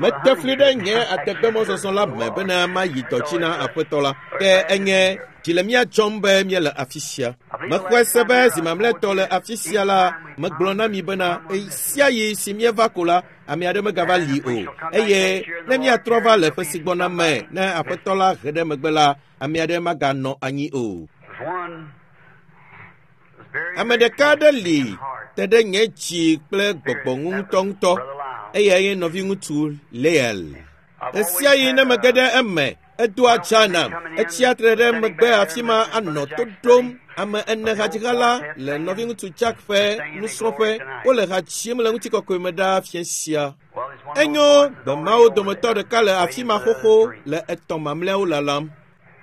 Mete fli ɖe nye ategbemɔzɔzɔ la me bena mayi dɔ dzi na aƒetɔ la. Ke enye dzi le mía dzɔm be míele afi sia. Mexɔe se be zi mamlɛtɔ le afi sia la, megblɔ na mi bena ɣe sia ɣi si míeva ko la, ame aɖe megava li o. Eye ne míatrɔ va le ƒe si gbɔna me, ne aƒetɔ la he ɖe megbe la, ame aɖe maganɔ anyi o. Ame ɖeka aɖe li te ɖe nye dzi kple gbɔgbɔ ŋu ŋutɔŋutɔ eyae nye nɔviŋutsu Leel. Ɣesiaɣi ne mege ɖe eme, edoa dza nam. Etsia tre ɖe megbe afi ma anɔ to ɖom. Ame ene hadziha la le nɔviŋutsu Jack ƒe nusrɔ̃ƒe. Wole ha dzim le ŋutikɔkɔe me ɖaa fiẽ sia. Enyo gbe mawo dometɔ ɖeka le afi ma xoxo le etɔ̃ mamlɛawo lalam.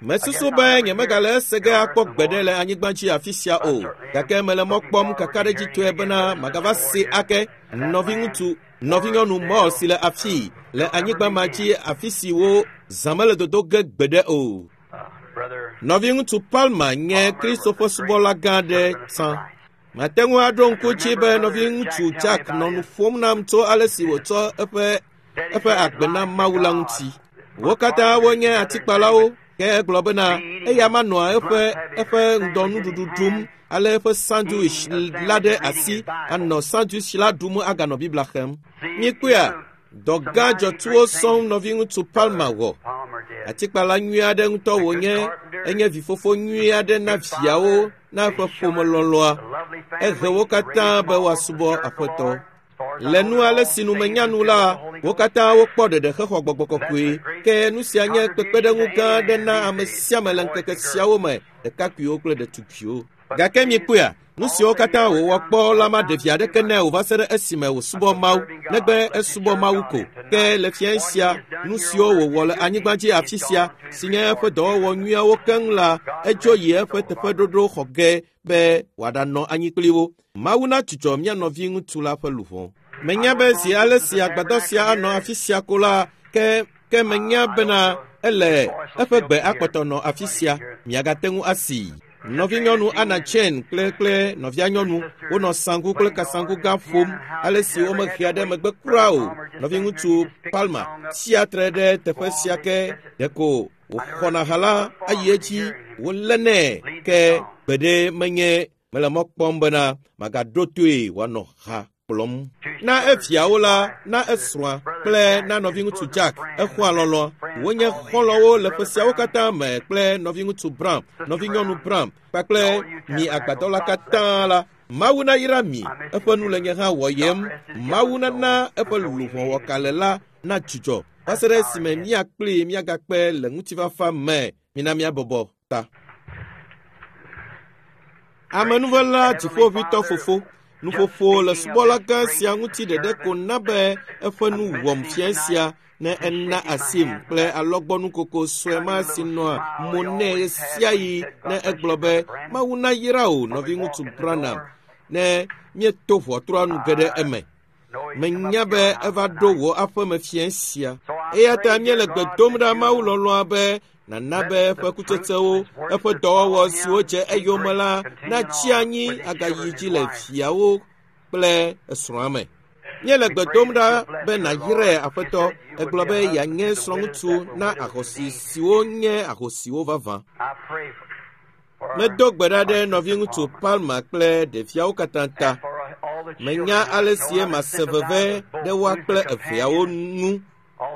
Mesusu be nyemegale ese ge akpɔ gbeɖe le anyigba dzi afi sia o, gake mele mɔ kpɔm kakaɖedzitɔe bena magava se ake nɔviŋutsu nɔvinyɔnu Mɔ si le afii le anyigba ma dzi afi si wo zã mele dodo ge gbeɖe o. Nɔviŋutsu Palmer nye Kristo ƒe subɔla gã aɖe tsã. Mate ŋu aɖo ŋku dzi be nɔviŋutsu Jack nɔ nu ƒom nam tso ale si wòtsɔ eƒe eƒe agbe na Mawu la ŋuti. Wo katã wonye atikpalawo ke egblɔ bena eya manɔa eƒe eƒe ŋdɔnuɖuɖu ɖum ale eƒe sandwich la ɖe asi anɔ sandwich la ɖum aganɔ Biblia xem. Mikpɔea, dɔ gã dzɔtsuwo sɔŋ nɔviŋutsu Palmer wɔ. Atikpala nyui aɖe ŋutɔ wònye, enye vifofo nyui aɖe na viawo na eƒe ƒome lɔlɔ̃a. Ehe wo katã be woasubɔ Aƒetɔ. Le nu ale si nu menya nu la, wo katã wokpɔ ɖeɖe hexɔ gbɔgbɔ kɔkɔe. Ke nu sia nye kpekpeɖeŋu gã aɖe na ame sia ame le ŋkeke siawo me, ɖekakpuiwo kple ɖetugbiwo. Gake mikpɔea, nu siwo katã wòwɔ kpɔ la maɖe vi aɖeke nɛ o va se ɖe esime wòsubɔ Mawu, negbe esubɔ Mawu ko. Ke le fiẽ sia, nu siwo wòwɔ le anyigba dzi afi sia, si nye eƒe dɔwɔwɔ nyuiawo keŋ la, edzo yi eƒe teƒeɖoɖo xɔ ge be wòaɖanɔ anyi kpli wo. Mawu na dzudzɔ mía nɔviŋutsu la ƒe luʋɔ. Menya be zi ale si agbadɔ sia anɔ afi sia ko la, ke ke menya bena ele eƒe gbe akpɔtɔ nɔ afi sia. Miagate ŋu asii. Nɔvinyɔnu Anna Chen kple kple nɔvia nyɔnu wonɔ sanku kple kasanku gã ƒom ale si womehea ɖe megbe kura o. Nɔviŋutsu Palmer tsia tre ɖe teƒe sia ke ɖeko wòxɔna ha la ayi edzi wolé nɛ ke gbeɖe menye mele mɔ kpɔm bena magaɖo toe wòanɔ ha kplɔm. Na eviawo la, na esrɔ̃a kple na nɔviŋutsu Jack exɔa lɔlɔ̃. Wonye xɔlɔ̃wo le ƒe siawo katã me kple nɔviŋutsu Brown, nɔvinyɔnu Brown kpakple mi agbadɔ la katã la. Mawu nayra mi, eƒe nu le nye hã wɔyem. Mawu nana eƒe luʋɔ wɔkale la na dzudzɔ va se ɖe esime mía kplii míagakpe le ŋutifafa me. Mina míabɔbɔ ta. Amenuvela dziƒoʋĩtɔ fofo, nuƒoƒo le subɔla gã sia ŋuti ɖeɖe ko na be eƒe nu wɔm fiẽ sia ne ena asim kple alɔgbɔnukoko sue ma si nɔa mo nɛ ɣesiaɣi ne egblɔ be Mawu nayra wò nɔviŋutsu Branham ne míeto ʋɔtrua nu ge ɖe eme. Menya be eva ɖo wò aƒeme fiẽ sia. Eya ta míele gbe dom ɖa Mawu lɔlɔ̃a be nana be eƒe kutsetsewo, eƒe dɔwɔwɔ siwo dze eyome la natsi anyi agayi dzi le viawo kple esrɔ̃a me. Míele gbe dom ɖa be nàyrae aƒetɔ. Egblɔ be yeanye srɔ̃ŋutsu na ahosi siwo nye ahosiwo vavã. Medo gbe ɖa ɖe nɔviŋutsu Palmer kple ɖeviawo katã ta. Menya ale si mase veve ɖe woa kple eveawo ŋu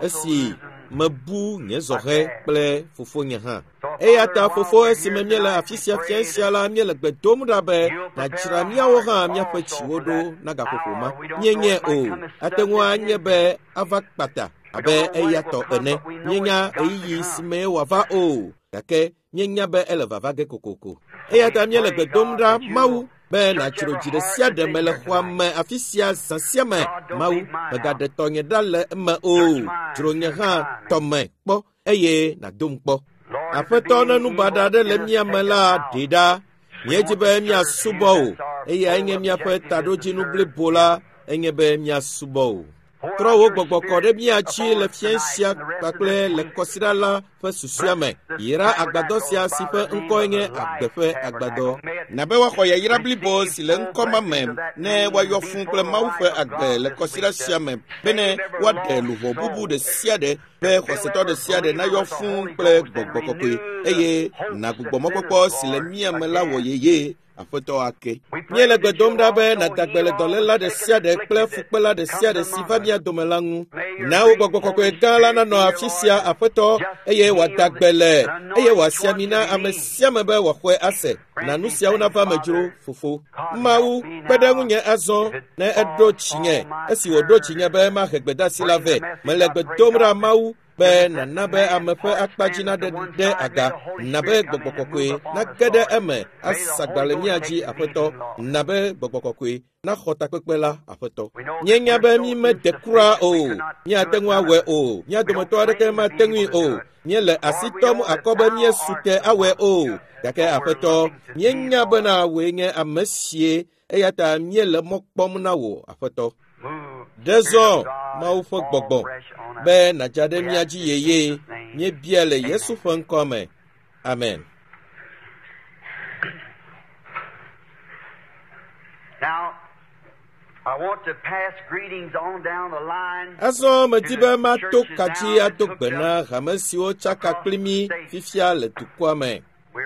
esi mebu nye zɔhɛ kple fofonye hã. Eya ta fofo esime míele afi sia fiẽ sia la míele gbe dom ɖa be nàdzra míawo hã míaƒe dziwo ɖo na gaƒoƒo ma. Míenyae o, ate ŋu anye be ava kpata abe eya tɔ ene. Míenya ɣeyiɣi si me wòava o, gake míenya be ele vava ge kokoko. Eya ta míele gbe dom ɖa Mawu be nàdzro dzi ɖe sia ɖe me le xɔa me afi sia zã sia me. Mawu, mègaɖe tɔnye ɖa le eme o. Dzro nye hã tɔme kpɔ eye nàdom kpɔ. Aƒetɔ ne nu baɖa aɖe le mía me la, ɖee ɖa. Míedzi be míasubɔ wò eyae nye míaƒe taɖodzinu blibo la enye be míasubɔ wò. Trɔ wò gbɔgbɔ kɔ ɖe mía dzi le fiẽ sia kpakple le kɔsiɖa la ƒe susua me. Yra agbadɔ sia si ƒe ŋkɔe nye agbe ƒe agbadɔ. Na be woaxɔ yayra blibo si le ŋkɔ ma me ne woayɔ fũu kple Mawu ƒe agbe le kɔsiɖa sia me bene woaɖe luʋɔ bubu ɖe sia ɖe be xɔsetɔ ɖe sia ɖe nayɔ fũu kple gbɔgbɔ kɔkɔe eye nagbugbɔ mɔkpɔkpɔ si le mía me la wɔ yeye. Aƒetɔ ake. Míele gbe dom ɖa be nàda gbe le dɔléla ɖe sia ɖe kple fukpela ɖe sia ɖe si va mía dome la ŋu. Na wò gbɔgbɔ kɔkɔe gã la nanɔ afi sia, Aƒetɔ, eye wòada gbe le, eye wòasi ami na ame sia ame be wòaxɔe ase. Na nu siawo nava me dzro, Fofo. Mawu, kpe ɖe ŋunye azɔ ne eɖo dzinye, esi wòɖo dzinye be mahe gbedeasi la vɛ. Mele gbe dom ɖa, Mawu, be nana be ame ƒe akpa dzi naɖe ɖe aga, na be gbɔgbɔ kɔkɔe nage ɖe eme asagba le mía dzi, Aƒetɔ, na be gbɔgbɔ kɔkɔe naxɔ takpekpe la, Aƒetɔ. Míenya be mí mede kura o, míate ŋu awɔe o, mía dometɔ aɖeke mate ŋui o, míele asi tɔm akɔ be míesu te awɔe o, gake Aƒetɔ, míenya bena wòe nye ame sie, eya ta míele mɔ kpɔm na wò, Aƒetɔ. Ɖe zɔ Mawu ƒe gbɔgbɔ be nàdza ɖe mía dzi yeye. Míebia le Yesu ƒe ŋkɔ me. Amen. Now, I want to pass greetings on down the line. Azɔ medi be mato ka dzi ado gbe na hame siwo tsaka kpli mí fifia le dukɔa me.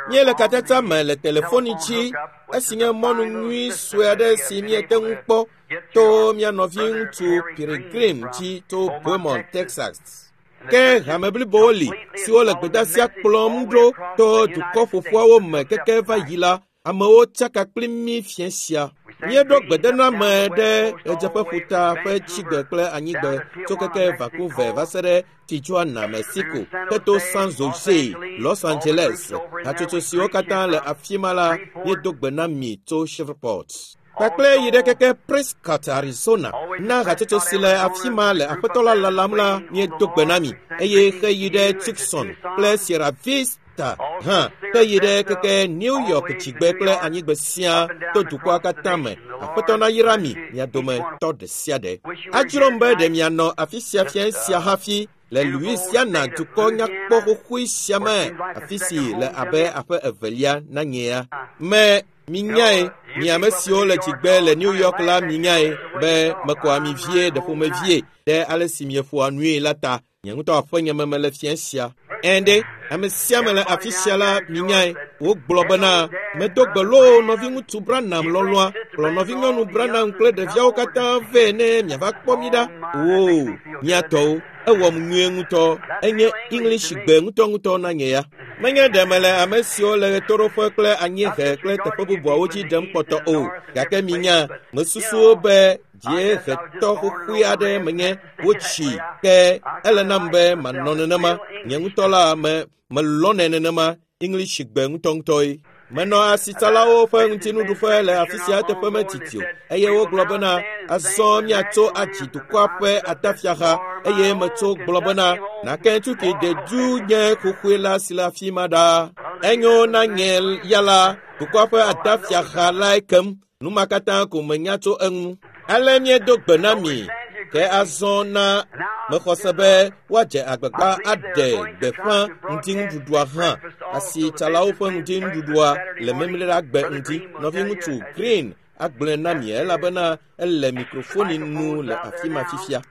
Míele katata me le telefoni dzi esi nye mɔnu nyui sue aɖe si míete ŋu kpɔ to mía nɔviŋutsu Peregrine dzi to Beaumont, Texas. Ke hame blibowo li siwo le gbedeasia kplɔm ɖo to dukɔ ƒoƒuawo me keke va yi la, amewo tsaka kpli mí fiẽ sia. Míeɖo gbedename ɖe ɣedzeƒeƒuta ƒe tsigbe kple anyigbe tso keke Vancouver va se ɖe Tijuana, Mexico, heto San Jose, Los Angeles. Hatsotso siwo katã le afi ma la, míedo gbe na mi tso Shreveport. Kpakple yi ɖe keke Prescott, Arizona. Na hatsotso si le afi ma le aƒetɔ la lalam la, míedo gbe na mi eye heyi ɖe Tucson kple Sierra Vista hã, heyi ɖe keke New York dzigbe kple anyigbe sia to dukɔa katã me. Aƒetɔ nayra mi, mia dometɔ ɖe sia ɖe. Adzrom be ɖe mianɔ afi sia fiẽ sia hafi le Louisiana dukɔ nyakpɔ xoxoe sia me, afi si le abe aƒe evelia na nyea. Me minyae, mi ame siwo le dzigbe le New York la minyae be mekɔ ami vie ɖe ƒomevie ɖe ale si mieƒoa nui la ta. Nye ŋutɔ aƒenye me mele fiẽ sia. Ɛ̃ ɖe, ame sia ame le afi sia la minyae. Wogblɔ bena, medo gbe loo nɔviŋutsu Branham lɔlɔ̃a, kplɔ nɔvinyɔnu Branham kple ɖeviawo katã vɛ ne miava kpɔ mí ɖa. Oo, mía tɔwo, ewɔm nyuie ŋutɔ. Enye English gbe ŋutɔŋutɔ na nye ya. Menye ɖe mele ame siwo le ɣetoɖoƒe kple anyiehe kple teƒe bubuawo dzi ɖem kpɔtɔ o, gake minya, mesusuwo be dziehetɔ xoxoe aɖe menye wotsi ke ele nam be manɔ nenema. Nye ŋutɔ la me melɔnɛ nenema English gbe ŋutɔŋutɔe. Menɔ asitsalawo ƒe ŋutinuɖuƒe le afi sia teƒe metiti o eye wogblɔ bena azɔ míatso atsi dukɔa ƒe atafiaxa eye metso gblɔ bena Nakentuki dedu nye xoxoe la si le afi ma ɖaa. Enyo na nye ya la dukɔa ƒe atafiaxa lae kem. Nu ma katã ko menya tso eŋu. Ale míedo gbe na mi ke azɔ na mexɔ se be woadze agbagba aɖe gbeƒã ŋutinuɖuɖua hã. Asitsalawo ƒe ŋutinuɖuɖua le Memleɖagbe ŋdi. Nɔviŋutsu Green agblɔe na mi elabena ele mikrofoni nu le afi ma fifia.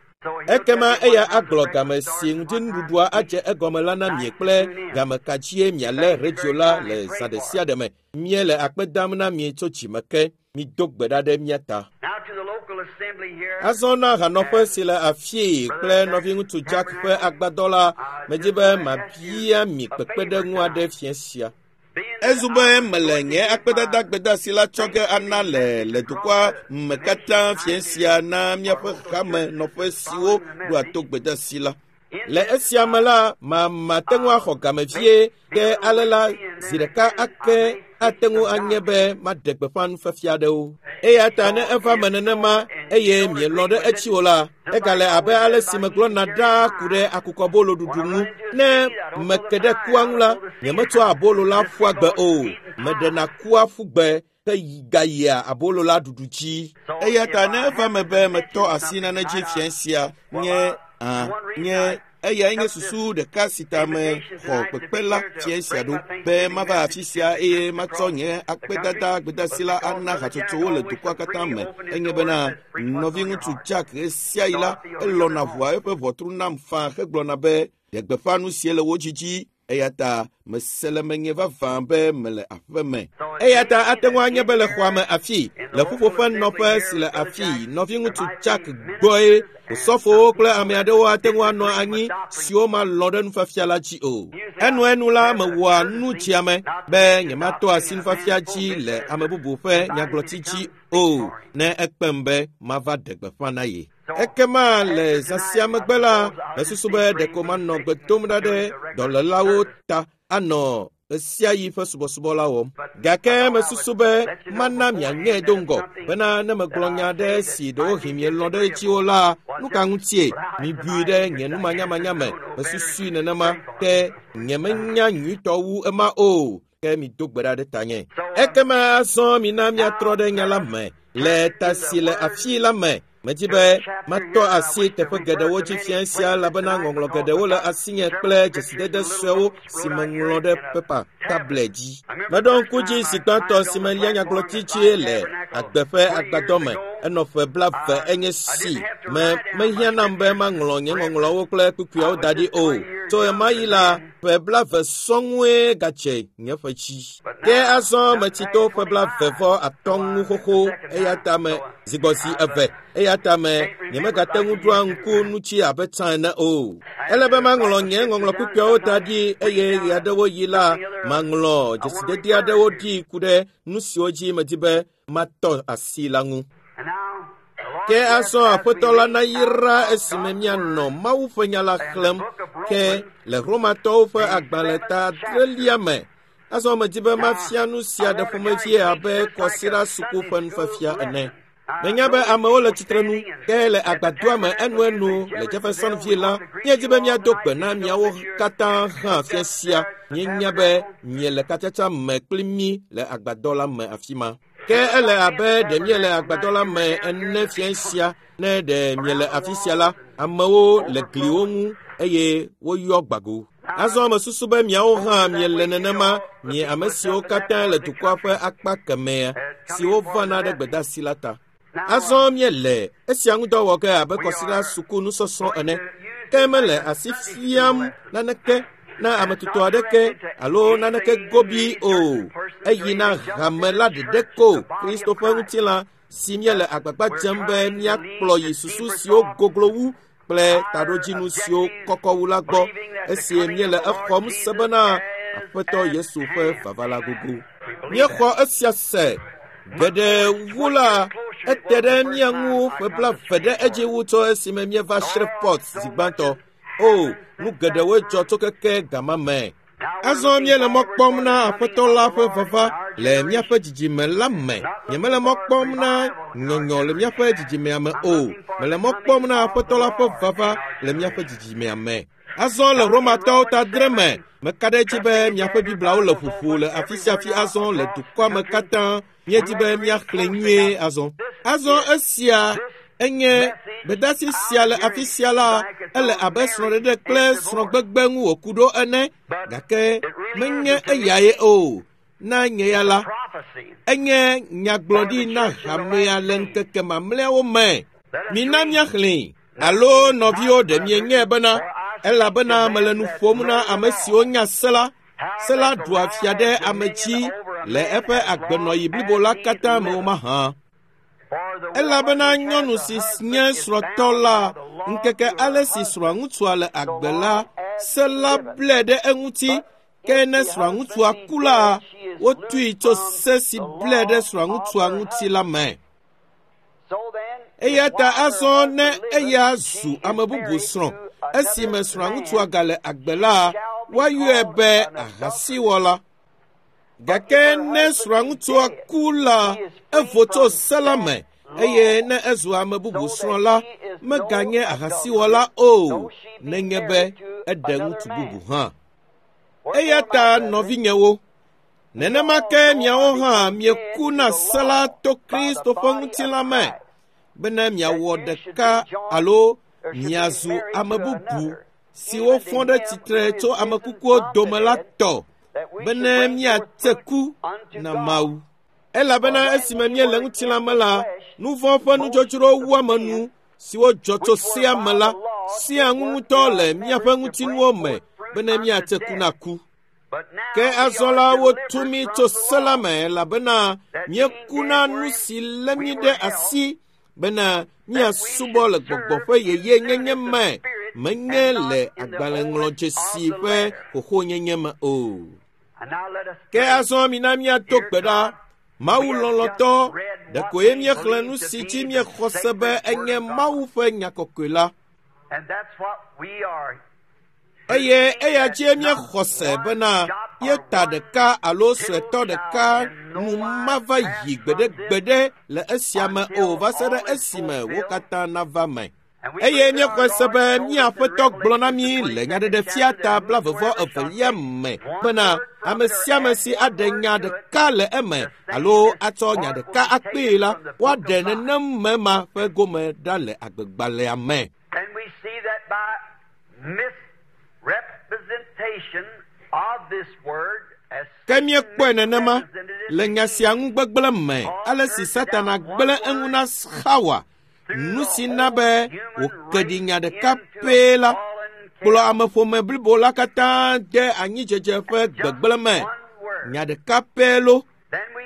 Ekema eya agblɔ game si ŋutinuɖuɖua adze egɔme la na mi kple game ka dzie mialé redio la le zã ɖe sia ɖe me. Míele akpe dam na mi tso dzime ke. Mido gbe ɖa ɖe mía ta. Now to the local assembly here. Azɔ na hanɔƒe si le afii kple nɔviŋutsu Jack ƒe agbadɔ la, medi be mabia mi kpekpeɖeŋu aɖe fiẽ sia. Ezu be mele nye akpedada gbedeasi la tsɔ ge ana le le dukɔa me katã fiẽ sia na míaƒe hame nɔƒe siwo ɖoa to gbedeasi la. Le esia me la, mate ŋu axɔ game vie ke ale la zi ɖeka ake ate ŋu anye be maɖe gbeƒã nufiafia aɖewo. Eya ta ne eva me nenema eye mielɔ̃ ɖe etsi o la, egale abe ale si megblɔna ɖaa ku ɖe akukɔbolo ɖuɖu ŋu. Ne meke ɖe kua ŋu la, nyemetsɔa abolo la ƒua gbe o. Meɖena kua ƒu gbe. Ke gayia abolo la ɖuɖu dzi. Eya ta ne eva me be metɔ asi nane dzi fia sia nye nye eyae nye susu ɖeka si ta me xɔ kpekpe la fia sia ɖo be mava afi sia eye matsɔ nye akpedada gbedasi la ana hatsotsowo le dukɔa katã me. Enye bena nɔviŋutsu Jack ɣesiaɣi la elɔna ʋua eƒe ʋɔtru nam faa hegblɔna be ɖe gbeƒã nu sie le wo dzidzi. Eya ta mese le menye vavã be mele aƒe me. Eya ta ate ŋu anye be le xɔa me afi, le ƒuƒoƒe nɔƒe si le afi, nɔviŋutsu Jack gbɔe osɔfowo kple ame aɖewo ate ŋu anɔ anyi siwo malɔ̃ ɖe nufiafia la dzi o. Enuenu la mewɔa nu tsiame be nyematɔ asi nufiafia dzi le ame bubu ƒe nyagblɔti dzi o ne ekpem be mava ɖe gbeƒã na ye. Ekema le zã sia megbe la, mesusu be ɖeko manɔ gbe dom ɖa ɖe dɔlélawo ta anɔ ɣesiaɣi ƒe subɔsubɔ la wɔm. Gake mesusu be mana mianyae do ŋgɔ bena ne megblɔ nya aɖe si ɖewohĩ mielɔ̃ ɖe edzi o la, nu ka ŋutie mibui ɖe nye numanyamanya me? Mesusui nenema ke nyemenya nyuitɔ wu ema o. Ke mido gbe ɖa ɖe tanye. Ekema azɔ mina miatrɔ ɖe nya la me le ta si le afi la me. Medzi be matɔ asi teƒe geɖewo dzi fia sia elabena ŋɔŋlɔ geɖewo le asinye kple dzesidede suewo si meŋlɔ ɖe pepa tablet dzi. Meɖo ŋku dzi zi gbãtɔ si melia nyagblɔti dzi le agbe ƒe agbadɔ me. Enɔ ƒe 20 enye si me mehiã nam be maŋlɔ nye ŋɔŋlɔwo kple kpukpuiawo da ɖi o. Tso ɣemaɣi la, ƒe 20 sɔŋue gatse nye ƒe dzi. Ke azɔ metsi to ƒe 23 ŋu xoxo eya ta me zigbɔzi 2. Eya ta me nyemegate ŋu ɖoa ŋku nutsi abe tsã ene o. Ele be maŋlɔ nye ŋɔŋlɔ kpukpuiawo da ɖi eye ɣeaɖewoɣi la maŋlɔ dzesidede aɖewo ɖi ku ɖe nu siwo dzi medi be matɔ asi la ŋu. Ke azɔ Aƒetɔ la nayra esime mianɔ Mawu ƒe nya la xlẽm ke le Romatɔwo ƒe agbalẽ ta 8 me. Azɔ medi be mafia nu sia ɖe ƒomevie abe kɔsiɖa suku ƒe nufiafia ene. Menya be amewo le tsitrenu ke le agbadɔa me enuenu le Jeffersonville la, míedi be míado gbe na miawo katã hã fia sia. Míenya be miele katsatsa me kpli mí le agbadɔ la me afi ma. Ke ele abe ɖe míele agbadɔ la me ene fia sia ne ɖe miele afi sia la, amewo le gliwo ŋu eye woyɔ gbago. Azɔ mesusu be miawo hã miele nenema, mie ame siwo katã le dukɔa ƒe akpa kemɛa siwo vana ɖe gbedeasi la ta. Azɔ míele esia ŋu dɔ wɔ ge abe kɔsiɖa suku nusɔsrɔ̃ ene. Ke mele asi fiam naneke na ame tutɔ aɖeke alo naneke gobi o. Eyi na hame la ɖeɖe ko, Kristo ƒe ŋutilã si míele agbagba dzem be míakplɔ yi susu siwo goglo wu kple taɖodzinu siwo kɔkɔ wu la gbɔ esi míele exɔm se bena Aƒetɔ Yesu ƒe vava la gogo. Míexɔ esia se. Geɖe wu la, ete ɖe mía ŋu ƒe 20 ɖe edzi wu tso esime míeva Shreveport zi gbãtɔ. O, nu geɖewoe dzɔ tso keke gama me. Azɔ míele mɔ kpɔm na Aƒetɔ la ƒe vava le míaƒe dzidzime la me. Nyemele mɔ kpɔm na nyɔnyɔ le míaƒe dzidzimea me o. Mele mɔ kpɔm na Aƒetɔ la ƒe vava le míaƒe dzidzimea me. Azɔ le Romatɔwo ta 7 me, meka ɖe edzi be miaƒe Bibliawo le ƒoƒo le afi sia afi azɔ le dukɔa me katã. Míedi be míaxlẽ nyuie azɔ. Azɔ esia enye gbedeasi sia le afi sia la, ele abe srɔ̃ɖeɖe kple srɔ̃gbegbe ŋu wòku ɖo ene, gake menye eyae o. Na nye ya la, enye nyagblɔɖi na hamea le ŋkeke mamlɛawo me. Mina míaxlẽe. Alo nɔviwo ɖe mienyae bena, elabena mele nu ƒom na ame siwo nya se la, se la ɖua fia ɖe ame dzi le eƒe agbenɔɣi blibo la katã me o mahã. Elabena nyɔnu si nye srɔ̃tɔ la, ŋkeke ale si srɔ̃ŋutsua le agbe la, se la blɛ ɖe eŋuti. Ke ne srɔ̃ŋutsua ku la, wotui tso se si blɛ ɖe srɔ̃ŋutsua ŋuti la me. Eya ta azɔ ne eya zu ame bubu srɔ̃, esime srɔ̃ŋutsua gale agbe la, woayɔe be ahasiwɔla. Gake ne srɔ̃ŋutsua ku la, evo tso se la me, eye ne ezu ame bubu srɔ̃ la, meganye ahasiwɔla o, nenye be eɖe ŋutsu bubu hã. Eya ta nɔvinyewo, Nenema ke miawo hã mieku na se la to Kristo ƒe ŋutilã me bene miawɔ ɖeka alo miazu ame bubu siwo fɔ ɖe tsitre tso ame kukuwo dome la tɔ bene miatse ku na Mawu. Elabena esime míele ŋutilã me la, nu vɔ̃ ƒe nudzodzro wuame nu siwo dzɔ tso sea me la sia ŋu ŋutɔ le míaƒe ŋutinuwo me bene míatse ku na ku. Ke azɔ la wotu mí tso se la me elabena míeku na nu si lé mí ɖe asi bena míasubɔ le gbɔgbɔ ƒe yeyenyenye me, menye le agbalẽŋlɔdzesi ƒe xoxonyenye me o. Ke azɔ mina míato gbe ɖa. Mawu lɔlɔ̃tɔ, ɖekoe míexlẽ nu si dzi míexɔ se be enye Mawu ƒe nya kɔkɔe la. Eye eya dzie míexɔ se bena yeta ɖeka alo suetɔ ɖeka nu mava yi gbeɖegbeɖe le esia me o va se ɖe esime wo katã nava me. Eye míexɔe se be mía Aƒetɔ gblɔ na mí le nyaɖeɖefia ta 22 me bena ame sia ame si aɖe nya ɖeka le eme alo atsɔ nya ɖeka akpee la, woaɖe nenem me ma ƒe gome ɖa le agbegbalẽa me. And we see that by misrepresentation of this word as Ke míekpɔe nenema le nya sia ŋu gbegblẽ me ale si Satana gblẽ eŋu na Xawa, nu si na be wòke ɖi nya ɖeka pɛ la, kplɔ ameƒome blibo la katã de anyidzedze ƒe gbegblẽ me. Nya ɖeka pɛ lo. Then we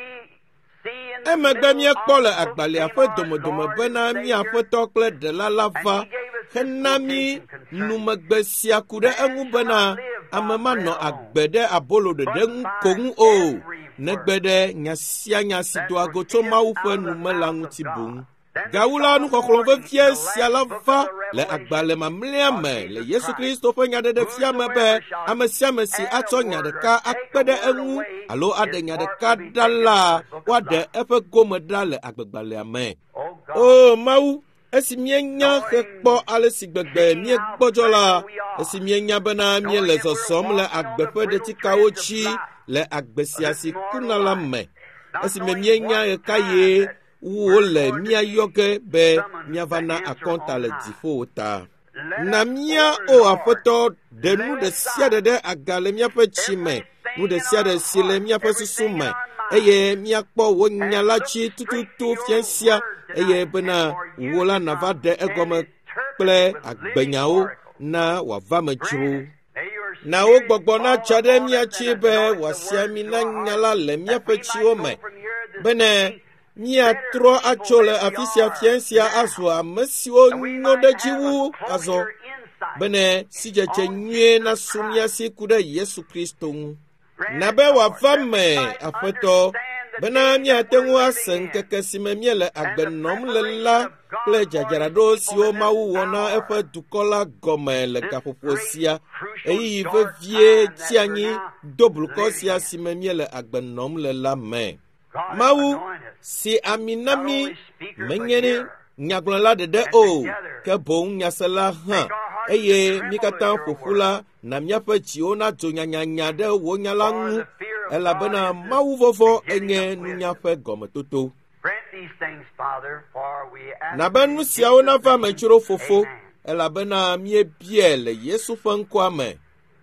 see in the Emegbe middle míekpɔ le of the book agbalẽa came ƒe our domedome Lord bena and mía Savior, Aƒetɔ kple Ɖela la and va he gave us this hena mí quotation concerning numegbe sia ku ɖe Man eŋu shall bena not live by ame manɔ bread alone, agbe ɖe abolo ɖeɖe but ŋu by ko ŋu o, every negbe word ɖe nya sia nya si that doa go tso proceedeth Mawu ƒe out of the nu me la mouth of ŋuti boŋ. God. Then we Gawu la saw the nuxɔxlɔ̃ warning in vevie the sia la last book va of the le Revelation agbalẽ mamlɛa of me le Jesus Yesu Christ. Kristo ƒe nyaɖeɖefia me be Whosoever shall ame sia ame si add a atsɔ nya word or ɖeka take akpe a ɖe word eŋu away, alo aɖe his nya part ɖeka will be ɖa taken la, out of the book of woaɖe life. eƒe gome ɖa le agbegbalẽa me. O God, O Mawu, esi míenya hekpɔ knowing, ale si gbegbe seeing how míegbɔdzɔ la, frail we are, esi míenya bena knowing míele that we're zɔzɔm le walking on agbe the ƒe brittle ɖetikawo treads of dzi life, le agbe of sia this si mortal kuna la life, me, not esime knowing míenya what ɣekaɣie time that wole we're going to míayɔ be ge be summoned míava to na answer akɔnta on le high. dziƒo ta. Let Na us, mía O o Lord, Aƒetɔ, ɖe nu lay ɖe sia ɖe aside ɖe aga le míaƒe tsi me, nu everything ɖe in sia ɖe our si le heart, míaƒe susu everything in me, our mind, eye míakpɔ wò nya and la look dzi straight to tututu your fia sia, word eye tonight and bena for you wò la to nàva come ɖe and egɔme interpret kple it with living agbenyawo oracles. na wòava me Grant dzro. it. May your Na wò Spirit gbɔgbɔ fall natsa ɖe upon mía us dzi and be anoint the wòasi word ami to na our nya hearts, la le that míaƒe we might tsiwo go me, from here this bene evening míatrɔ better people atso le than we afi sia are fia sia now, azu ame siwo that we nyo might ɖe dzi have a wu azɔ closer insight bene sidzedze on nyuie Jesus nasu mía Christ. si ku ɖe Yesu Kristo ŋu. Grant Na it, be Lord, wòava that we me, might Aƒetɔ, understand the bena day that míate we're ŋu ase living in ŋkeke si me míele and agbe the nɔm le preparation la of kple God for His dzadzraɖo people siwo in this Mawu wɔ na hour, eƒe dukɔ la gɔme le this gaƒoƒo great sia, crucial ɣeyiɣi dark vevie time tsi that we're anyi now do blukɔ living sia in. si me míele agbe nɔm le la me. God, Mawu anoint us, si ami na not mí only speaker but menye hearer, nyagblɔla ɖeɖe and o, together ke boŋ nyasela hã. make our hearts to Eye mí tremble at katã your ƒo ƒu word. la, na míaƒe dziwo nadzo nyanyanya ɖe wò nya la For ŋu, the fear of God elabena is the Mawu vɔvɔ̃ beginning enye of nunya wisdom. ƒe gɔmetoto. Grant these things, Father, for we ask Na be it nu in siawo Jesus' nava me name. dzro fofo, Amen. elabena míebiae le Yesu ƒe ŋkɔa me.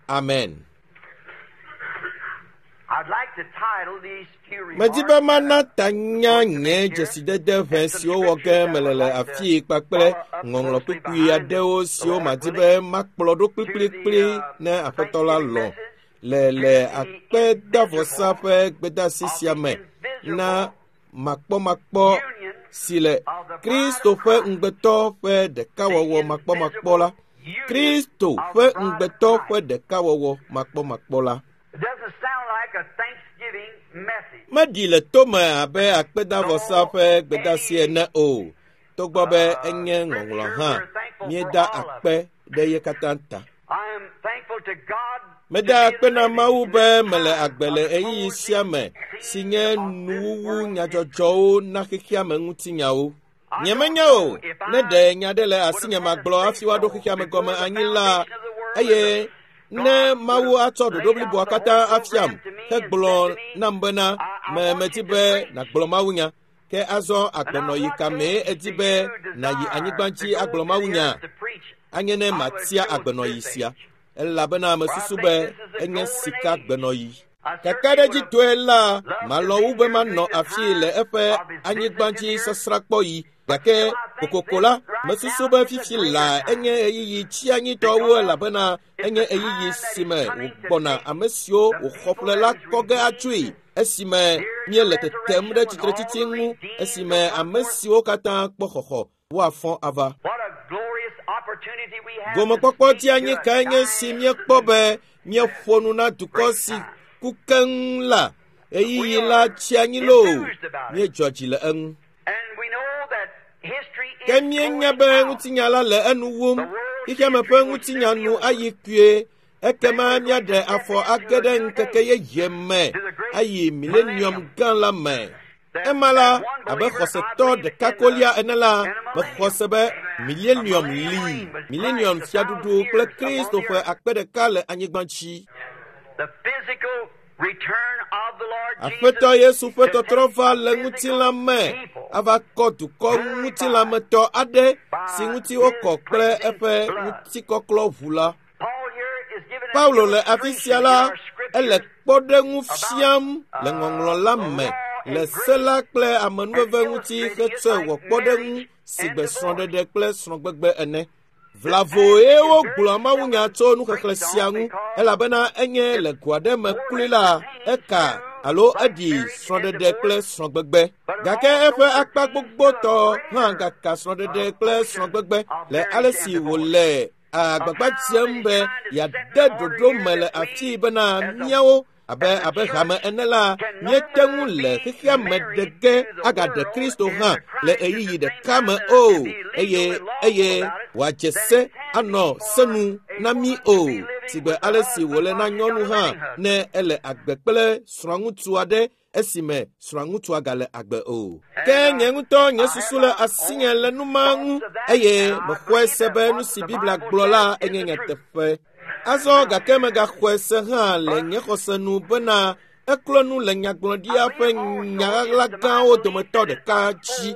Amen. I'd like to title these few Medi remarks be that mana I'm tanya going to nye make here dzesidede ʋɛ and some siwo wɔ ge scriptures that I mele would le like to afii kpakple follow up ŋɔŋlɔ closely kpukpui behind the, aɖewo the siwo Lord madi willing, be makplɔ ɖo to the kplikplikpli ne Aƒetɔ la Thanksgiving lɔ̃ message, le to le the akpedavɔsa invisible ƒe gbedeasi of sia the me na invisible makpɔmakpɔ union si le of the bride Kristo of ƒe Christ. ŋugbetɔ ƒe The ɖekawɔwɔ makpɔmakpɔ la. invisible union Kristo of ƒe the bride of ŋugbetɔ ƒe Christ. ɖekawɔwɔ makpɔmakpɔ la. It doesn't sound like a Thanksgiving message, Meɖi le tome abe akpedavɔsa though ƒe gbedeasi any ene o, togbɔ be enye ŋɔŋlɔ scripture hã, we're thankful for míeda all of akpe it. ɖe ye katã ta. I am thankful to God to Meda be akpe na living Mawu in be this mele time agbe of le the ɣeyiɣi sia closing me si scene nye of this nuwuwu world history. nyadzɔdzɔwo na xexeame ŋutinyawo. I don't Nyemenya o, know if ne I ɖe nya ɖe le would asinye have had a magblɔ hafi woaɖo say-so xexeame gɔme before the anyi la, foundation of the world and eye the Ne Mawu atsɔ ɖoɖo bliboa katã afiam hegblɔ nam bena me medi be nàgblɔ mawunya. Ke azɔ agbenɔyi ka mee edi be nàyi anyigba dzi agblɔ mawunya? Anye ne matia agbenɔyi sia, elabena mesusu be enye sika gbenɔyi. Kakaɖedzitɔe la, malɔ̃ wu be manɔ afii le eƒe anyigbadzi sasrãkpɔɣi. Gake kokoko la, mesusu be fifi laa enye ɣeyiɣi tsianyitɔ wu elabena enye ɣeyiɣi si me wògbɔna ame siwo wòxɔ ƒle la kɔ ge atsoe esime míele tetem ɖe tsitretsitsi ŋu, esime ame siwo katã kpɔ xɔxɔ woafɔ ava. What a glorious opportunity we have Gomekpɔkpɔ to speak dzianyi to a kae nye si dying míekpɔ be míeƒo nu na dukɔ si ku keŋ la. Ɣeyiɣi la tsi anyi loo, míedzɔ dzi le eŋu. And we know that history is Ke míenya going be out. ŋutinya la le enu wum. Xexeame ƒe ŋutinya nu ayi kpuie. Ekema míaɖe afɔ age ɖe ŋkeke yeye me ayi milenium gã la me. Ema la, abe xɔsetɔ ɖeka kolia ene la, mexɔ se be milenium li, milenium fiaɖuɖu kple Kristo ƒe akpe ɖeka le anyigba dzi. The physical return of the Lord Aƒetɔ Jesus Yesu ƒe tɔtrɔ va le ŋutilã me ava kɔ dukɔ ŋutilãmetɔ aɖe si ŋuti wokɔ kple eƒe ŋutikɔklɔ ʋu la. Paul here is giving an Paulo le afi sia la, illustration in our scriptures ele kpɔɖeŋu fiam le ŋɔŋlɔ la me le se la kple amenuveve ŋuti hetsɔe wɔ kpɔɖeŋu si gbe srɔ̃ɖeɖe kple srɔ̃gbegbe ene. Vlavoe wogblɔa mawunya tso nuxexlẽ sia ŋu elabena enye le go aɖe me kloe la, eka alo eɖi srɔ̃ɖeɖe kple srɔ̃gbegbe. Gake eƒe akpa gbogbotɔ hã gaka srɔ̃ɖeɖe kple srɔ̃gbegbe le ale si wòle agbagba dzem be yeade ɖoɖo me le afii bena míawo abe abe hame ene la, míete ŋu le xexea me ɖe ge agaɖe Kristo hã le ɣeyiɣi ɖeka me o, eye eye wòadze se anɔ senu na mí o, sigbe ale si wòle na nyɔnu hã ne ele agbe kple srɔ̃ŋutsu aɖe esime srɔ̃ŋutsua gale agbe o. Ke nye ŋutɔ nye susu le asinye le nu ma ŋu eye mexɔe se be nu si Biblia gblɔ la enye nyateƒe. Azɔ gake megaxɔe se hã le nye xɔse nu bena eklɔ nu le nyagblɔɖia ƒe nya ɣaɣla gãwo dometɔ ɖeka dzi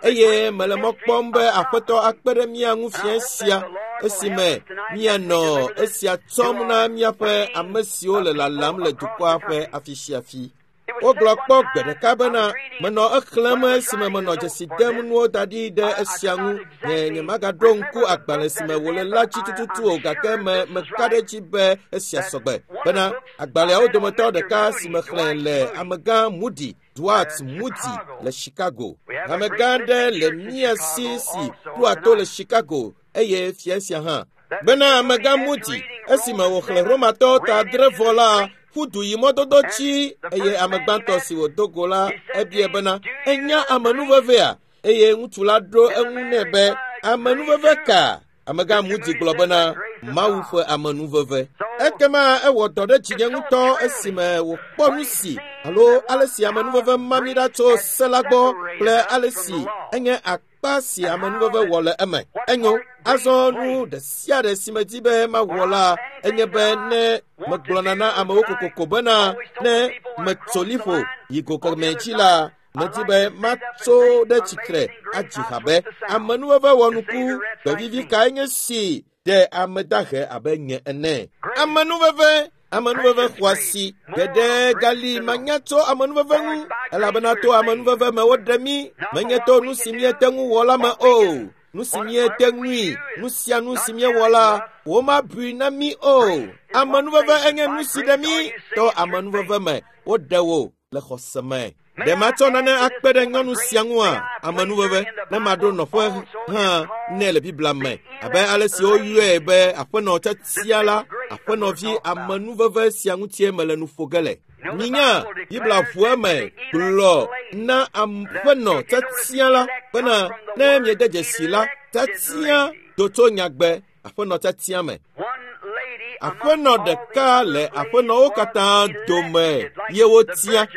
eye mele mɔ kpɔm be Aƒetɔ akpe ɖe mía ŋu fiẽ sia esime míanɔ esia tsɔm na míaƒe ame siwo le lalam le dukɔa ƒe afi sia afi. Wogblɔ kpɔ gbe ɖeka bena menɔ exlẽm esime menɔ dzesi dem nuwo da ɖi ɖe esia ŋu. Nye nyemagaɖo ŋku agbalẽ si me wòle la dzi tututu o gake me meka ɖe edzi be esia sɔgbe bena agbalẽawo dometɔ ɖeka si mexlẽ le amegã Moody, Dwight Moody le Chicago. Amegã aɖe le mía si si ɖoa to le Chicago eye fia sia hã. Bena amegã Moody esime wòxlẽ Romatɔwo ta adre vɔ la, ƒu du yi mɔdodo dzi eye ame gbãtɔ si wòdo go la ebia bena enya amenuvevea eye ŋutsu la ɖo eŋu nɛ be amenuveve ka? Amegã Moody gblɔ bena Mawu ƒe amenuveve. Ekema ewɔ dɔ ɖe dzinye ŋutɔ esime wòkpɔ nu si alo ale si amenuveve ma mí ɖa tso se la gbɔ kple ale si enye akpa si amenuveve wɔ le eme. Enyo, azɔ nu ɖe sia ɖe si medi be mawɔ la enye be ne megblɔna na amewo kokoko bena ne metso liƒo yi go kemɛ dzi la, medi be matso ɖe tsitre adzi ha be amenuveve wɔnuku gbevivi kae nye si ɖe ame dahe abe nye ene. Amenuveve amenuveve xɔ asi geɖe gali manya tso amenuveve ŋu elabena to amenuveve me woɖe mí menye to nu si míete ŋu wɔ la me o. Nu si míete ŋui, nu sia nu si míewɔ la, womabui na mí o. Amenuveve enye nu si ɖe mí to amenuveve me woɖe wò le xɔse me. Ɖe matsɔ nane akpe ɖe nyɔnu sia ŋua? Amenuveve ne maɖo nɔƒe hã nɛ le Biblia me abe ale si woyɔe be aƒenɔ tiatia la, aƒenɔvi amenuveve sia ŋutie mele nu ƒo ge le. Minya Biblia ʋu eme gblɔ na aƒenɔ tiatia la bena ne miede dzesi la, tiatia do tso nyagbe aƒenɔ tiatia me. Aƒenɔ ɖeka le aƒenɔwo katã dome ye wotia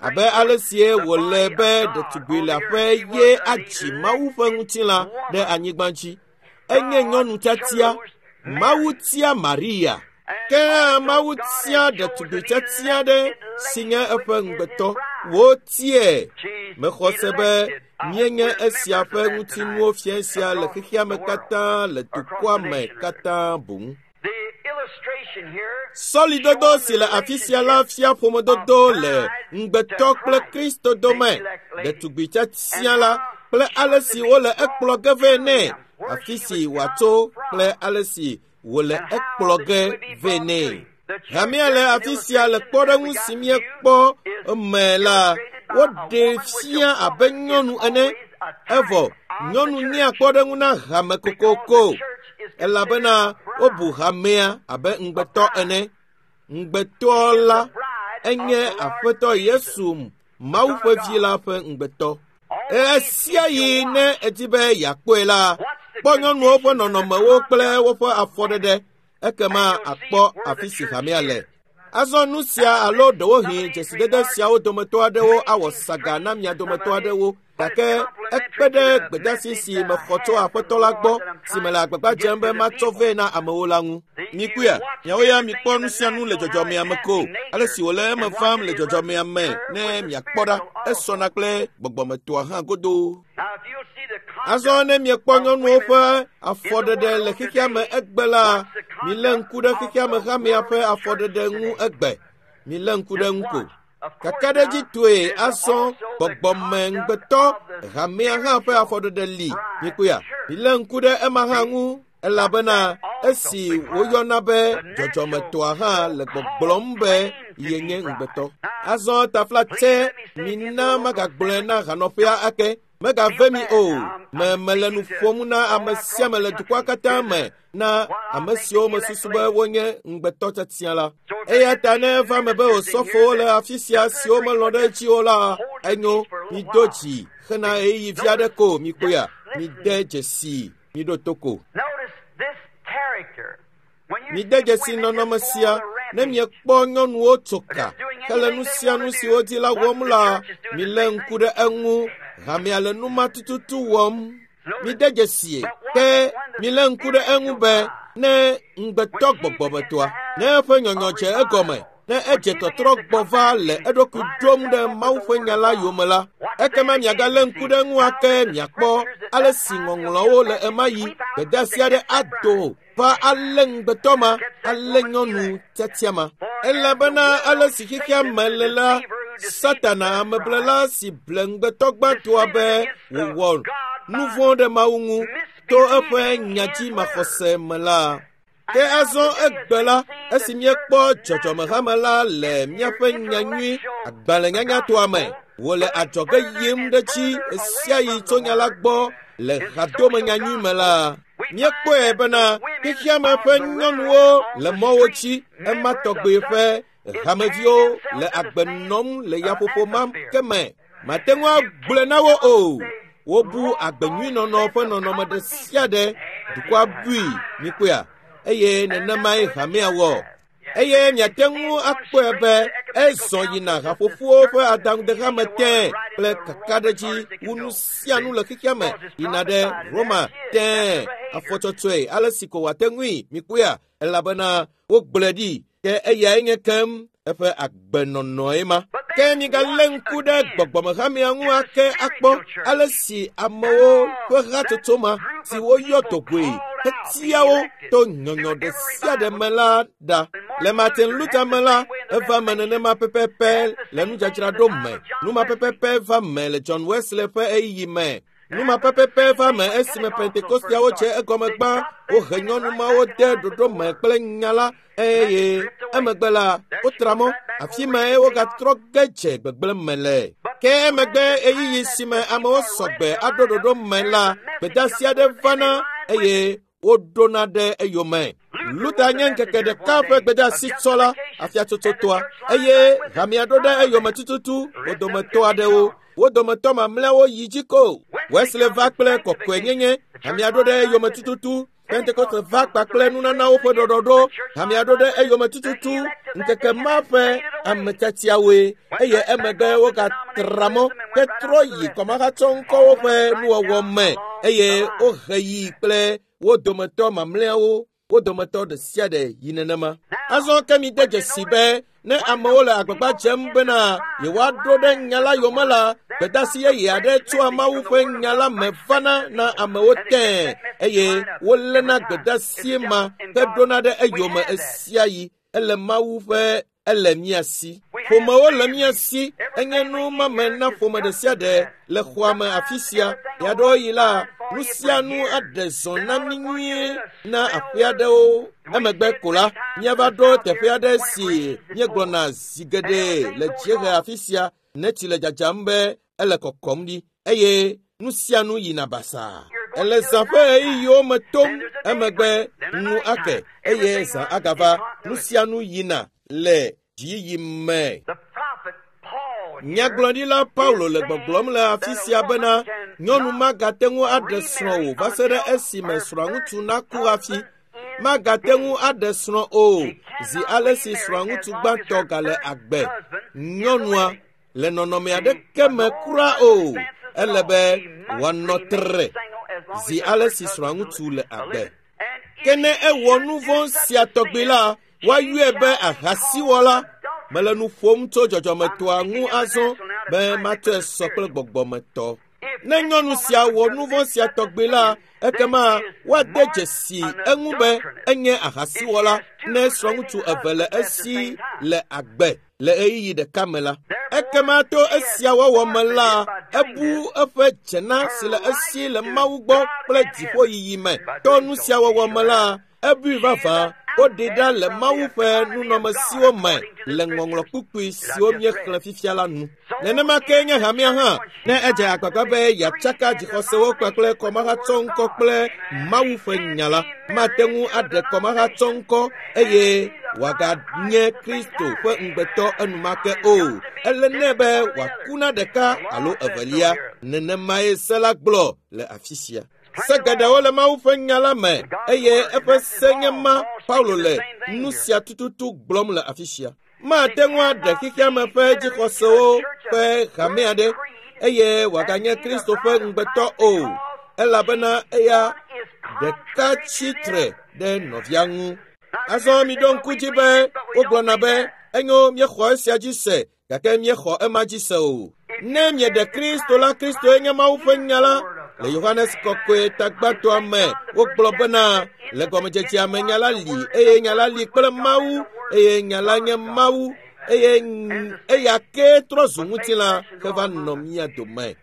abe ale sie wòle be ɖetugbui leaƒe ye adzi Mawu ƒe ŋutilã ɖe anyigba dzi. Enye nyɔnu tiatia. Mawu tia Maria. Ke hã Mawu tia ɖetugbi tiatia aɖe si nye eƒe ŋugbetɔ. Wotiae. Mexɔ se be míenye esia ƒe ŋutinuwo fia sia le xexea me katã le dukɔa me katã boŋ. Sɔlidodo si le afi sia la fia ƒomedodo le ŋugbetɔ kple Kristo dome, ɖetugbi tiatia la kple ale si wole ekplɔ ge vɛ nɛ, afi si wòatso kple ale si wòle ekplɔ ge vɛ nɛ. Hamea le afi sia le kpɔɖeŋu si míekpɔ me la, woɖee fia abe nyɔnu ene, evɔ nyɔnu nyea kpɔɖeŋu na hame kokoko elabena wobu hamea abe ŋugbetɔ ene. Ŋugbetɔ la enye Aƒetɔ Yesu Mawu ƒe vi la ƒe ŋugbetɔ. Ɣesiaɣi ne edi be yeakpɔe la, kpɔ nyɔnuwo ƒe nɔnɔmewo kple woƒe afɔɖeɖe, ekema akpɔ afi si hamea le. Azɔ nu sia alo ɖewohĩ dzesidede siawo dometɔ aɖewo awɔ saga na mia dometɔ aɖewo, gake ekpe ɖe gbedeasi si mexɔ tso Aƒetɔ la gbɔ si mele agbagba dzem be matsɔ vɛ na amewo la ŋu. Mikpɔea, miawo ya mikpɔ nu sia nu le dzɔdzɔmea me ko, ale si wòle eme vam le dzɔdzɔmea me ne miakpɔ ɖa, esɔna kple gbɔgbɔmetɔa hã godoo. Azɔ ne miekpɔ nyɔnuwo ƒe afɔɖeɖe le xexea me egbe la, milé ŋku ɖe xexea me hamea ƒe afɔɖeɖe ŋu egbe. Milé ŋku ɖe ŋu ko. Kakaɖedzitɔe azɔ gbɔgbɔme ŋugbetɔ hamea hã ƒe afɔɖeɖe li. Mikpɔea, milé ŋku ɖe ema hã ŋu elabena esi woyɔna be dzɔdzɔmetɔa hã le gbɔgblɔm be yenye ŋugbetɔ. Azɔ taflatse mina magagblɔe na hanɔƒea ake. Megave mi o. Me mele nu ƒom na ame sia ame le dukɔa katã me na ame siwo mesusu be wonye ŋugbetɔ tiatia la. Eya ta ne eva me be osɔfowo le afi sia siwo melɔ̃ ɖe edzi o la, enyo, mido dzi hena ɣeyiɣi vi aɖe ko mikpɔea, mide dzesi, miɖo to ko. Mide dzesi nɔnɔme sia ne miekpɔ nyɔnuwo tso ka hele nu sia nu si wodi la wɔm la, milé ŋku ɖe eŋu. Hamea le nu ma tututu wɔm. Mide dzesie ke milé ŋku ɖe eŋu be ne ŋugbetɔ gbɔgbɔmetɔa, ne eƒe nyɔnyɔ dze egɔme, ne edze tɔtrɔ gbɔ va le eɖokui ɖom ɖe Mawu ƒe nya la yome la, ekema miagalé ŋku ɖe eŋu ake miakpɔ ale si ŋɔŋlɔawo le emaɣi gbedeasi aɖe ado va alé ŋugbetɔ ma, alé nyɔnu tiatia ma. Elabena ale si xexea me le la, Satana ameblela si ble ŋugbetɔ gbãtɔa be wòwɔ nu vɔ̃ ɖe Mawu ŋu to eƒe nyadzimaxɔse me la. Ke azɔ egbe la, esi míekpɔ dzɔdzɔmehame la le míaƒe nyanyui agbalẽnyanyatɔa me, wòle adzɔge yim ɖe edzi ɣesiaɣi tso nya la gbɔ le hadome nyanyui me la, míekpɔe bena xexeame ƒe nyɔnuwo le mɔwo dzi ema tɔgbe ƒe hameviwo le agbe nɔm le yaƒoƒo ma ke me. Mate ŋu agblɔe na wo o. Wobu agbenyuinɔnɔ ƒe nɔnɔme ɖe sia ɖe dukɔa bui mikpɔea eye nenemae hamea wɔ. Eye miate ŋu akpɔe be ezɔ yina haƒoƒowo ƒe adaŋudehame tẽ kple kakaɖedzi wu nu sia nu le xexea me yina ɖe Roma tẽ afɔtsɔtsɔe ale si ko wòate ŋui mikpɔea elabena wogblɔe ɖi ke eyae nye kem eƒe agbenɔnɔe ma. Ke migalé ŋku ɖe gbɔgbɔmehamea ŋu ake akpɔ ale si amewo ƒe hatsotso ma si woyɔ dɔgɔe hetia wo to nyɔnyɔ ɖe sia ɖe me la ɖa. Le Martin Luther me la, eva me nenema pɛpɛpɛ le nudzadzraɖo me. Nu ma pɛpɛpɛ va me le John Wesley ƒe ɣeyiɣi me. Nu ma pɛpɛpɛ va me esime Pentekosteawo dze egɔme gbã. Wohe nyɔnu mawo de ɖoɖo me kple nya la eye emegbe la wotra mɔ. Afi mae wogatrɔ ge dze gbegblẽ me le. Ke emegbe ɣeyiɣi si me amewo sɔgbe aɖo ɖoɖo me la, gbedeasi aɖe vana eye woɖona ɖe eyome. Luther nye ŋkeke ɖeka ƒe gbedeasi tsɔla afiatsotsotɔa eye hamea ɖo ɖe eyome tututu wo dometɔ aɖewo. Wo dometɔ mamlɛawo yi dzi ko. Wesley va kple kɔkɔenyenye, hamea ɖo ɖe eyome tututu. Pentekoste va kpakple nunanawo ƒe ɖɔɖɔɖo, hamea ɖo ɖe eyome tututu. Ŋkeke ma ƒe ame tiatiawoe eye emegbe wogatra mɔ hetrɔ yi kɔmahatsɔŋkɔwo ƒe nuwɔwɔ me eye wohe yi kple wo dometɔ mamlɛawo. Wo dometɔ ɖe sia ɖe yi nenema. Azɔ ke mi de dzesi be ne amewo le agbagba dzem bena yewoaɖo ɖe nya la yome la, gbedasi yeye aɖe tsoa Mawu ƒe nya la me vana na amewo tẽe eye woléna gbedasi ma heɖona ɖe eyome ɣesiaɣi. Ele Mawu ƒe ele mía si. Ƒomewo le mía si. Enye nu mame na ƒome ɖe sia ɖe le xɔa me afi sia. Ɣeaɖewoɣi la, nu sia nu aɖe zɔ na mí nyuie na aƒe aɖewo. Emegbe ko la, míava ɖo teƒe aɖe si míegblɔna zi geɖe le dziehe afi sia ne tsi le dzadzam be ele kɔkɔm ɖi eye nu sia nu yina basaa. Ele zã ƒe ɣeyiɣiwo me tom emegbe nu ake eye zã agava. Nu sia nu yina le dziyiyi me. Nyagblɔɖila Paulo le gbɔgblɔm le afi sia bena nyɔnu magate ŋu aɖe srɔ̃ o va se ɖe esime srɔ̃ŋutsu naku hafi. Magate ŋu aɖe srɔ̃ o zi ale si srɔ̃ŋutsu gbãtɔ gale agbe. Nyɔnua le nɔnɔme aɖeke me kura o. Ele be wòanɔ tre zi ale si srɔ̃ŋutsu le agbe. Ke ne ewɔ nu vɔ̃ sia tɔgbi la, woayɔe be ahasiwɔla. Mele nu ƒom tso dzɔdzɔmetɔa ŋu azɔ be matsɔe sɔ kple gbɔgbɔmetɔ. Ne nyɔnu sia wɔ nu vɔ̃ sia tɔgbi la, ekema woade dzesi eŋu be enye ahasiwɔla ne srɔ̃ŋutsu eve le esi le agbe le ɣeyiɣi ɖeka me la. Ekema to esia wɔwɔ me la, ebu eƒe dzena si le esi le Mawu gbɔ kple dziƒoyiyi me. To nu sia wɔwɔ me la, ebui vavã woɖe ɖa le Mawu ƒe nunɔmesiwo me le ŋɔŋlɔ kpukpui siwo míexlẽ fifia la nu. Nenema ke nye hamea hã ne edze agbagba be yeatsaka dzixɔsewo kpakple kɔmahatsɔŋkɔ kple Mawu ƒe nya la, mate ŋu aɖe kɔmahatsɔŋkɔ eye wòaganye Kristo ƒe ŋugbetɔ enumake o. Ele nɛ be wòaku na ɖeka alo evelia. Nenemae se la gblɔ le afi sia. Se geɖewo le Mawu ƒe nya la me eye eƒe se nye ma Paulo le nu sia tututu gblɔm le afi sia. Mate ŋu aɖe xexeame ƒe dzixɔsewo ƒe hame aɖe eye wòaganye Kristo ƒe ŋugbetɔ o, elabena eya ɖeka tsi tre ɖe nɔvia ŋu. Azɔ miɖo ŋku dzi be wogblɔna be enyo míexɔ esia dzi se gake míexɔ ema dzi se o. Ne mieɖe Kristo la, Kristoe nye Mawu ƒe nya la. Le Yohanes kɔkɔe tagbãtɔa me, wogblɔ bena le gɔmedzedzea me nya la li eye nya la li kple Mawu eye nya la nye Mawu eye eya ke trɔ zu ŋutilã heva nɔ mía dome.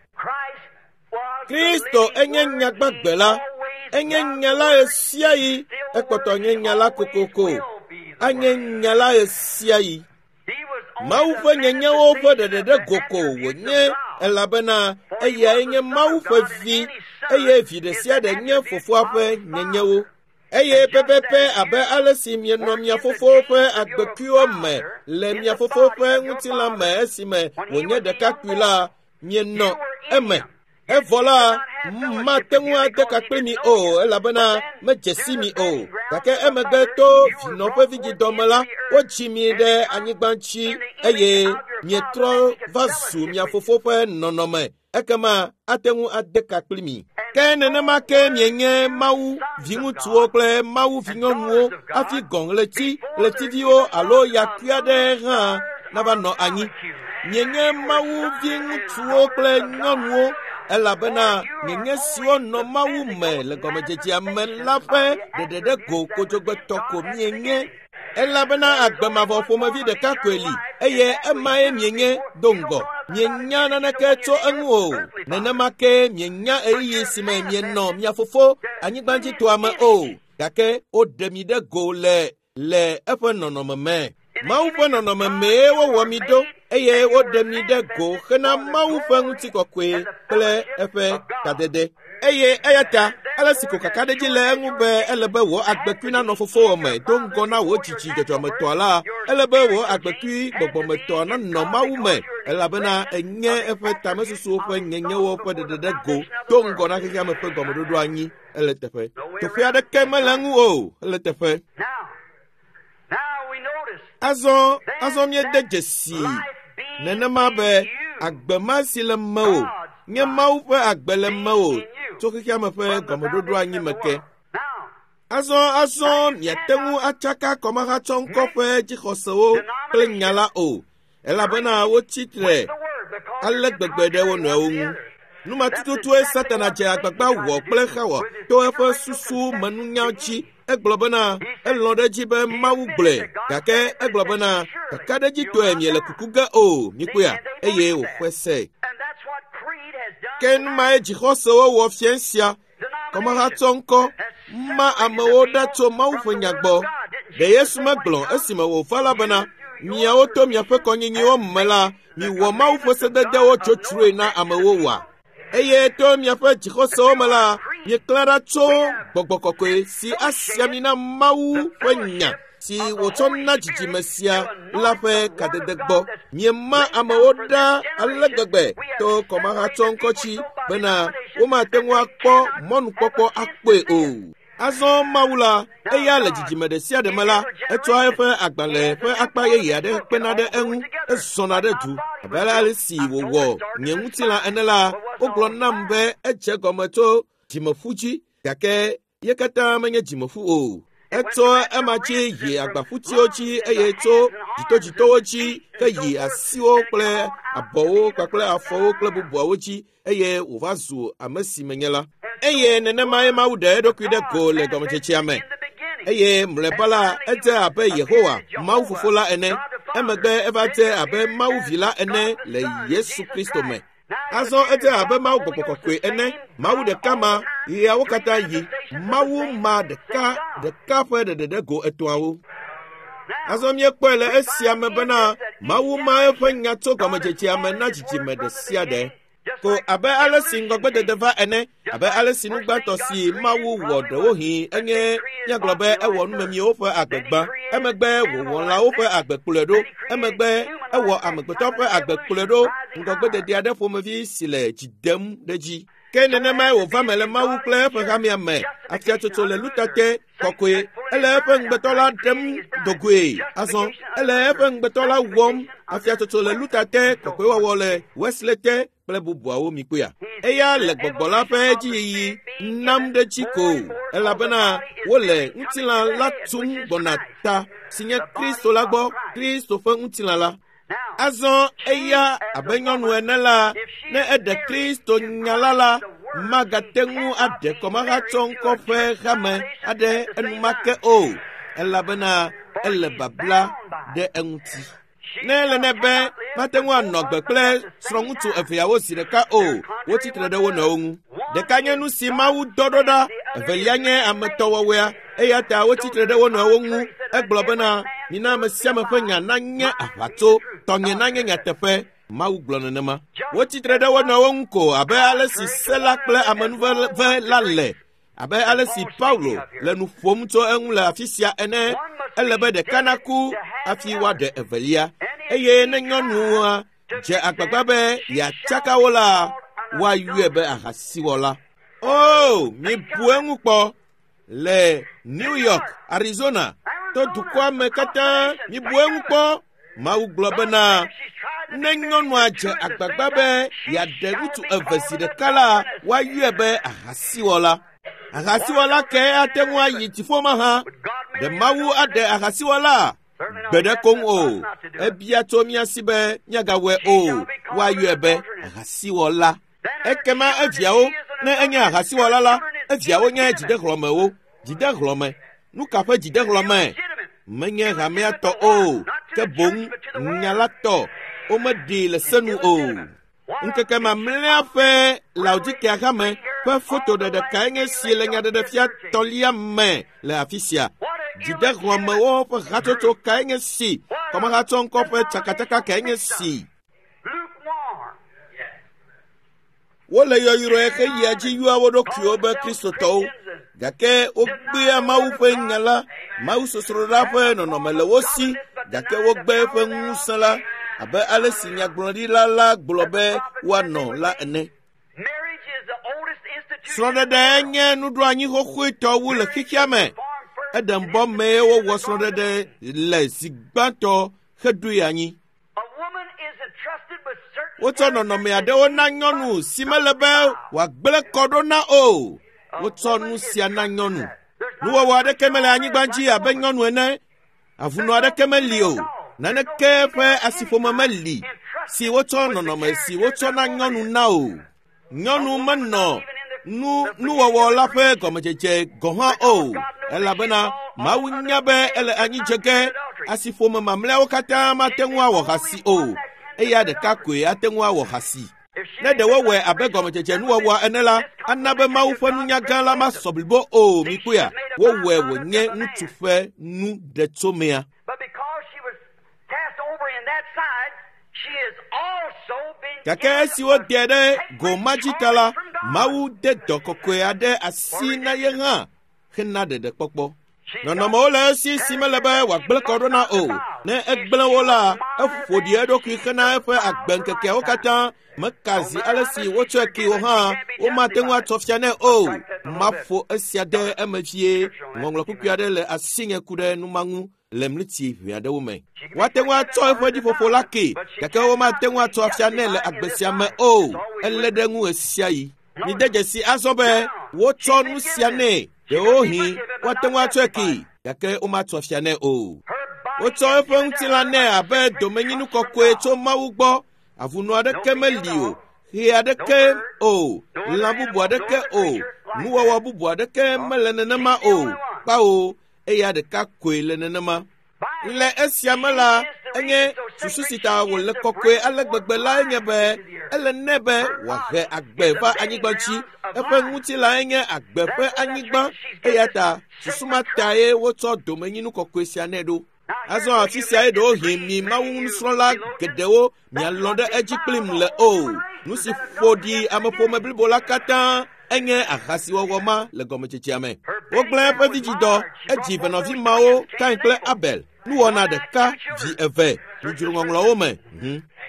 Kristo enye nya gbagbe la, enye nya la ɣesiaɣi, ekpɔtɔ nye nya la kokoko, anye nya la ɣesiaɣi. Mawu ƒe nyenyewo ƒe ɖeɖe ɖe go ko wònye elabena eyae nye Mawu ƒe vi eye vi ɖe sia ɖe nye fofoa ƒe nyenyewo. Eye pɛpɛpɛ abe ale si mienɔ mia fofowo ƒe agbekuiwo me le mia fofowo ƒe ŋutilã me esime wònye ɖekakpui la, mienɔ eme. Evɔ la, mate ŋu ade ka kpli mi o elabena medze si mi o. Gake emegbe to vinɔ ƒe vidzidɔ me la, wodzi mi ɖe anyigba ŋuti eye mietrɔ va zu mia fofo ƒe nɔnɔme. Ekema ate ŋu ade ka kpli mi. Ke nenema ke mienye Mawu viŋutsuwo kple Mawu vinyɔnuwo hafi gɔ̃ ɣleti, ɣletiviwo alo yakui aɖe hã nava nɔ anyi. Mienye Mawu viŋutsuwo kple nyɔnuwo elabena mienye siwo nɔ Mawu me le gɔmedzedzea me la ƒe ɖeɖe ɖe go kodzogbetɔ ko mienye. Elabena agbe mavɔ ƒomevi ɖeka koe li eye emae mienye do ŋgɔ. Mienya naneke tso eŋu o. Nenema ke mienya ɣeyiɣi si me mienɔ mia fofo anyigbadzitɔa me o. Gake woɖe mi ɖe go le eƒe nɔnɔme me. Mawu ƒe nɔnɔme mee wowɔ mi ɖo eye woɖe mi ɖe go hena Mawu ƒe ŋutikɔkɔe kple eƒe kadede. Eye eya ta ale si ko kakaɖedzi le eŋu be ele be wò agbekui nanɔ fofowò me do ŋgɔ na wò dzidzi dzɔdzɔmetɔa la, ele be wò agbekui gbɔgbɔmetɔa nanɔ Mawu me elabena enye eƒe tamesusuwo ƒe nyenyewo ƒe ɖeɖe ɖe go do ŋgɔ na xexeame ƒe gɔmeɖoɖo anyi. Ele teƒe. Teƒe aɖeke mele eŋu o. Ele teƒe. Azɔ míede dzesi nenema be agbe ma si le mewò nye Mawu ƒe agbe le mewò tso xexeame ƒe gɔmeɖoɖo anyi me ke. Azɔ miate ŋu atsaka kɔmahatsɔŋkɔ ƒe dzixɔsewo kple nya la o, elabena wotsi tre ale gbegbe ɖe wo nɔewo ŋu. Numatututue Satana dze agbagba wɔ kple Xawa to eƒe susu menunya dzi. Egblɔ bena elɔ̃ ɖe edzi be Mawu gblɔe, gake egblɔ bena kakaɖedzitɔe miele kuku ge o, mikpɔea, eye wòxɔe se. Ke numae dzixɔsewo wɔ fia sia. Kɔmahatsɔŋkɔ ma amewo ɖa tso Mawu ƒe nya gbɔ. Ɖe Yesu megblɔ esime wòva la bena, miawo to miaƒe kɔnyinyiwo me la, miwɔ Mawu ƒe sededewo tsotsroe na amewo wa. Eye to miaƒe dzixɔsewo me la, mieklã ɖa tso gbɔgbɔ kɔkɔe si asi ami na Mawu ƒe nya si wòtsɔ na dzidzime sia la ƒe kadede gbɔ. Miema amewo ɖa ale gbegbe to kɔmahatsɔŋkɔ dzi bena womate ŋu akpɔ mɔnukpɔkpɔ akpɔe o. Azɔ Mawu la, eya le dzidzime ɖe sia ɖe me la, etsɔa eƒe agbalẽ ƒe akpa yeye aɖe kpena ɖe eŋu, ezɔna ɖe du. Abe ale si wòwɔ nye ŋutilã ene la, wogblɔ nam be edze gɔme tso dzimeƒu dzi, gake ye katã menye dzimeƒu o. Etso ema dzi yi agbaƒutiwo dzi eye tso dzitodzitowo dzi ke yi asiwo kple abɔwo kpakple afɔwo kple bubuawo dzi eye wòva zu ame si menye la. Eye nenemae Mawu ɖe eɖokui ɖe go le gɔmedzedzea me. Eye mlɔeba la, edze abe Yehowa, Mawu Fofo la ene. Emegbe eva dze abe Mawu Vi la ene le Yesu Kristo me. Azɔ edze abe Mawu Gbɔgbɔ Kɔkɔe ene. Mawu ɖeka ma, ɣeawo katã yi. Mawu ma ɖeka ɖeka ƒe ɖeɖeɖe go etɔ̃awo. Azɔ míekpɔe le esia me bena Mawu ma eƒe nya tso gɔmedzedzea me na dzidzime ɖe sia ɖe. Ko abe ale si ŋgɔgbedede va ene, abe ale si nugbãtɔ si Mawu wɔ ɖewohĩ enye míagblɔ be ewɔ numemiwo ƒe agbe gbã, emegbe wòwɔ lãwo ƒe agbe kplɔe ɖo, emegbe ewɔ amegbetɔ ƒe agbe kplɔe ɖo, ŋgɔgbedede aɖe ƒomevi si le dzi dem ɖe dzi. Ke nenemae wòva me le Mawu kple eƒe hamea me. Afiatsotso le lutate kɔkɔe. Ele eƒe ŋugbetɔ la ɖem dogoe. Azɔ ele eƒe ŋugbetɔ la wɔm. Afiatsotso le lutate kɔkɔewɔwɔ le Wesley te kple bubuawo mikpɔea. Eya le gbɔgbɔ la ƒe dziyiyi nam ɖe dzi ko, elabena wole ŋutilã la tum gbɔna ta si nye Kristo la gbɔ, Kristo ƒe ŋutilã la. Azɔ eya abe nyɔnu ene la, ne eɖe Kristo nya la la, magate ŋu aɖe kɔmahatsɔŋkɔ ƒe hame aɖe enumake o, elabena ele babla ɖe eŋuti. Ne ele nɛ be mate ŋu anɔ agbe kple srɔ̃ŋutsu eveawo zi ɖeka o, wotsi tre ɖe wo nɔewo ŋu. Ɖeka nye nu si Mawu dɔ ɖo ɖa, evelia nye ametɔwɔwɔea, eya ta wotsi tre ɖe wo nɔewo ŋu. Egblɔ bena, mina ame sia ame ƒe nya nanye aʋatso, tɔnye nanye nyateƒe. Mawu gblɔ nenema. Wotsi tre ɖe wo nɔewo ŋu ko abe ale si se la kple amenuveve la le, abe ale si Paulo le nu ƒom tso eŋu le afi sia ene. Ele be ɖeka naku hafi woaɖe evelia. Eye ne nyɔnua dze agbagba be yeatsaka wo la, woayɔe be ahasiwɔla. O, mibu eŋu kpɔ. Le New York, Arizona, to dukɔa me katã, mibu eŋu kpɔ. Mawu gblɔ bena, ne nyɔnua dze agbagba be yeaɖe ŋutsu eve zi ɖeka la, woayɔe be ahasiwɔla. Ahasiwɔla ke ate ŋu ayi dziƒo mahã. Ɖe Mawu aɖe ahasiwɔla? Gbe ɖe koŋ o. Ebia tso mía si be míagawɔe o. Woayɔe be ahasiwɔla. Ekema eviawo, ne enye ahasiwɔla la, eviawo nye dzidehlɔ̃mewo. Dzidehlɔ̃me. Nu ka ƒe dzidehlɔ̃me? Menye hamea tɔ o, ke boŋ nya la tɔ. Womeɖee le se nu o. Ŋkeke mamlɛa ƒe Laodikea hame ƒe fotoɖeɖe kae nye si le nyaɖeɖefia tɔlia me le afi sia? Dzidehlɔ̃mewo ƒe hatsotso kae nye si? Kɔmahatsɔŋkɔ ƒe tsakatsaka kae nye si? Wole yɔyrɔe xeyia dzi yɔa wo ɖokuiwo be Kristotɔwo, gake wogbea Mawu ƒe nya la. Mawu sosroɖa ƒe nɔnɔme le wo si, gake wogbe eƒe ŋusẽ la, abe ale si nyagblɔɖila la gblɔ be woanɔ la ene. Srɔ̃ɖeɖe nye nuɖoanyi xoxoetɔ wu le xexea me. Eɖembɔ mee wowɔ srɔ̃ɖeɖe le zi gbãtɔ heɖoe anyi. Wotsɔ nɔnɔme aɖewo na nyɔnu si mele be wòagblẽ kɔ ɖo na o. Wotsɔ nu sia na nyɔnu. Nuwɔwɔ aɖeke mele anyigba dzi abe nyɔnu ene. Avunɔ aɖeke meli o. Naneke ƒe asiƒome meli si wotsɔ nɔnɔme si wotsɔ na nyɔnu na o. Nyɔnu menɔ nuwɔwɔ la ƒe gɔmedzedze gɔ̃ hã o, elabena Mawu nya be ele anyi dze ge. Asiƒome mamlɛawo katã mate ŋu awɔ hasi o. Eya ɖeka koe ate ŋu awɔ hasi. Ne ɖe wowɔe abe gɔmedzedze nuwɔwɔa ene la, ana be Mawu ƒe nunya gã la masɔ blibo o. Mikpɔea, wowɔe wònye ŋutsu ƒe nu ɖetsomea. Gake esi woɖe ɖe go ma dzi ta la, Mawu de dɔ kɔkɔe aɖe asi na ye hã hena ɖeɖekpɔkpɔ. Nɔnɔmewo le esi si mele be wòagblẽ kɔ ɖo na o. Ne egblẽ wo la, eƒo ɖi eɖokui hena eƒe agbeŋkekeawo katã. Meka zi ale si wotsɔe kee o hã, womate ŋu atsɔ fia nɛ o. Maƒo esia ɖe eme vie. Ŋɔŋlɔ kpukpui aɖe le asinye ku ɖe nu ma ŋu le mliti ʋɛ aɖewo me. Woate ŋu atsɔ eƒe ɖiƒoƒo la kee, gake womate ŋu atsɔ afia nɛ le agbe sia me o. Elé ɖe eŋu ɣesiaɣi. Mide dzesi azɔ be wotsɔ nu sia nɛ. Ɖewohĩ woate ŋu atsɔe kee, gake womatsɔ afia nɛ o. Wotsɔ eƒe ŋutilã nɛ abe domenyinu kɔkɔe tso Mawu gbɔ. Avunɔ aɖeke meli o, ɣe aɖeke o, lã bubu aɖeke o, nuwɔwɔ bubu aɖeke mele nenema o. Kpao, eya ɖeka koe le nenema. Le esia me la, enye susu si ta wòle kɔkɔe ale gbegbe lae nye be ele nɛ be wòahe agbe va anyigba dzi. Eƒe ŋutilãe nye agbe ƒe anyigba, eya ta susu ma tae wotsɔ domenyinu kɔkɔe sia nɛ ɖo. Azɔ afi siae ɖewohĩ mi Mawu nusrɔ̃la geɖewo mialɔ̃ ɖe edzi kplim le o. Nu si ƒo ɖi ameƒome blibo la katã enye ahasiwɔwɔ ma le gɔmedzedzea me. Wogblẽ eƒe vidzidɔ, edzi venɔvi mawo, Kain kple Abel, nuwɔna ɖeka, vi eve, midzro ŋɔŋlɔwo me.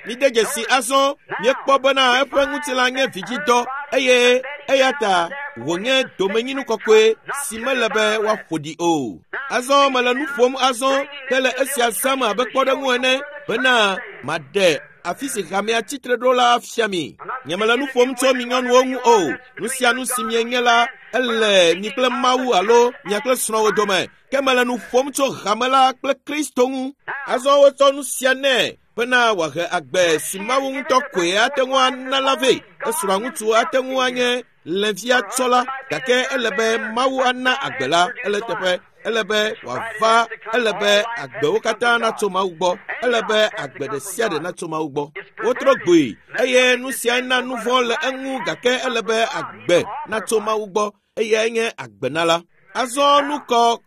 Mide dzesi azɔ, míekpɔ bena eƒe ŋutilã nye vidzidɔ eye eya ta wònye domenyinu kɔkɔe si mele be woaƒo ɖi o. Azɔ mele nu ƒom azɔ hele esia zãm abe kpɔɖeŋu ene bena maɖe afi si hamea tsitre ɖo la fia mi. Nyemele nu ƒom tso mi nyɔnuwo ŋu o. Nu sia nu si mienye la, ele mi kple Mawu alo mia kple srɔ̃wò dome. Ke mele nu ƒom tso hame la kple Kristo ŋu. Azɔ wotsɔ nu sia nɛ bena wòahe agbe si Mawu ŋutɔ koe ate ŋu ana la vɛ. Esrɔ̃a ŋutsu ate ŋu anye lẽvia tsɔla, gake ele be Mawu ana agbe la. Ele teƒe. Ele be wòava. Ele be agbewo katã natso Mawu gbɔ. Ele be agbe ɖe sia ɖe natso Mawu gbɔ. Wotrɔ gboe eye nu siae na nu vɔ̃ le eŋu, gake ele be agbe natso Mawu gbɔ. Eyae nye agbenala. Azɔ nukɔ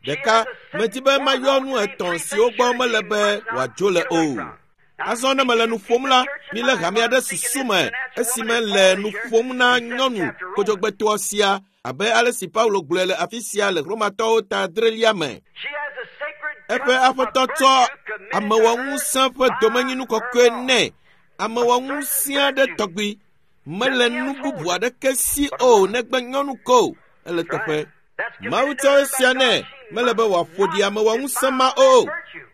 ɖeka medi be mayɔ nu etɔ̃ siwo gbɔ mele be wòadzo le o. Azɔ ne mele nu ƒom la, milé hamea ɖe susu me esime le nu ƒom na nyɔnu kodzogbetɔa sia abe ale si Paulo gblɔe le afi sia le Romatɔwo ta adrelia me. Eƒe aƒetɔ tsɔ amewɔŋusẽ ƒe domenyinu kɔkɔe nɛ, amewɔŋusẽ aɖe tɔgbi. Mele nu bubu aɖeke si o negbe nyɔnu ko. Ele teƒe. Mawu tsɔ esia nɛ, mele be wòaƒo ɖi amewɔŋusẽ ma o.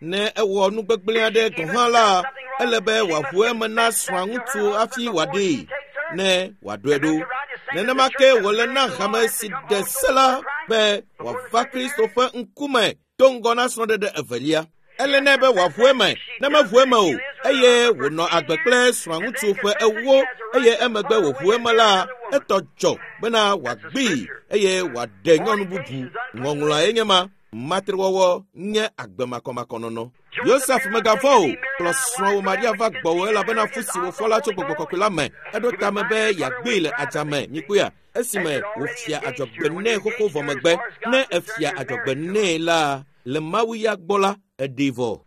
Ne ewɔ nu gbegblẽ aɖe gɔ̃ hã la, ele be wòaʋu eme na srɔ̃a ŋutsu hafi wòaɖee, ne wòaɖɔe ɖo. Nenema ke wòle na hame si ɖe se la be wòava Kristo ƒe ŋkume do ŋgɔ na srɔ̃ɖeɖe evelia. Ele nɛ be wòaʋu eme, ne meʋu eme o, eye wònɔ agbe kple srɔ̃aŋutsu ƒe ewo, eye emegbe wòʋu eme la, etɔ dzɔ bena wòagbee eye wòaɖe nyɔnu bubu. Ŋɔŋlɔae nye ma. Matrewɔwɔ nye agbe makɔmakɔnɔnɔ. Yosef megavɔ̃ o, kplɔ srɔ̃wò Maria va gbɔwò elabena fu si wòfɔ la tso gbɔgbɔ kɔkɔe la me. Eɖo tame be yeagbee le adzame. Mikpɔea? Esime wòfia adzɔgbe nɛ xoxo vɔ megbe. Ne efia adzɔgbe nɛ la, le Mawu ya gbɔ la, eɖee vɔ.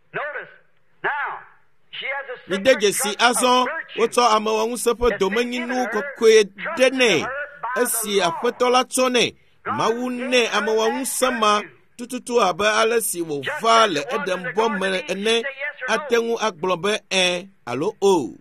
Mide dzesi azɔ, wotsɔ amewɔŋusẽ ƒe domenyinu kɔkɔe ɖe nɛ esi Aƒetɔ la tsɔ nɛ. Mawu nɛ amewɔŋusẽ ma tututu abe ale si wòva le Edenbɔ me ene. Ate ŋu agblɔ be ẽ alo o.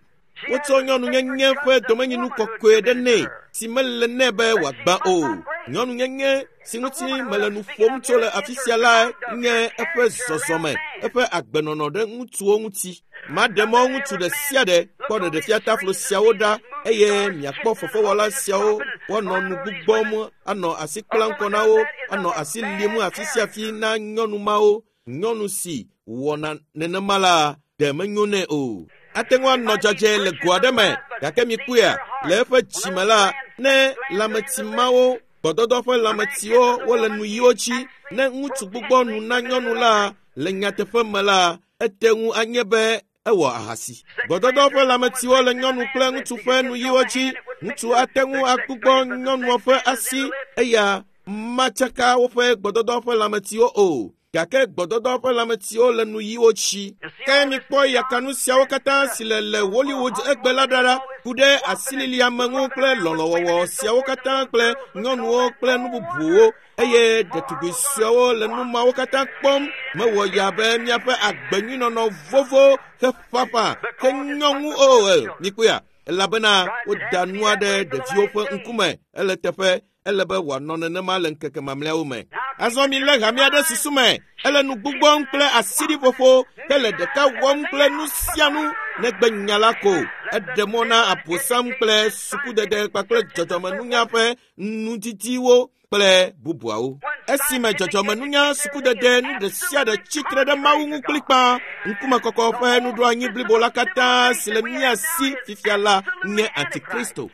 Wotsɔ nyɔnunyenye ƒe domenyinu kɔkɔe ɖe nɛ si mele nɛ be wòagbã o. Nyɔnunyenye si ŋuti mele nu ƒom tso le afi sia la nye eƒe zɔzɔme, eƒe agbenɔnɔ ɖe ŋutsuwo ŋuti. Maɖe mɔ ŋutsu ɖe sia ɖe kpɔ ɖeɖefiataflo siawo ɖa eye miakpɔ fefewɔla siawo. Woanɔ nu gbugbɔm, anɔ asi kplam kɔ na wo, anɔ asi lim afi sia afi na nyɔnu mawo. Nyɔnu si wɔna nenema la, ɖe menyo nɛ o. Ate ŋu anɔ dzadzɛ le go aɖe me, gake mikpɔea, le eƒe dzime la, ne lãmetsi mawo, gbɔdɔdɔ ƒe lãmetsiwo wole nuyiwo dzi, ne ŋutsu gbugbɔ nu na nyɔnu la, le nyateƒe me la, ete ŋu anye be ewɔ ahasi. Gbɔdɔdɔ ƒe lãmetsiwo le nyɔnu kple ŋutsu ƒe nuyiwo dzi. Ŋutsu ate ŋu agbugbɔ nyɔnua ƒe asi, eya matsaka woƒe gbɔdɔdɔ ƒe lãmetsiwo o. Gake gbɔdɔdɔ ƒe lãmetsiwo le nuyiwo dzi. Ke mikpɔ yakanu siawo katã si le le Hollywood egbe la ɖa ɖa, ku ɖe asililiame ŋu kple lɔlɔ̃wɔwɔ siawo katã kple nyɔnuwo kple nu bubuwo. Eye ɖetugbui suewo le nu mawo katã kpɔm. Mewɔ ya be míaƒe agbenyuinɔnɔ vovo heƒaƒã ke nyɔŋu o. Mikpɔea? Elabena woda nua ɖe ɖeviwo ƒe ŋkume. Ele teƒe. Ele be wòanɔ nenema le ŋkeke mamlɛawo me. Azɔ milé hamea ɖe susu me. Ele nu gbugbɔm kple asiɖiƒoƒo hele ɖeka wɔm kple nu sia nu negbe nya la ko. Eɖe mɔ na Abosam kple sukudede kpakple dzɔdzɔmenunya ƒe nudidiwo kple bubuawo. Esime dzɔdzɔmenunya sukudede nu ɖe sia ɖe tsitre ɖe Mawu ŋu kplikpaa, ŋkumekɔkɔ ƒe nuɖoanyi blibo la katã si le mía si fifia la nye Antikristo.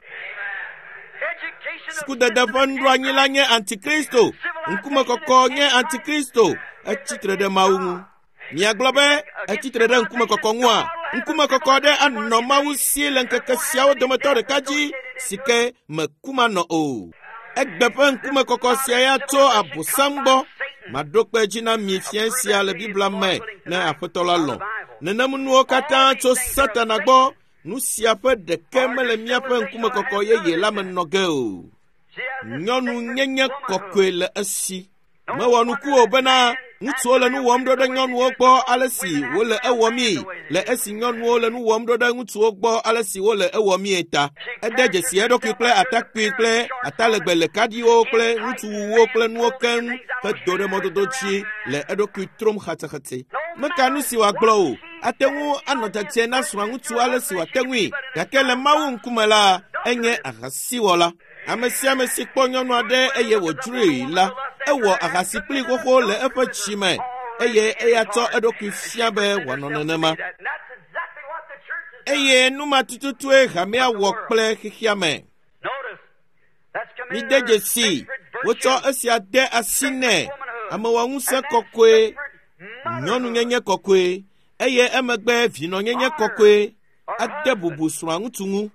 Sukudede ƒe nuɖoanyi la nye Antikristo. Ŋkumekɔkɔ nye Antikristo. Etsitre ɖe Mawu ŋu. Miagblɔ be etsitre ɖe ŋkumekɔkɔ ŋua? Ŋkumekɔkɔ aɖe anɔ Mawu si le ŋkeke siawo dometɔ ɖeka dzi si ke meku manɔ o. Egbe ƒe ŋkumekɔkɔ sia ya tso Abosam gbɔ. Maɖo kpe edzi na mi fiẽ sia le Biblia me ne Aƒetɔ la lɔ̃. Nenem nuwo katã tso Satana gbɔ. Nu sia ƒe ɖeke mele míaƒe ŋkumekɔkɔ yeye la me nɔ ge o. Nyɔnu nyenye kɔkɔe le esi. Mewɔ nuku o bena ŋutsuwo le nu wɔm ɖo ɖe nyɔnuwo gbɔ ale si wole ewɔmii, le esi nyɔnuwo le nu wɔm ɖo ɖe ŋutsuwo gbɔ ale si wole ewɔmii ta. Ede dzesi eɖokui kple atakpui kple atalegbe le kaɖiwo kple ŋutsuwuwo kple nuwo keŋ hedo ɖe mɔdodo dzi le eɖokui trom xatsexatse. Meka nu si wòagblɔ o. Ate ŋu anɔ dzadzɛ na srɔ̃aŋutsu ale si wòate ŋui, gake le Mawu ŋkume la, enye ahasiwɔla. Ame sia ame si kpɔ nyɔnu aɖe eye wòdzroe la, ewɔ ahasi kplii xoxo le eƒe dzi me, eye eya tsɔ eɖokui fia be wòanɔ nenema. Eye nu ma tututue hamea wɔ kple xexea me. Mide dzesii, wotsɔ esia de asi nɛ, amewɔŋusẽ kɔkɔe, nyɔnunyenye kɔkɔe, eye emegbe vinɔnyenye kɔkɔe ade bubu srɔ̃aŋutsu ŋu.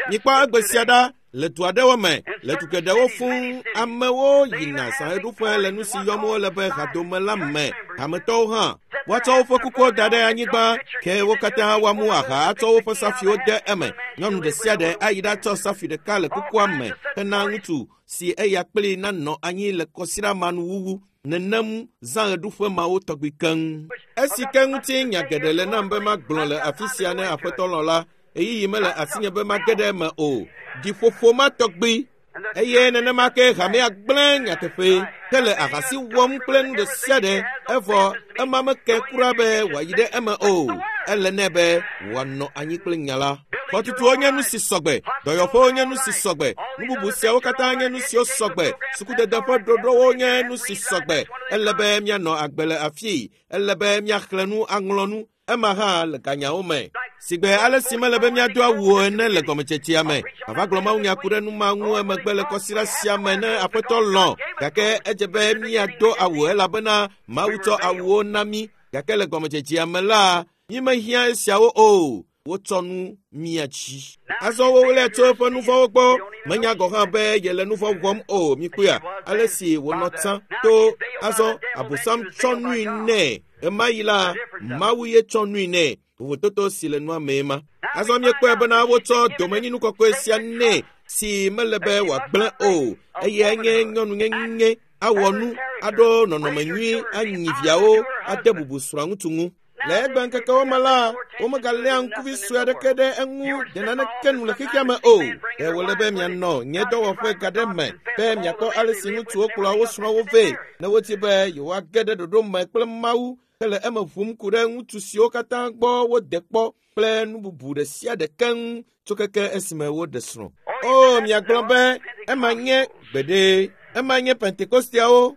Mikpɔ egbe sia ɖa le du aɖewo me, le du geɖewo fũu, amewo yina zãɣeɖuƒe le nu si yɔm wole be hadome la me, hametɔwo hã. Woatsɔ woƒe kukuwo da ɖe anyigba, ke wo katã woamu aha atsɔ woƒe safuiwo de eme. Nyɔnu ɖe sia ɖe ayi ɖatsɔ safui ɖeka le kukua me hena ŋutsu si eya kplii nanɔ anyi le kɔsiɖa ma nuwuwu. Nenem zãɣeɖuƒe mawo tɔgbi keŋ. Esi ke ŋuti nya geɖe le nam be magblɔ le afi sia ne Aƒetɔ lɔ̃ la, ɣeyiɣi mele asinye be mage ɖe eme o. Ɖiƒoƒo ma tɔgbi. Eye nenema ke hamea gblẽ nyateƒe hele ahasi wɔm kple nu ɖe sia ɖe, evɔ ema meke kura be wòayi ɖe eme o. Ele nɛ be wòanɔ anyi kple nya la. Xɔtutuwo nye nu si sɔgbe, dɔyɔƒewo nye nu si sɔgbe, nu bubu siawo katã nye nu siwo sɔgbe, sukudede ƒe ɖoɖowo nye nu si sɔgbe. Ele be míanɔ agbe le afii, ele be míaxlẽ nu aŋlɔ nu, ema hã le ganyawo me. Sigbe ale si mele be míado awu o ene le gɔmedzedzea me. Mava gblɔ mawunya ku ɖe nu ma ŋu emegbe le kɔsiɖa sia me ne Aƒetɔ lɔ̃. Gake edze be míado awu elabena Mawu tsɔ awuwo na mí. Gake le gɔmedzedzea me la, mímehiã esiawo o. Wotsɔ nu mía dzi. Azɔ woɣlae tso eƒe nu vɔ̃wo gbɔ. Menya gɔ̃ hã be yele nu vɔ̃ wɔm o. Mikpɔea? Ale si wònɔ tsã to azɔ Abosam tsɔ nui nɛ. Ɣemaɣi la, Mawu ye tsɔ nui nɛ. Vovototo si le nua mee ma. Azɔ míekpɔe bena wotsɔ domenyinu kɔkɔe sia nɛ si mele be wòagblẽ o, eye enye nyɔnunyenye awɔ nu, aɖo nɔnɔme nyui, anyi viawo, ade bubu srɔ̃aŋutsu ŋu. Le egbe ŋkekewo me la, womegaléa ŋkuvi sue aɖeke ɖe eŋu de naneke nu le xexea me o. Ɖe wòle be mianɔ nye dɔwɔƒe ga ɖe me be miakpɔ ale si ŋutsuwo kplɔa wo srɔ̃wo vɛ ne wodi be yewoage ɖe ɖoɖo me kple Mawu hele eme ʋum ku ɖe ŋutsu siwo katã gbɔ wode kpɔ kple nu bubu ɖe sia ɖe keŋ tso keke esime woɖe srɔ̃. O, miagblɔ be ema nye gbeɖe, ema nye Pentekosteawo.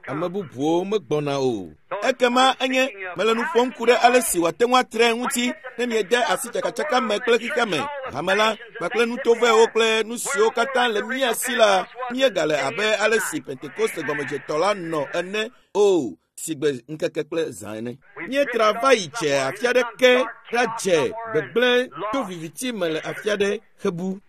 Ame bubuwo megbɔna o. Ekema enye mele nu ƒom ku ɖe ale si wòate ŋu atre ŋuti ne miede asi tsakatsaka me kple xexea me, hame la kpakple nutovɛwo kple nu siwo katã le mía si la, míegale abe ale si Pentekoste gɔmedzetɔ la nɔ ene o, sigbe ŋkeke kple zã ene. Míetra va yi dze afi aɖeke ɖadze gbegblẽ to viviti me le afi aɖe hebu.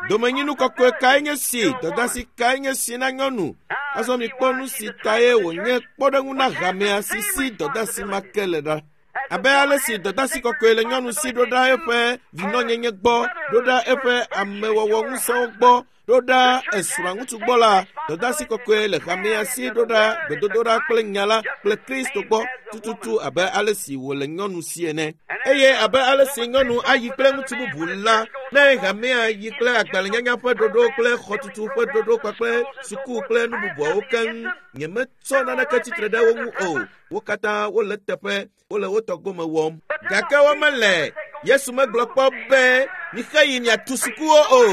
Domenyinu kɔkɔe kae nye si, dɔdeasi kae nye si na nyɔnu? Azɔ mikpɔ nu si tae wònye kpɔɖeŋu na hamea si si dɔdeasi ma ke le ɖa. Abe ale si dɔdeasi kɔkɔe le nyɔnu si ɖo ɖa eƒe vinɔnyenye gbɔ, ɖo ɖa eƒe amewɔwɔ ŋusẽwo gbɔ, ɖo ɖa esrɔ̃a ŋutsu gbɔ la, dɔdeasi kɔkɔe le hamea si ɖo ɖa gbedodoɖa kple nya la kple Kristo gbɔ tututu abe ale si wòle nyɔnu si ene. Eye abe ale si nyɔnu ayi kple ŋutsu bubu la, ne hamea yi kple agbalẽnyanya ƒe ɖoɖo kple xɔtutu ƒe ɖoɖo kpakple suku kple nu bubuawo keŋ, nyemetsɔ naneke tsitre ɖe wo ŋu o. Wo katã wole teƒe, wole wo tɔ gome wɔm. Gake womele. Yesu megblɔ kpɔ be mixe yi miatu sukuwo o.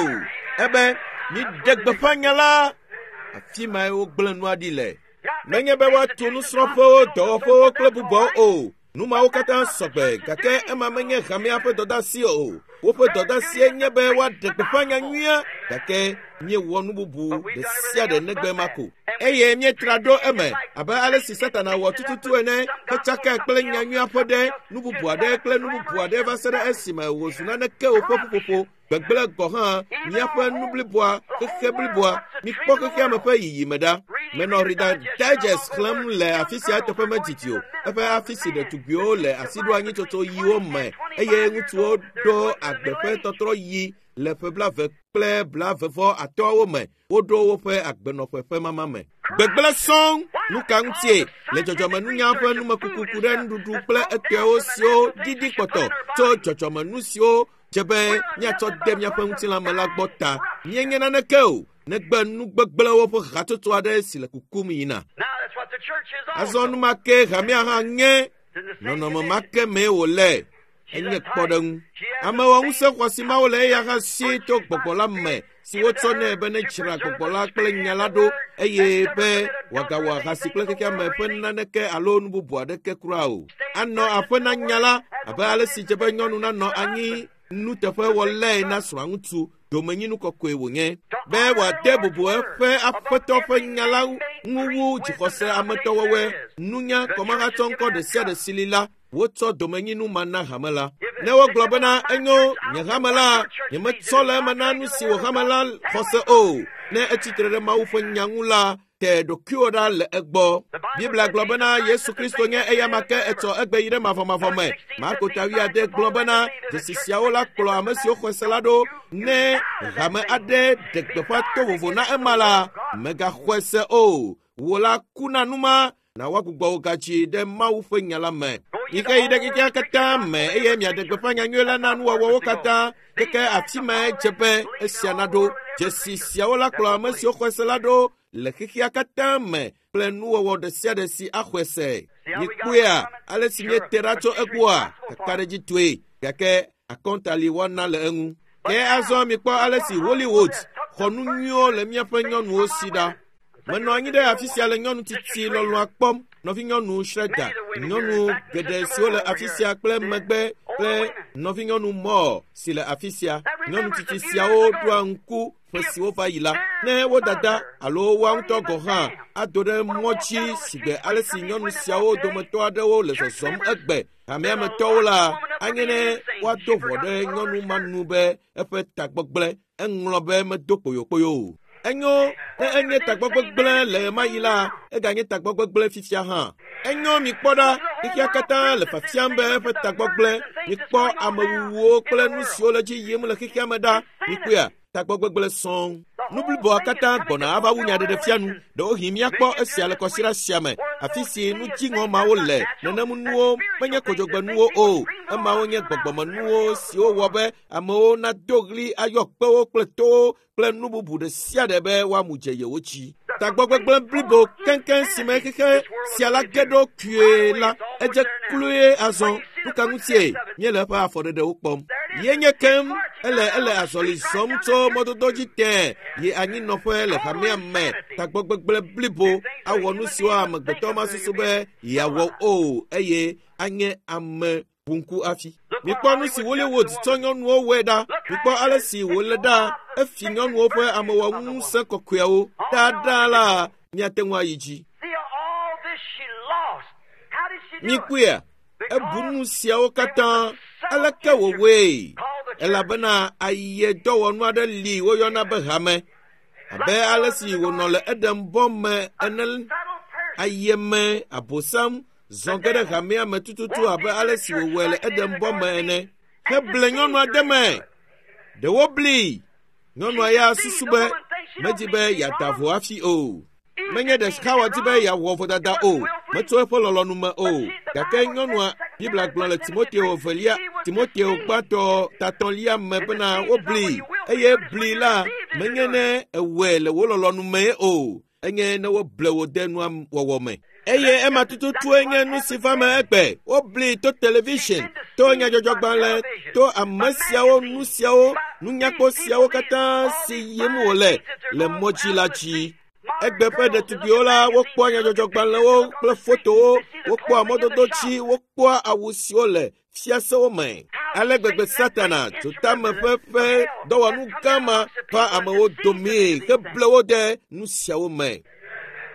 Ebe miɖe gbeƒã nya la. Afi mae wogblẽ nua ɖi le. Menye be woatu nusrɔ̃ƒewo, dɔwɔƒewo kple bubuawo o. Nu mawo katã sɔgbe, gake ema menye hamea ƒe dɔdeasi o. Woƒe dɔdeasie nye be woaɖe gbeƒã nya nyuia, gake míewɔ nu bubu ɖe sia ɖe negbe ma ko. Eye míetra ɖo eme abe ale si Satana wɔ tututu ene, hetsakae kple nya nyuia ƒe ɖe, nu bubu aɖe kple nu bubu aɖe va se ɖe esime wòzu naneke o ƒe ƒuƒoƒo. Gbegblẽ gɔ̃ hã míaƒe nu bliboa, xexe bliboa. Mikpɔ xexea me ƒe yiyime ɖa. Menɔ Reader Digest xlẽm le afi sia eteƒe medidi o. Eƒe afi si ɖetugbiwo le asiɖoanyitsotso ɣiwo me eye ŋutsuwo ɖo agbe ƒe tɔtrɔ ɣi le ƒe 20 kple 25 me. Woɖo woƒe agbenɔƒe ƒe mama me. Gbegblẽ sɔŋ. Nu ka ŋutie? Le dzɔdzɔmenunya ƒe numekuku ku ɖe nuɖuɖu kple etɔewo siwo ɖiɖi kpɔtɔ tso dzɔdzɔmenu siwo dze be míatsɔ de míaƒe ŋutilã me la gbɔ ta. Míenye naneke o, negbe nu gbegblẽwo ƒe hatsotso aɖe si le kukum yina. Azɔ nu ma ke hamea hã nye. Nɔnɔme ma ke mee wòle. Enye kpɔɖeŋu. Amewɔŋusẽ xɔasi mawo le eya hã si to gbɔgbɔ la me si wotsɔ nɛ be nedzra gbɔgbɔ la kple nya la ɖo eye be wòagawɔ ahasi kple xexea me ƒe naneke alo nu bubu aɖeke kura o. Anɔ aƒe na nya la abe ale si dze be nyɔnu nanɔ anyi nuteƒewɔlae na srɔ̃a ŋutsu, domenyinu kɔkɔe wònye, be wòade bubu eƒe aƒetɔ ƒe nya la ŋu wu dzixɔse ametɔwɔwɔe, nunya, kɔmahatsɔŋkɔ ɖe sia ɖe si li la. Wotsɔ domenyinu ma na hame la. Ne wogblɔ bena enyo nye hame la, nyemetsɔ le eme na nu si wò hame la xɔse o. Ne etsi tre ɖe Mawu ƒe nya ŋu la, te ɖokuiwò ɖa le egbɔ. Biblia gblɔ bena Yesu Kristo nye eyama ke etsɔ egbe yi ɖe mavɔmavɔ me. Marko ta 8 gblɔ bena dzesi siawo la kplɔ ame siwo xɔe se la ɖo. Ne hame aɖe ɖe gbeƒã to vovo na ema la, mègaxɔe se o. Wò la ku na nu ma na woagbugbɔ wò gadzi ɖe Mawu ƒe nya la me. Mike yi ɖe xexea katã me eye miaɖe gbeƒã nyanyui la na nuwɔwɔwo katã. Keke afi mae dze be esia naɖo. Dzesi siawo la kplɔ ame siwo xɔe se la ɖo le xexea katã me kple nuwɔwɔ ɖe sia ɖe si axɔe se. Mikpɔea ale si míete ɖa tso egbɔa? Kakaɖedzitɔe. Gake akɔnta li woana le eŋu. Ke azɔ mikpɔ ale si Hollywood xɔ nu nyuiwo le míaƒe nyɔnuwo si ɖa. Menɔ anyi ɖe afi sia le nyɔnu tsitsi lɔlɔ̃a kpɔm, nɔvinyɔnu Schroeder, nyɔnu geɖe siwo le afi sia kple megbe kple nɔvinyɔnu Moore si le afi sia. Nyɔnu tsitsi siawo ɖoa ŋku ƒe siwo va yi la, ne wo dada alo woa ŋutɔ gɔ̃ hã ado ɖe mɔ dzi sigbe ale si nyɔnu siawo dometɔ aɖewo le zɔzɔm egbe hamea me tɔwo la, anye ne woado ʋɔ ɖe nyɔnu ma nu be eƒe tagbɔgblẽ eŋlɔ be medo kpoyokpoyo o. Enyo ne enye tagbɔgbegblẽ le ɣemaɣi la, eganye tagbɔgbegblẽ fifia hã. Enyo mikpɔ ɖa, xexea katã le fiafiam be eƒe tagbɔgblẽ. Mikpɔ amewuwuwo kple nu siwo le dzi yim le xexea me ɖa. Mikpɔea, tagbɔgbegblẽ sɔŋ. Nu bliboa katã gbɔna ava wu nyaɖeɖefia nu. Ɖewohĩ míakpɔ esia le kɔsiɖa sia me, afi si nu dziŋɔ mawo le. Nenem nuwo menye kodzogbenuwo o. Emawo nye gbɔgbɔmenuwo siwo wɔ be amewo nado ɣli ayɔ kpewo kple towo kple nu bubu ɖe sia ɖe be woamu dze yewo dzi. Tagbɔgbegblẽ blibo keŋkeŋ si me xexe sia la ge ɖo kpuie la, edze kloe azɔ. Nu ka ŋutie míele eƒe afɔɖeɖewo kpɔm? Ye nye kem ele ele azɔli zɔm tso mɔdodo dzi tẽ yi anyinɔƒe le hamea me tagbɔgbegblẽ blibo awɔ nu siwo amegbetɔ masusu be yeawɔ o eye anye ame ʋuŋku hafi. Mikpɔ nu si Hollywood tsɔ nyɔnuwo wɔe ɖa. Mikpɔ ale si wòle ɖa efi nyɔnuwo ƒe amewɔŋusẽ kɔkɔeawo. Ɖaɖa la míate ŋu ayi dzi. See all this she lost. How did she do it? Mikpɔea, ebu nu siawo katã aleke wòwɔe elabena ayedɔwɔnu aɖe li woyɔna be hame abe ale si wònɔ le Eɖenbɔ me ene Subtle person. ayeme abosam zɔ ge ɖe hamea me tututu abe ale si wòwɔe le Eɖenbɔ me ene heble nyɔnua de me. Ɖewo bli. Nyɔnua ya susu be medzi be yeada vo hafi o. Menye ɖe Xawa di be yeawɔ vodada o, metso eƒe lɔlɔ̃nu me o. Gake nyɔnua, Biblia gblɔ le Timoteo evelia, Timoteo gbãtɔ tatɔ̃lia me bena wobli eye bli la menye ne ewɔe le wò lɔlɔ̃nu mee o, enye ne woble wò de nua wɔwɔ me. Eye ema tututue nye nu si va me egbe. Wobli to television, to nyadzɔdzɔgbalẽ, to ame siawo, nu siawo, nunyakpɔ siawo katã si yim wòle le mɔ dzi la dzi. Egbe ƒe ɖetugbiwo la, wokpɔa nyadzɔdzɔgbalẽwo kple fotowo, wokpɔa mɔdodo dzi, wokpɔa awu siwo le fiasewo me. Ale gbegbe Satana dzotame ƒe ƒe dɔwɔnu gã ma va amewo domee heble wo de nu siawo me.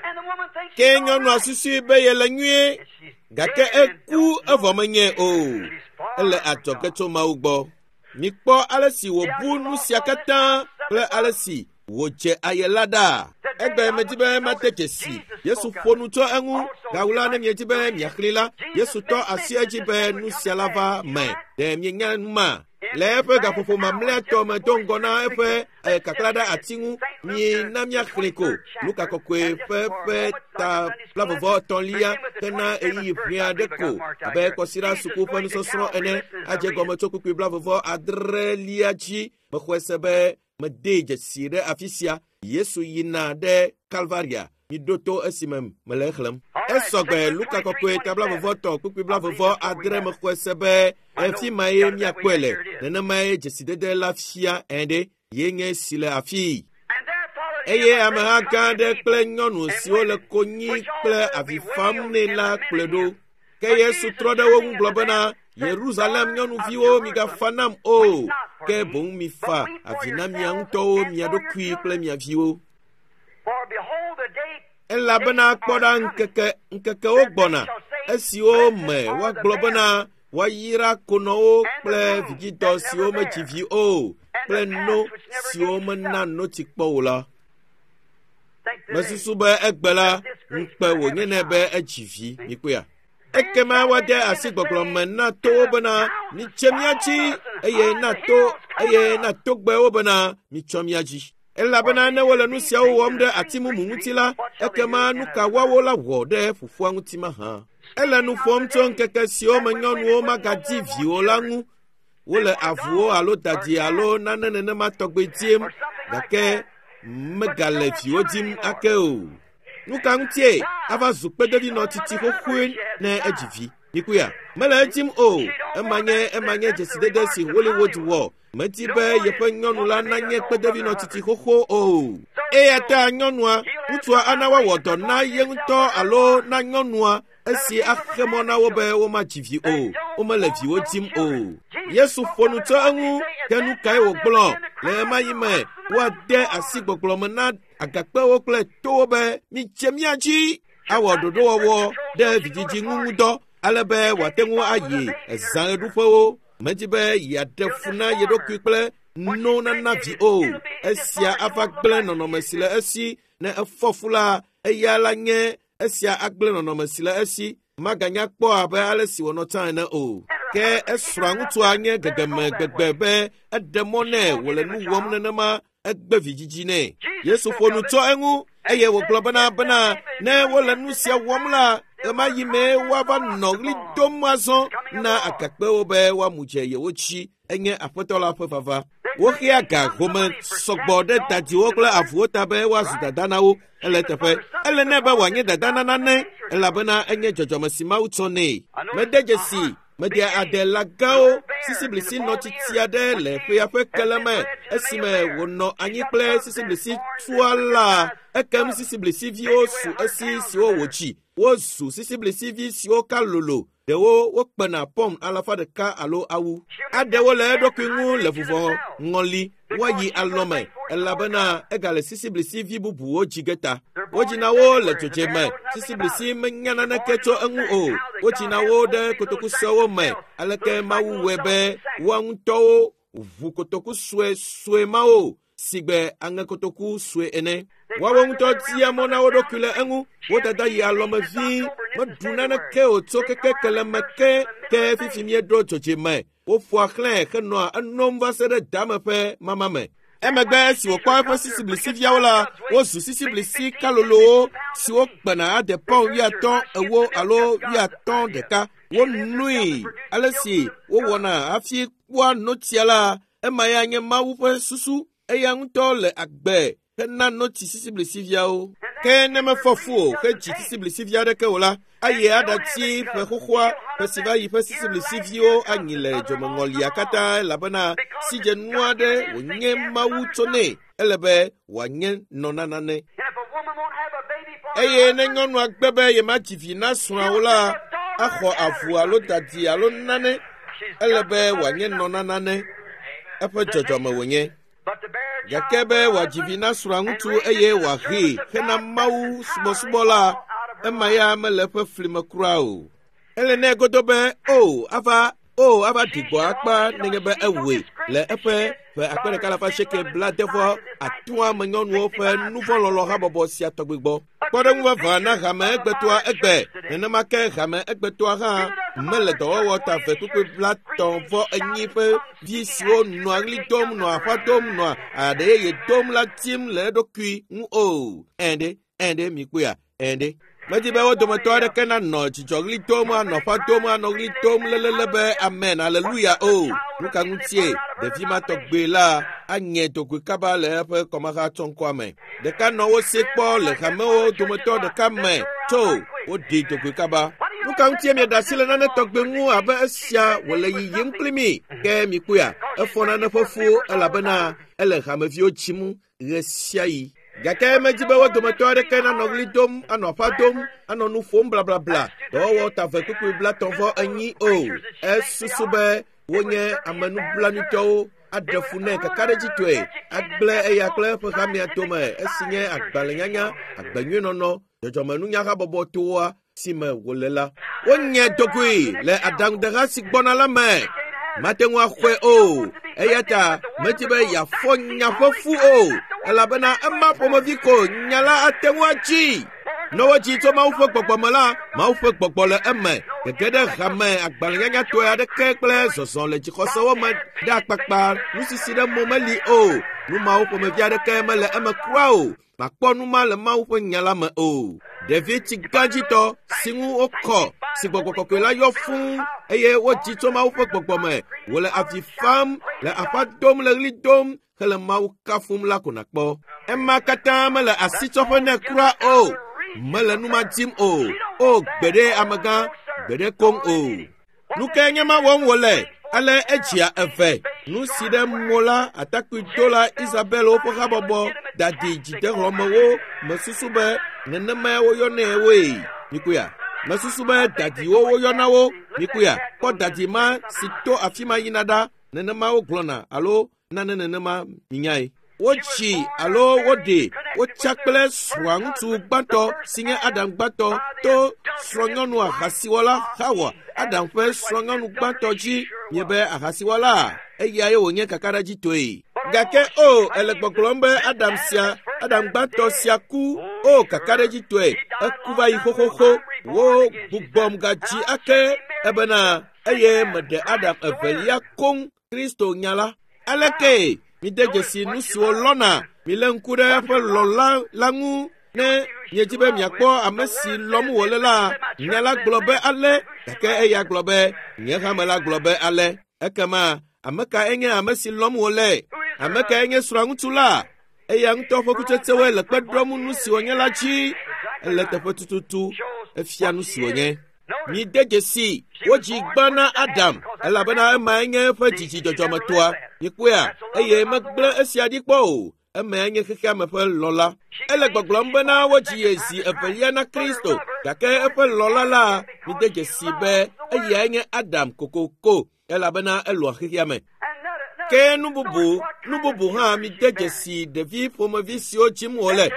And the woman thinks Ke she's all nyɔnua right. susui be yele nyuie, And she's gake dead and eku don't know evɔ it. menye o. She's far Ele from adzɔge God. tso Mawu gbɔ. Mikpɔ ale si wòbu nu sia katã kple ale si wòdze aye la ɖa. Egbe medi be mate dzesi. Yesu ƒo nu tso eŋu. Gawu la ne miedi be miaxlẽe la, Yesu tɔ asi edzi be nu sia la va me. Ɖe mienya nu ma? Le eƒe gaƒoƒo mamlɛatɔ me do ŋgɔ na eƒe kakla ɖe ati ŋu, mina míaxlẽe ko. Luka kɔkɔe ƒe ƒe ta blavɔvɔ etɔ̃lia hena ɣeyiɣi ʋɛ aɖe ko abe kɔsiɖa suku ƒe nusɔsrɔ̃ ene adze gɔme tso kpukpui blavɔvɔ adrelia dzi. Mexɔe se be medee dzesi ɖe afi sia. Yesu yina ɖe Kalvaria. Miɖo to esime mele exlẽm. Esɔgbe Luka kɔkɔe ta blavɔvɔ tɔ kpukpui blavɔvɔ adre mexɔe se be efi ma ye míakpɔe le. Nenemae dzesidede la fia ene ye nye si le afii. And there followed him Eye a great ameha gã company aɖe of people kple nyɔnu and siwo le women, konyi which kple also avi be fam wailed nɛ and la lamented kplɔe ɖo. him. Ke But Yesu Jesus trɔ ɖe wo ŋu hearing gblɔ of the bena, man said, Yerusalem Daughters of nyɔnuviwo migafa Jerusalem, nam weep o, not for ke me, boŋ mifa but weep for avi na mia yourselves ŋutɔwo and mia for your ɖokui kple children. mia viwo. For behold, the day Elabena days kpɔ are ɖa coming ŋkeke ŋkekewo that they gbɔna shall say, esiwo Blessed me are the woagblɔ bena barren, woayra konɔwo and the kple womb vidzidɔ that siwo never medzi bare, vi o and kple the no calves which never siwo gave mena suck. notsi kpɔ o la. Think today Mesusu be egbe la that this great ŋukpe should have a wònye nɛ be child. edzi vi. See? Mikpɔea? Then Ekema shall they woade begin asi to gbɔgblɔ say me na to towo the bena mountains, mitse mía Fall dzi on us, and eye on na the to hills, cover eye na us. togbɛwo bena mitsɔ mía dzi. For Elabena if ne they wole do nu these siawo things wɔm to ɖe the ati tree, mumu tree, ŋuti tree, la, what shall they do ekema in nu a ka woawo la wɔ ɖe ƒuƒua ŋuti mahã? Ele nu Speaking of ƒom the tso days ŋkeke siwo that me when nyɔnuwo women would no magadi more want viwo la children, ŋu. they Wole want avuwo dogs alo or dadi cats alo nane nenema tɔgbe dim or something like gake that, but they megale don't want viwo children dim anymore. ake o. Nu ka ŋutie Why? ava zu She's kpedevinɔ no tsitsi mother xoxoe Hubbard. She has ne edzi died. vi. Mikpɔea? Mele edim o. She don't Ema want nye that. ema nye That's the dzesidede remarks si of Hollywood Hollywood. wɔ. Medi You be don't want yeƒe it. nyɔnu Want la to be nanye an old Mother kpedevinɔ tsitsi Hubbard. xoxo o. So Eya she'll ta nyɔnua, he'll have ŋutsua some ana woawɔ outrageous dɔ na divorce ye himself ŋutɔ or her alo wife na nyɔnua that'll esi keep her axe from mɔ na having wo be children. womadzi vi They o. don't Womele want viwo no dim o. children. Jesus Yesu spoke ƒo of nu it. tso What did he eŋu. say? At Ke nu that kae time they'll wògblɔ? begin to Le cry ɣemaɣi to the me, rocks and the woade mountains asi fall on us. gbɔgblɔ me na agakpewo kple towo be mitse mía dzi Should awɔ not this birth ɖoɖowɔwɔ control ɖe so she go to vidzidzi ŋu parties ŋudɔ ale be and wòate can't be ŋu bothered with ayi a baby to ezã nurture? ɣeɖuƒewo. Medi be yeaɖe She'll fu na disform ye ɖokui her. kple When no she's nana pregnant, vi o. it'll be Esia disformed. She ava won't look gblẽ like she nɔnɔme used si le to. esi. Ne efɔ fu la, eya la nye esia agblẽ nɔnɔme si le esi. Maganya kpɔ abe ale si wònɔ tsã ene o. And her Ke husband, eager esrɔ̃a enough ŋutsua to nye let her go gegeme that gbegbe way. be eɖe mɔ She nɛ won't give wòle him a nu wɔm child. nenema egbe vidzidzi nɛ. Jesus Yesu spoke ƒo nu of it, tso eŋu and eye he wògblɔ said, bena If bena they've been ne doing wole this nu at sia that wɔm time, la, they'll ɣemaɣi start mee crying out to woava the rocks nɔ to ɣli fall on them. dom azɔ It's coming of na the Lord. agakpewo be woamu dze yewo dzi. Enye Aƒetɔ la ƒe vava. They Woxea bring ga big sums of home money for sɔgbɔ cats, ɖe dogs, dadiwo to kple mothers, avuwo ta be woazu right? dada na wo. Ele She must teƒe. mother something Ele nɛ be because wòanye this is dada na not nane nature to her. elabena enye dzɔdzɔme si Mawu tsɔ nɛ. I Mede noticed a dzesi hunt Meɖea adela gãwo sisiblisi nɔ tsitsi aɖe le ƒea ƒe kele me esime wònɔ anyi kple sisiblisi tua la. Ekem sisiblisiviwo su esi siwo wòdzi. Wozu sisiblisivi siwo ka lolo. Ɖewo wokpena pɔm 100 alo awu. Aɖewo le eɖokui ŋu le vuvɔ ŋɔli woayi alɔme elabena egale sisiblisivi bubuwo dzi ge ta. Wodzina wo le dzodzeme. Sisiblisi menya naneke tso eŋu o. Wodzina wo ɖe kotokusewo me. Aleke Mawu wɔe be woa ŋutɔwo ʋu kotoku sue sue mawo sigbe aŋekotoku sue ene. Woawo ŋutɔ dia mɔ na wo ɖokui le eŋu. Wo dada yi alɔme vi meɖu naneke o tso keke keleme ke ke fifi míeɖo dzodzeme. Woƒoa xlãe henɔa enom va se ɖe dame ƒe mama me. Emegbe esi wòkpɔ eƒe sisiblisiviawo la, wozu sisiblisi kalolowo siwo kpena ade pɔn 50, 40 alo 51. Wonoe ale si wowɔna hafi kpɔa notsia la, ema ya nye Mawu ƒe susu. Eya ŋutɔ le agbe hena notsi sisiblisiviawo. Ke ne mefɔ fu o hedzi sisiblisivi aɖeke o la, ayi aɖatsi ƒe xoxoa ƒe si va yi ƒe sisiblisiviwo anyi le dzomeŋɔlia katã elabena sidzenu aɖe wònye Mawu tso nɛ. Ele be wòanye nɔ na nane. Eye ne nyɔnua gbe be yemadzi vi na srɔ̃a o la, axɔ avu alo dadi alo nane. Ele be wòanye nɔ na nane. Eƒe dzɔdzɔme wònye. Gake be wòadzi vi na srɔ̃a ŋutsu eye wòahee hena Mawu subɔsubɔ la, ema ya mele eƒe fli me kura o. Ele nɛ godo be o ava o ava ɖi gbɔ akpa nenye be ewɔe le eƒe ƒe 1890 me nyɔnuwo ƒe nuvɔlɔlɔ habɔbɔ sia tɔgbi gbɔ. Kpɔɖeŋu vavã na hame egbetɔa egbe. Nenema ke hame egbetɔa hã mele dɔwɔwɔ ta 2.34 ƒe vi siwo nɔa ɣli dom, nɔa aƒa dom, nɔa aɖe yeye dom la tim le eɖokui ŋu o. Ɛ̃ɖe, ɛ̃ɖe, mikpɔea, ɛ̃ɖe. Medi be wo dometɔ aɖeke nanɔ dzidzɔɣli dom, anɔ aƒa dom, anɔ ɣli dom lelele be amen, aleluya o. Nu ka ŋutie ɖevi ma tɔgbe la anye dogoe kaba le eƒe kɔmaha tsɔŋkɔa me? Ɖeka nɔ wo si kpɔ le hamewo dometɔ ɖeka me tso woɖi dogoe kaba. Nu ka ŋutie mieɖe asi le nane tɔgbe ŋu abe esia wòle yiyim kpli mi? Ke mikpɔea, efɔ nane ƒe fu elabena ele hameviwo dzim ɣe sia ɣi. Gake medzi be wo dometɔ aɖeke nanɔ ɣli dom, anɔ aƒa dom, anɔ nu ƒom blablabla, dɔwɔwɔ ta 2.34 o. Esusu be wonye amenublanuitɔwo aɖe fu nɛ kakaɖedzitɔe, agblẽ eya kple eƒe hamea dome esi nye agbalẽnyanya, agbenyuienɔnɔ, dzɔdzɔmenunyahabɔbɔ toa si me wòle la. Wonye dogoe le aɖaŋudeha si gbɔna la me. Mate ŋu axɔe o. Eya ta medi be yeafɔ nya ƒe fu o, elabena ema ƒomevi ko nya la ate ŋu atsi. Ne wodzi tso Mawu ƒe gbɔgbɔ me la, Mawu ƒe gbɔgbɔ le eme. Gege ɖe hame agbalẽnyanyatɔe aɖeke kple zɔzɔ le dzixɔsewo me ɖe akpakpa nusisi ɖe mo meli o. Nu mawo ƒomevi aɖeke mele eme kura o. Makpɔ nu ma le Mawu ƒe nya la me o. Ɖevi tsigãdzitɔ si ŋu wokɔ, si gbɔgbɔ kɔkɔe la yɔ fũu eye wodzi tso Mawu ƒe gbɔgbɔ me, wòle avi fam, le aƒa dom, le ɣli dom, hele Mawu kafum la ko nakpɔ. Ema katã mele asitsɔƒe nɛ kura o. Mele nu ma dim o. O gbeɖe amegã, gbeɖe koŋ o. Nu kae nye ma wɔm wòle? Ale edzia eve. Nu si ɖe mo la atakpuidola Isabel woƒe habɔbɔ dadi dzidehlɔ̃mewo mesusu be nenemae woyɔnɛ woe. Mikpɔea? Mesusu be dadiwo woyɔna wo. Mikpɔea? Kpɔ dadi ma si to afi ma yina ɖa. Nenema wogblɔna alo nane nenema minyae. Wotsi alo woɖe wotsa kple srɔ̃a ŋutsu gbãtɔ si nye Adam gbãtɔ to srɔ̃nyɔnu ahasiwɔla Hawa, Adam ƒe srɔ̃nyɔnu gbãtɔ dzi nye be ahasiwɔla eyae wònye kakaɖedzitɔe. Gake o ele gbɔgblɔm be Adam sia, Adam gbãtɔ sia ku, o kakaɖedzitɔe, eku va yi xoxoxo. Wo gbugbɔm gadzi ake ebena eye meɖe Adam evelia koŋ Kristo nya la. Aleke mide dzesi nu siwo lɔna milé ŋku ɖe eƒe lɔla la ŋu ne miedzi be miakpɔ ame si lɔm wòle la, nya la gblɔ be ale, gake eya gblɔ be nye hame la gblɔ be ale. Ekema ame kae nye ame si lɔm wòle? Ame kae nye srɔ̃ŋutsu la? Eya ŋutɔ ƒe kutsetsewoe le kpe ɖom nu si wònye la dzi. Ele teƒe tututu efia nu si wònye. Mide dzesi wodzi gbã na Adam elabena emae nye eƒe dzidzi dzɔdzɔmetɔa. Mikpɔea eye megblẽ esia ɖi kpɔ o. Emae nye xexeame ƒe lɔla. Ele gbɔgblɔm bena wodzi ye zi evelia na Kristo gake eƒe lɔla la mide dzesi be eyae nye Adam kokoko elabena elɔa xexeame. Ke nu bubu hã mide dzesi ɖevi ƒomevi siwo dzim wòle.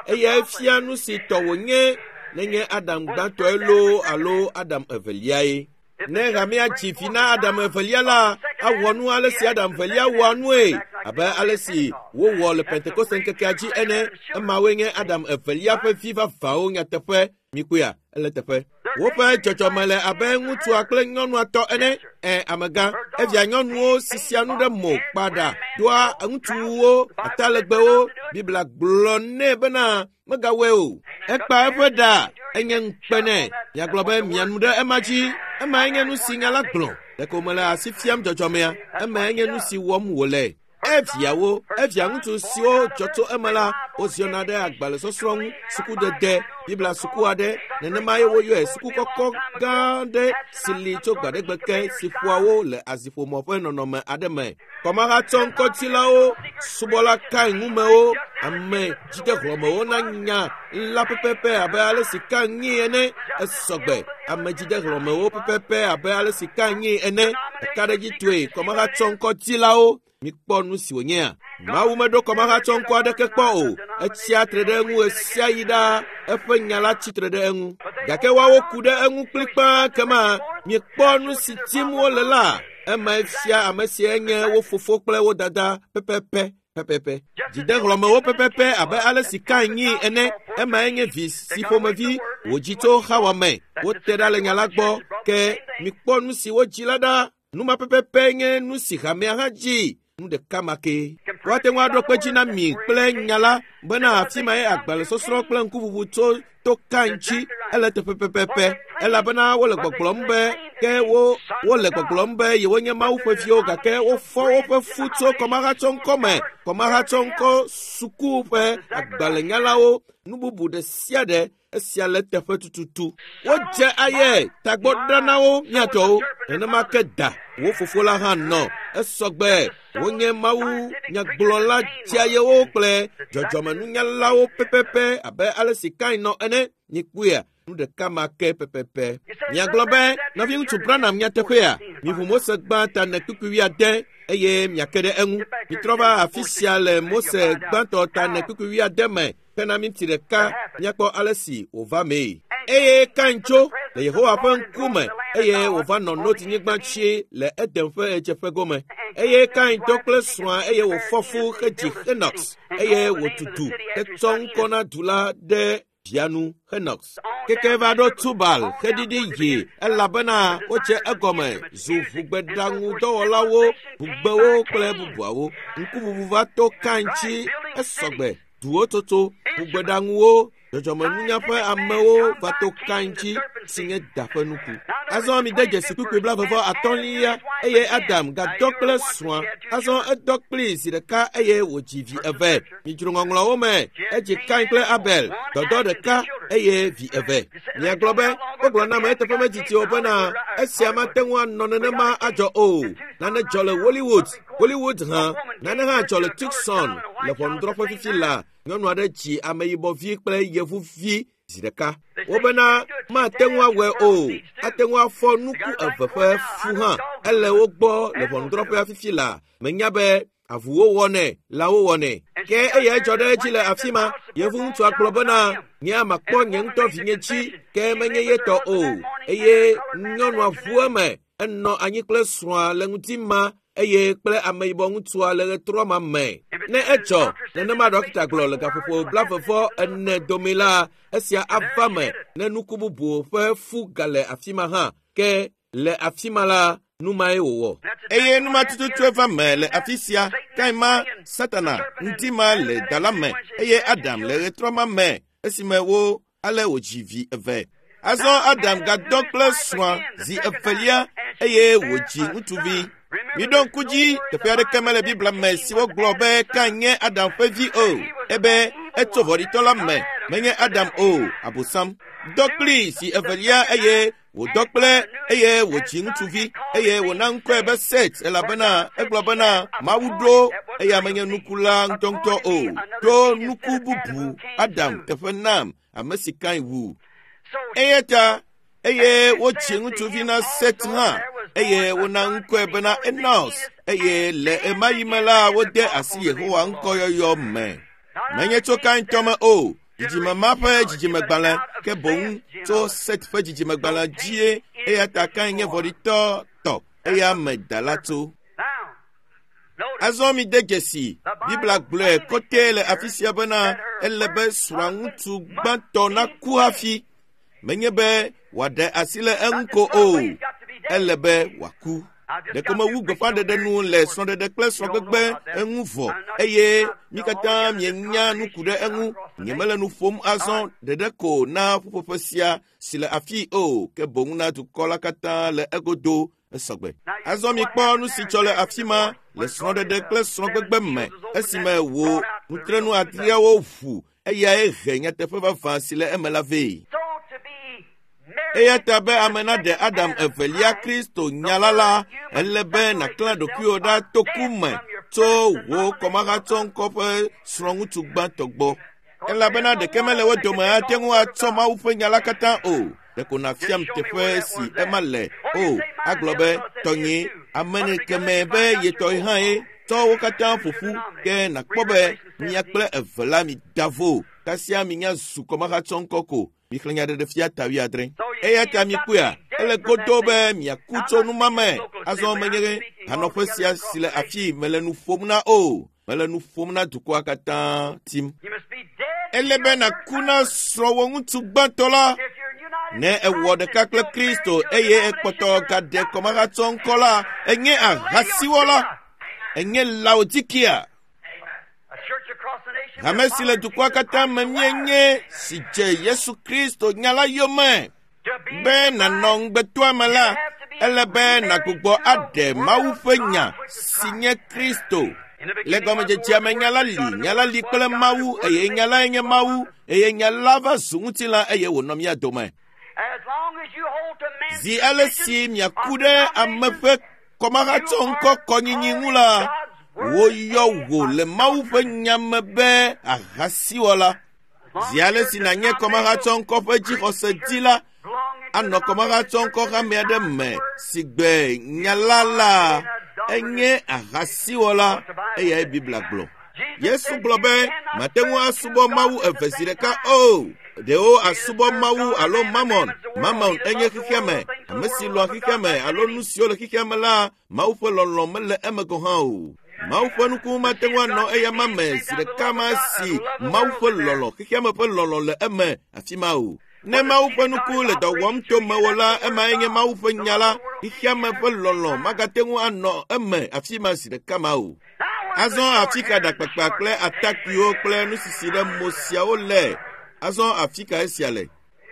Eyae fia nu si tɔ wònye nenye Adam gbãtɔe loo alo Adam eveliae. Ne hamea dzi vi na Adam evelia la, awɔ nu ale si Adam evelia wɔa nue abe ale si wowɔ le Pentekoste ŋkekea dzi ene. Emawoe nye Adam evelia ƒe vi vavãwo nyateƒe. Mikpɔea, ele teƒe. Woƒe dzɔdzɔme le abe ŋutsua kple nyɔnua tɔ ene. Amegã, evia nyɔnuwo sisia nu ɖe mo kpaɖa doa ŋutsuwo atalegbewo. Biblia gblɔ nɛ bena megawɔe o. Ekpa eƒe ɖa enye ŋukpe nɛ. Miagblɔ be mianu ɖe ema dzi. Emae nye nu si nya la gblɔ. Ɖeko mele asi fiam dzɔdzɔmea. Emae nye nu si wɔm wòle. Eviawo, evia ŋutsu siwo dzɔ tso eme la, woziɔna ɖe agbalẽsɔsrɔ̃ ŋu, sukudede, Biblia suku aɖe, nenemae woyɔe suku kɔkɔ gã aɖe si li tso gbaɖegbe ke si ƒoa wo le aziƒomɔ ƒe nɔnɔme aɖe me. Kɔmahatsɔŋkɔtsilawo, subɔla Kain ŋumewo, ame dzidehlɔ̃mewo na nya la pɛpɛpɛ abe ale si Kain nyii ene. Esɔgbe ame dzidehlɔ̃mewo pɛpɛpɛ abe ale si Kain nyii ene. Ɖekaɖedzitɔe kɔmahatsɔŋkɔtsilawo. Mikpɔ nu si wònyea. Mawu meɖo kɔmahatsɔŋkɔ aɖeke kpɔ o. Etsia tre ɖe eŋu ɣesiaɣi ɖaa. Eƒe nya la tsi tre ɖe eŋu. Gake woawo ku ɖe eŋu kplikpaa kema miekpɔ nu si tim wole la. Emae fia ame sie nye wo fofo kple wo dada pɛpɛpɛ pɛpɛpɛ. Dzidehlɔ̃mewo pɛpɛpɛ abe ale si Kain nyii ene. Emae nye vi si ƒomevi wòdzi tso Xawa me. Wote ɖa le nya la gbɔ. Ke mikpɔ nu si wodzi la ɖa. Nu ma pɛpɛpɛ nye nu si hamea hã dzi. Nu ɖeka ma ke. Woate ŋu aɖo kpe dzi na mi kple nya la bena afi mae agbalẽsɔsrɔ̃ kple ŋkuʋuʋu tso to Kain dzi ele teƒe pɛpɛpɛ elabena wole gbɔgblɔm be ke wole gbɔgblɔm be yewonye Mawu ƒe viwo gake wofɔ woƒe fu tso kɔmahatsɔŋkɔ me, kɔmahatsɔŋkɔ suku ƒe agbalẽnyalawo, nu bubu ɖe sia ɖe. Esia le teƒe tututu. Wodze aye tagbɔ ɖa na wo miatɔwo. Nenema ke da wo fofo la hã nɔ. Esɔgbe wonye Mawu nyagblɔla dzeayewo kple dzɔdzɔmenunyalawo pɛpɛpɛ abe ale si Kain nɔ ene. Mikpɔea, nu ɖeka ma ke pɛpɛpɛ. Miagblɔ be nɔviŋutsu Branham nyateƒea, miʋu Mose gbã ta ne kpukpui wuiade eye miake ɖe eŋu. Mitrɔ va afi sia le Mose gbãtɔ ta ne kpukpui wuiade me. Hena minti ɖeka míakpɔ ale si wòva mee. Eye Kain tso le Yehowa ƒe ŋkume eye wòva nɔ Nod-nyigba dzi le Eden ƒe ɣedzeƒe gome. Eye Kain dɔ kple srɔ̃a eye wòfɔ fu hedzi Henox eye wòtu du hetsɔ ŋkɔ na du la ɖe via nu Henox. Keke va ɖo Tubal heɖiɖi yi elabena wodze egɔme zu ʋugbeɖaŋudɔwɔlawo, ʋugbewo kple bubuawo. Ŋkuʋuʋu va to Kain dzi esɔgbe. Duwo tsotso, ʋugbeɖaŋuwo, dzɔdzɔmenunya ƒe amewo va to Kain dzi si nye da ƒe nuku. Azɔ mide dzesi kpukpui 35 eye Adam gadɔ kple srɔ̃a. Azɔ edɔ kplii zi ɖeka eye wòdzi vi eve. Midzro ŋɔŋlɔawo me. Edzi Kain kple Abel, dɔdɔ ɖeka eye vi eve. Miagblɔ be wogblɔ nam eteƒe medzidzi o bena esia mate ŋu anɔ nenema adzɔ o. Nane dzɔ le Hollywood. Hollywood hã. Nane hã dzɔ le Tucson le ʋɔnudrɔ̃ƒe fifi la. Nyɔnu aɖe dzi ameyibɔvi kple yevuvi zi ɖeka. Wobena mate ŋu awɔe o. Ate ŋu afɔ nuku eve ƒe fu hã. Ele wo gbɔ le ʋɔnudrɔ̃ƒea fifi la. Menya be avuwo wɔnɛ, lãwo wɔnɛ. Ke eyae dzɔ ɖe edzi le afi ma. Yevu ŋutsua gblɔ bena nye makpɔ nye ŋutɔ vinye dzi ke menye ye tɔ o. Eye nyɔnua ʋu eme. Enɔ anyi kple srɔ̃a le ŋuti ma eye kple ameyibɔ ŋutsua le ɣetrɔ ma me. Ne edzɔ nenema ɖɔkita gblɔ le gaƒoƒo 44 dome la, esia ava me ne nuku bubu ƒe fu gale afi ma hã. Ke le afi ma la, nu mae wòwɔ. Eye nu ma tututue va me le afi sia. Kain ma, Satana, ŋuti ma le da la me eye Adam le ɣetrɔ ma me esime wo ale wòdzi vi eve. Azɔ Adam gadɔ kple srɔ̃a zi evelia eye wòdzi ŋutsuvi. Miɖo ŋku dzi, teƒe aɖeke mele Biblia me si wogblɔ be Kain nye Adam ƒe vi o. Ebe etso vɔ̃ɖitɔ la me, menye Adam o, Abosam. Dɔ kplii zi evelia eye Wòdɔ kple eye wòdzi ŋutsuvi eye wòna ŋkɔe be Set elabena egblɔ bena Mawu ɖo eya menye nuku la ŋutɔŋutɔ o, ɖo nuku bubu Adam teƒe nam ame si Kain wu. Eya ta eye wotsi ŋutsuvi na Set hã eye wona ŋkɔe bena Enos eye le ɣemaɣi me la wode asi Yehowa ŋkɔyɔyɔ me. Menye tso Kain tɔ me o, dzidzime ma ƒe dzidzimegbalẽ ke boŋ tso Set ƒe dzidzimegbalẽ dzie eya ta Kain nye vɔ̃ɖitɔ tɔ eya me da la tso. Azɔ mide dzesi, Biblia gblɔe kɔtɛ le afi sia bena ele be srɔ̃ŋutsu gbãtɔ naku hafi. Menye be wòaɖe asi le eŋu ko o, ele be wòaku. Ɖeko mewu gbeƒãɖeɖe nu le srɔ̃ɖeɖe kple srɔ̃gbegbe eŋu vɔ eye mi katã mienya nu ku ɖe eŋu. Nyemele nu ƒom azɔ ɖeɖe ko na ƒuƒoƒe sia si le afii o, ke boŋ na dukɔ la katã le egodo esɔgbe. Azɔ mikpɔ nu si tsɔ le afi ma le srɔ̃ɖeɖe kple srɔ̃gbegbe me esime wò nutrenu adreawo ʋu eyae he nyateƒe vavã si le eme la vɛ. Eya ta be ame naɖe Adam evelia Kristo nya la la, ele be nàklã ɖokuiwò ɖa to ku me tso wò kɔmahatsɔŋkɔ ƒe srɔ̃ŋutsu gbãtɔ gbɔ. Elabena ɖeke mele wo dome ate ŋu atsɔ Mawu ƒe nya la katã o. Ɖeko nàfiam teƒe si ema le. O, agblɔ be, tɔnyee, ame kemɛ be ye tɔe hã ye. Tsɔ wo katã ƒo ƒu, ke nàkpɔ be mia kple eve la mida vo. Kasia minya zu kɔmahatsɔŋkɔ ko. Mixlẽ Nyaɖeɖefia ta wuiadre. Eya ta mikpɔea, ele godoo be miaku tso nu ma me. Azɔ menye hanɔƒe sia si le afii mele nu ƒom na o. Mele nu ƒom na dukɔa katã tim. Ele be nàku na srɔ̃wò ŋutsu gbãtɔ la. Ne èwɔ ɖeka kple Kristo eye èkpɔtɔ gaɖe kɔmahatsɔŋkɔ la, ènye ahasiwɔla. Ènye Laodikia. Hame si le dukɔa katã me míenye si dze Yesu Kristo nya la yome. Be nànɔ ŋugbetɔa me la, ele be nàgbugbɔ aɖe Mawu ƒe nya si nye Kristo. Le gɔmedzedzea me nya la li, nya la li kple Mawu eye nya lae nye Mawu eye nya la va zu ŋutilã eye wònɔ mía dome. Zi ale si miaku ɖe ame ƒe kɔmahatsɔŋkɔ kɔnyinyi ŋu la, woyɔ wò le Mawu ƒe nya me be ahasiwɔla. Zi ale si nànye kɔmahatsɔŋkɔ ƒe dzixɔse di la, anɔ kɔmahatsɔŋkɔ hame aɖe me si gbe nya la la, enye ahasiwɔla, eyae Biblia gblɔ. Yesu gblɔ be mate ŋu asubɔ Mawu eve zi ɖeka o. Ɖewo asubɔ Mawu alo Mamon. Mamon enye xexea me. Ame si lɔ̃a xexea me alo nu siwo le xexea me la, Mawu ƒe lɔlɔ̃ mele eme gɔ̃ hã o. Mawu ƒe nuku mate ŋu anɔ eyama me zi ɖeka ma si Mawu ƒe lɔlɔ̃, xexea me ƒe lɔlɔ̃ le eme afi ma o. Ne Mawu ƒe nuku le dɔ wɔm to mewò la, emae nye Mawu ƒe nya la. Xexea me ƒe lɔlɔ̃ magate ŋu anɔ eme afi ma zi ɖeka ma o. Azɔ afi ka ɖakpakpa kple atakpuiwo kple nusisi ɖe mo siawo le? Azɔ afi ka esia le?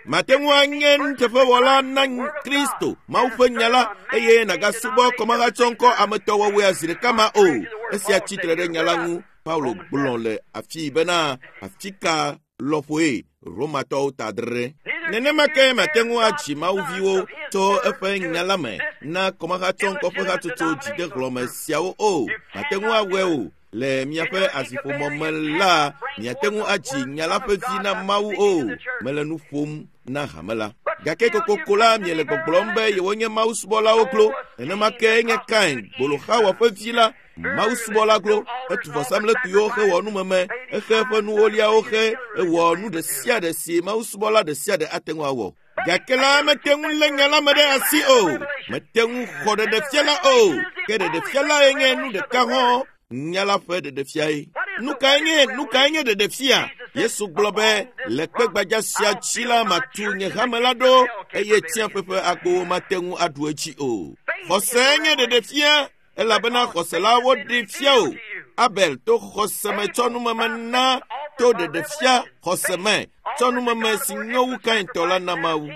Mate ŋu anye nuteƒewɔla na Kristo, Mawu ƒe nya la, eye nàgasubɔ kɔmahatsɔŋkɔ ametɔwɔwɔea zi ɖeka ma o. Esia tsi tre ɖe nya la ŋu. Paulo gblɔ le afii bena, afi ka lɔƒoe Romatɔwo ta adre. Nenema ke mate ŋu adzi mawuviwo tso eƒe nya la me na kɔmahatsɔŋkɔ ƒe hatsotso dzidehlɔ̃me siawo o. Mate ŋu awɔe o. Le miaƒe asiƒomɔ me la, miate ŋu adzi nya la ƒe vi na Mawu o. Mele nu ƒom na hame la. Gake kokoko la, miele gbɔgblɔm be yewonye mawusubɔlawo klo. Nenema ke nye Kain, gboloxawɔ ƒe vi la, Mawu subɔla glo, etu vɔsamlekpuiwo hewɔ numeme, exe eƒe nuwoliawo xe, ewɔ nu ɖe sia ɖe si Mawu subɔla ɖe sia ɖe ate ŋu awɔ. Gake la mete ŋu lé nya la me ɖe asi o, mete ŋu xɔ ɖeɖefia la o, ke ɖeɖefia lae nye nu ɖeka hɔ̃, nya la ƒe ɖeɖefiae. Nu kae nye nu kae nye ɖeɖefia? Yesu gblɔ be, le kpe gbadza sia dzi la matu nye hame la ɖo, eye tsiaƒe ƒe agbowo mate ŋu aɖu edzi o. Xɔse nye ɖeɖefia. Elabena xɔse la woɖee fia o. Abel to xɔse me tsɔ numeme na to ɖeɖefia xɔse me tsɔ numeme si nyo wu Kain tɔ la na Mawu.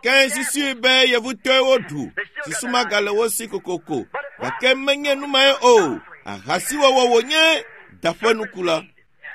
Kain susui be yevutɔe woɖu, susu magale wo si kokoko, gake menye nu mae o. Ahasiwɔwɔ wònye, da ƒe nuku la.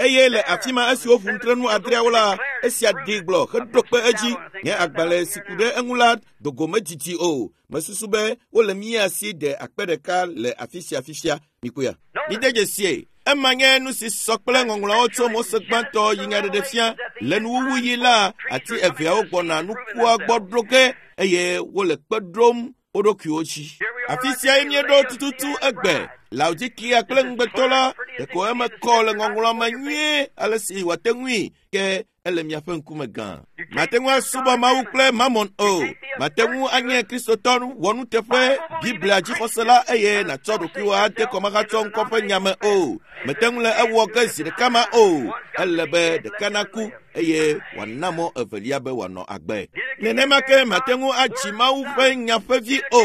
Eye le afi ma esi woƒo nutrenu adreawo la, esia ɖi gblɔ heɖo kpe edzi. Nye agbalẽ si ku ɖe eŋu la dogo medidi o. Mesusu be wole mía si de akpe ɖeka le afi sia fifia. Mikpɔea? Mide dzesie. Ema nye nu si sɔ kple ŋɔŋlɔawo tso Mose gbãtɔ yi nyaɖeɖefia. Le nuwuwu yi la, ati eveawo gbɔna nukua gbɔ ɖo ge eye wole kpe ɖom wo ɖokuiwo dzi. Afi siae míeɖo tututu egbe. Laodikia kple ŋugbetɔ la, ɖeko eme kɔ le ŋɔŋlɔa me nyuie ale si wòate ŋui ke ele miaƒe ŋkume gã. Mate ŋu asubɔ Mawu kple Mamon o. Mate ŋu anye Kristotɔ wɔnuteƒe Biblia dzixɔsela eye nàtsɔ ɖokuiwò ade kɔmahatsɔ ŋkɔ ƒe nya me o. Mete ŋu le ewɔ ge zi ɖeka ma o. Ele be ɖeka naku eye wòana mɔ evelia be wòanɔ agbe. Nenema ke mate ŋu adzi Mawu ƒe nya ƒe vi o.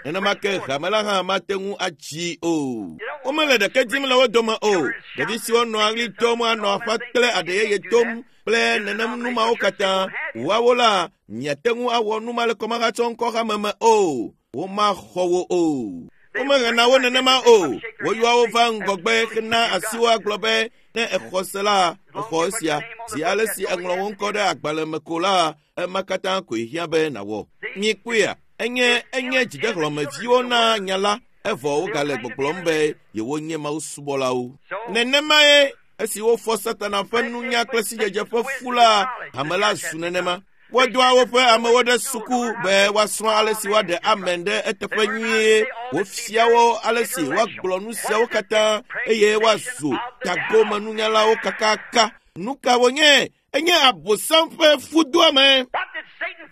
Nenema ke hame la hã mate ŋu adzi o. Womele ɖeke dim le wo dome o. Ɖevi siwo nɔa ɣli dom anɔ aƒa kple aɖe yeye dom kple nenem nu mawo katã. Woawo la, miate ŋu awɔ nu ma le kɔmahatsɔ ŋkɔ hame me o. Womaxɔ wo o. Womehena wo nenema o. Woyɔa wo va ŋgɔgbe hena asiwo agblɔ be ne exɔ se la, exɔ esia. Zi ale si eŋlɔ wo ŋkɔ ɖe agbalẽ me ko la, ema katã koe hiã be nàwɔ. Mikpɔea? Enye enye dzidehlɔ̃meviwo na nya la, evɔ wogale gbɔgblɔm be yewonye Mawu subɔlawo. Nenemae esi wofɔ Satana ƒe nunya kple sidzedze ƒe fu la, hame la zu nenema. Wodoa woƒe amewo ɖe suku be woasrɔ̃ ale si woaɖe amen ɖe eteƒe nyuie. Wofia wo ale si woagblɔ nu siawo katã eye woazu tagomenunyalawo kakaka. Nu ka wonye? Enye Abosam ƒe fudoame.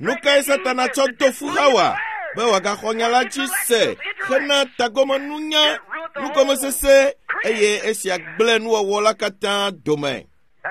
Nu kae Satana tsɔ do fu Hawa? Be wòagaxɔ nya la dzi se hena tagomenunya, nugɔmesese eye esia gblẽ nuwɔwɔ la katã dome.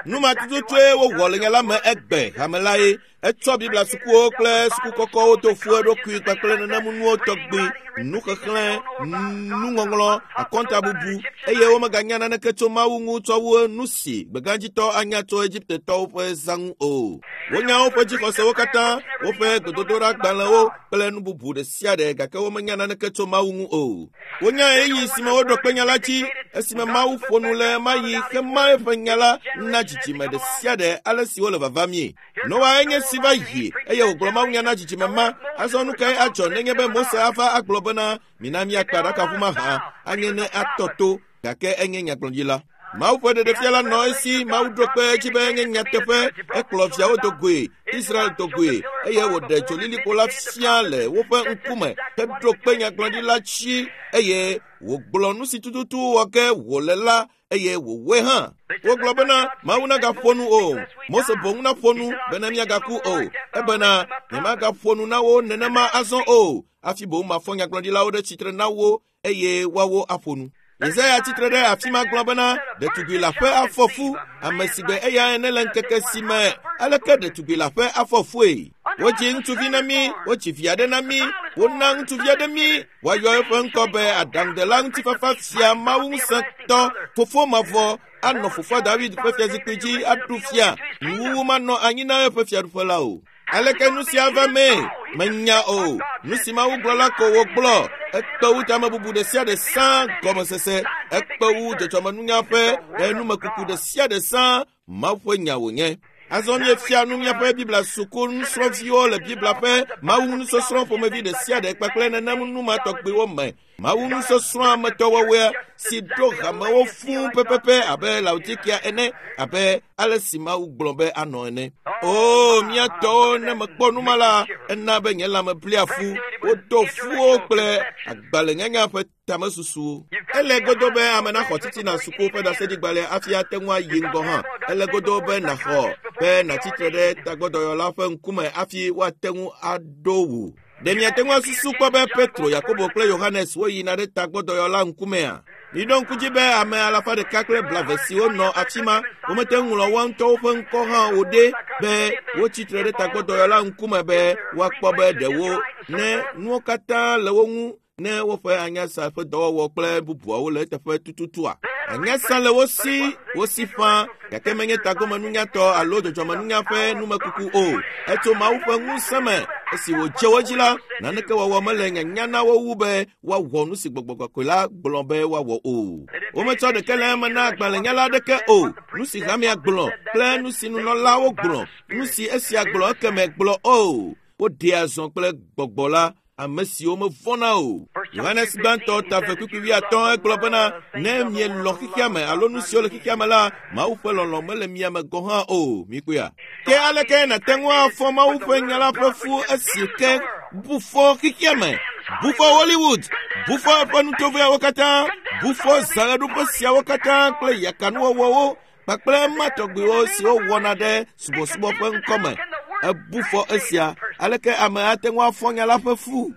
Nu ma tututue wowɔ le nya la me egbe hame lae. Etsɔ Biblia sukuwo kple suku kɔkɔwo do fu eɖokui kpakple nenem nuwo tɔgbi, nuxexlẽ, nuŋɔŋlɔ, akɔntabubu eye womeganya naneke tso Mawu ŋu tsɔ wu nu si gbegãdzitɔ anya tso Egiptetɔwo ƒe zã ŋu o. Wonya woƒe dzixɔsewo katã, woƒe gbedodoɖagbalẽwo kple nu bubu ɖe sia ɖe gake womenya naneke tso Mawu ŋu o. Wonya ɣeyiɣi si me woɖo kpe nya la dzi esime Mawu ƒo nu le ɣemaɣi hema eƒe nya la na dzidzime ɖe sia ɖe ale si wole vavamie. Noa enye si va yi eye wògblɔ mawunya na dzidzime ma. Azɔ nu kae adzɔ nenye be Mose ava agblɔ bena mina míakpa aɖakaʋu mahã anye ne atɔ to gake enye nyagblɔɖila. Mawu ƒe ɖeɖefia la nɔ esi Mawu ɖo kpe edzi be enye nyateƒe. Ekplɔ viawo do goe, Israel do goe eye wòɖe dzolilikpo la fia le woƒe ŋkume heɖo kpe nyagblɔɖila dzi eye wògblɔ nu si tututu wɔ ge wòle la eye wòwɔe hã. Wogblɔ bena Mawu nagaƒo nu o. Mose boŋ naƒo nu bena míagaku o. Ebena nyemagaƒo nu na wo nenema azɔ o. Hafi boŋ mafɔ nyagblɔɖilawo ɖe tsitre na wo eye woawo aƒo nu. Yesaya tsitre ɖe afi ma gblɔ bena ɖetugbi la ƒe afɔ fu, ame si gbe eya ene le ŋkeke si me aleke ɖetugbi la ƒe afɔ fue. Wodzi ŋutsuvi na mí, wodzi vi aɖe na mí, wona ŋutsuvi aɖe mí, woayɔ eƒe ŋkɔ be aɖaŋudela ŋutifafa fia Mawu ŋusẽtɔ, fofo mavɔ, anɔ fofoa David ƒe fiazikpui dzi aɖu fia, nuwuwu manɔ anyi na eƒe fiaɖuƒe la o. Aleke nu sia va mee? Menya o. Nu si Mawu gblɔ la ko wògblɔ. Ekpe wu tamebubu ɖe sia ɖe sã gɔmesese. Ekpe wu dzɔdzɔmenunya ƒe numekuku ɖe sia ɖe sã. Mawu ƒe nya wònye. Azɔ míefia nu míaƒe Biblia suku nusrɔ̃viwo le Biblia ƒe Mawu nusɔsrɔ̃ ƒomevi ɖe sia ɖe kpakple nenem nu ma tɔgbiwo me. Mawu nusɔsrɔ̃ ametɔwɔwɔea si ɖo hamewo fũu pɛpɛpɛ abe Laodikia ene, abe ale si Mawu gblɔ be anɔ ene. O, mía tɔwo, ne mekpɔ nu ma la, ena be nye lãme blia fu. Wodo fuwo kple agbalẽnyanya ƒe tamesusuwo. Ele godo be ame naxɔ titina suku ƒe ɖaseɖigbalẽ hafi ate ŋu ayi ŋgɔ hã. Ele godo be nàxɔ be nàtsitre ɖe tagbɔdɔyɔla ƒe ŋkume hafi woate ŋu aɖo wò. Ɖe miate ŋu asusu kpɔ be Petro, Yakobo kple Yohanes woyina ɖe tagbɔdɔyɔla ŋkumea? Miɖo ŋku dzi be ame alafa ɖeka kple blave siwo nɔ afi ma, womete ŋu ŋlɔ woa ŋutɔwo ƒe ŋkɔ hã o ɖe be wotsi tre ɖe tagbɔdɔyɔla ŋkume be woakpɔ be ɖewo ne nuwo katã le wo ŋu ne woƒe anyasa ƒe dɔwɔwɔ kple bubuawo le eteƒe tututua. Anyasa le wo si, wo si fã, gake menye tagomenunyatɔ alo dzɔdzɔmenunya ƒe numekuku o. Etso Mawu ƒe ŋusẽ me. Esi wòdze wo dzi la, naneke wɔwɔ mele nyanya na wo wu be woawɔ nu si gbɔgbɔ kɔkɔe la gblɔ be woawɔ o. Wometsɔ ɖeke le eme na agbalẽnyala aɖeke o. Nu si hamea gblɔ kple nu si nunɔlawo gblɔ, nu si esia gblɔ ekeme gblɔ o. Woɖea zɔ kple gbɔgbɔ la ame siwo mevɔ̃na o. Yohanes gbãtɔ ta 2:50 egblɔ bena ne mielɔ̃ xexea me alo nu siwo le xexea me la, Mawu ƒe lɔlɔ̃ mele mia me gɔ̃ hã o. Mikpɔea? Ke aleke nàte ŋu afɔ Mawu ƒe nya la ƒe fu esi ke bu fɔ xexea me, bu fɔ Hollywood, bu fɔ eƒe nutovoeawo katã, bu fɔ zãɣeɖuƒe siawo katã kple yakanuwɔwɔwo kpakple ema tɔgbiwo siwo wɔna ɖe subɔsubɔ ƒe ŋkɔme. Ebu fɔ esia. Aleke ame ate ŋu afɔ nya la ƒe fu?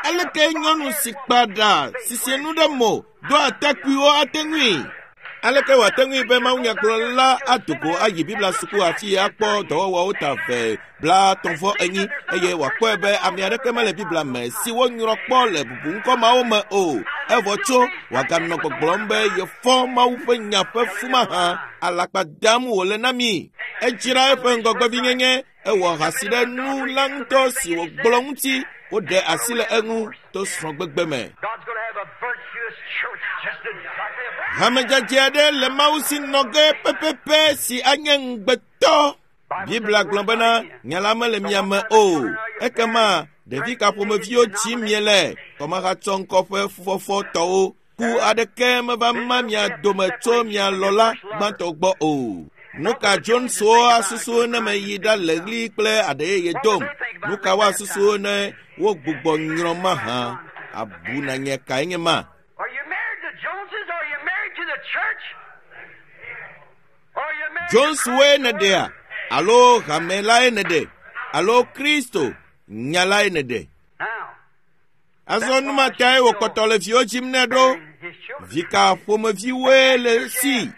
Aleke nyɔnu si kpa ɖa sisi nu ɖe mo do atakpuiwo ate ŋui? Aleke wòate ŋui be mawunyagblɔla ado go ayi Biblia suku afi akpɔ dɔwɔwɔwo ta 234 eye wòakpɔe be ame aɖeke mele Biblia me si wonyrɔ kpɔ le bubuŋkɔ mawo me o. Evɔ tso wòaganɔ gbɔgblɔm be yefɔ Mawu ƒe nya ƒe fu mahã, alakpa dam wòle na mi. Edzra eƒe ŋgɔgbevinyenye, ewɔ ahasi ɖe nu la ŋutɔ si wògblɔ ŋuti. Woɖe asi le eŋu to srɔ̃gbegbe me. Hamedzadze aɖe le Mawu si nɔ ge pɛpɛpɛ si anye ŋugbetɔ. Biblia gblɔ bena nya la mele mia me o. Ekema ɖevi ka ƒomeviwo tsim miele? Kɔmahatsɔ ŋkɔ ƒe fufɔfɔ tɔwo. Ku aɖeke meva ma mia dome tso mia lɔla gbãtɔ gbɔ o. Nu ka Joneswo asusu ne meyi ɖa le ɣli kple aɖeyeye dom? Nu ka woasusu ne wogbugbɔ nyrɔ mahã? Abu na nye kae nye ma? Are you married to Joneses? Are you married to the church? Are you married to Joneswoe nèɖea alo hame lae nèɖe alo Kristo nya lae nèɖe? Now, Azɔ nu ma tae wòkpɔtɔ le viwo dzim nɛ ɖo. his children. Vi ka ƒomeviwoe le si?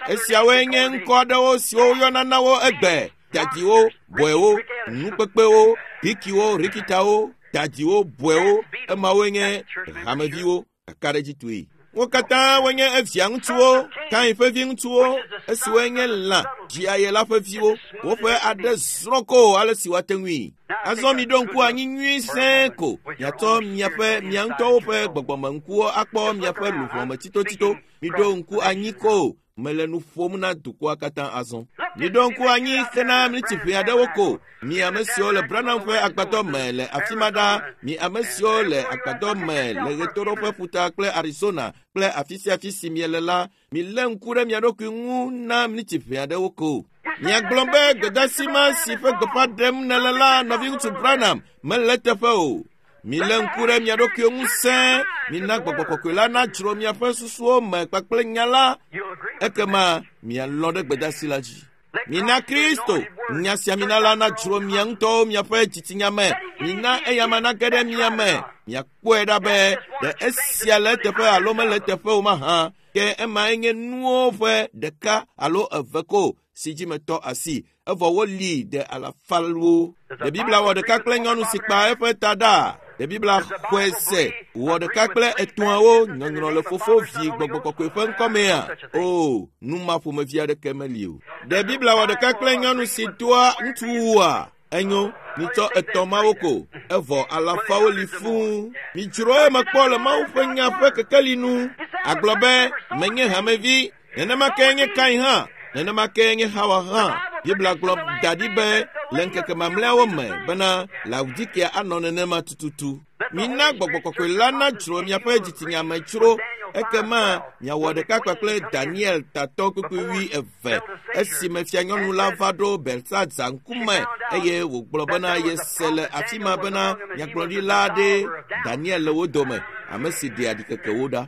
Esiawoe nye ŋkɔ aɖewo siwo woyɔna na wo egbe. Dadiwo, bɔewo, nukpekpewo, bikiwo, rikitawo, dadiwo, bɔewo, emawoe nye hameviwo kakaɖedzitɔe. Wo katã wonye evia ŋutsuwo, Kain ƒe viŋutsuwo, esiwoe nye lã dziaye la ƒe viwo. Woƒe aɖe zrɔ̃ ko ale si woate ŋui. Azɔ miɖo ŋku anyi nyui sẽe ko. Miatsɔ miaƒe mia ŋutɔwo ƒe gbɔgbɔmeŋkuwo akpɔ miaƒe luʋɔ me tsitotsito. Miɖo ŋku anyi ko. Mele nu ƒom na dukɔa katã azɔ. Miɖo ŋku anyi hena miniti ʋɛ aɖewo ko. Mi ame siwo le Branham ƒe agbadɔ me le afi ma ɖa, mi ame siwo le agbadɔ me le ɣetoɖoƒe ƒuta kple Arizona kple afi sia afi si miele la, milé ŋku ɖe mia ɖokui ŋu na miniti ʋɛ aɖewo ko. Miagblɔ be gbedeasi ma si ƒe gbeƒã ɖem nèle la, nɔviŋutsu Branham, mele eteƒe o. Milé ŋku ɖe mia ɖokuiwo ŋu sẽe, mina gbɔgbɔ kɔkɔe la nadzro miaƒe susuwo me kpakple nya la, You'll agree. ekema mialɔ̃ ɖe gbedeasi la dzi. Mina Kristo, nya sia mina la nadzro mia ŋutɔwo miaƒe dzitsinya me. Mina eyama nage ɖe mia me. Miakpɔe ɖa be ɖe esia le eteƒe alo mele eteƒe o mahã. Ke emae nye nuwo ƒe ɖeka alo eve ko si dzi metɔ asi. Evɔ woli ɖe alafawo. Ɖe Biblia wɔ ɖeka kple nyɔnu si kpa eƒe ta ɖa? Ɖe Biblia xɔe se wɔ ɖeka kple etɔ̃awo nyɔnyrɔ le fofo vi gbɔgbɔ kɔkɔe ƒe ŋkɔmea? O, nu ma ƒomevi aɖeke meli o. Ɖe Biblia wɔ ɖeka kple nyɔnu si doa ŋutsuwua? Enyo, mitsɔ etɔ̃ mawo ko, evɔ alafawo li fũu. Midzro eme kpɔ le Mawu ƒe nya ƒe kekeli nu. Agblɔ be, menye hamevi, nenema ke nye Kain hã, nenema ke nye Hawa hã. Biblia gblɔ da ɖi be le ŋkeke mamlɛawo me bena Laodikea anɔ nenema tututu. Mina gbɔgbɔ kɔkɔe la nadzro miaƒe dzitsinya me tsro, ekema miawɔ ɖeka kpakple Daniel tatɔ kpukpui 22 esime fianyɔnu la va ɖo Belsaza ŋkume eye wògblɔ bena yese le afi ma bena nyagblɔɖila aɖe Daniel le wo dome, ame si ɖea ɖikekewo ɖa.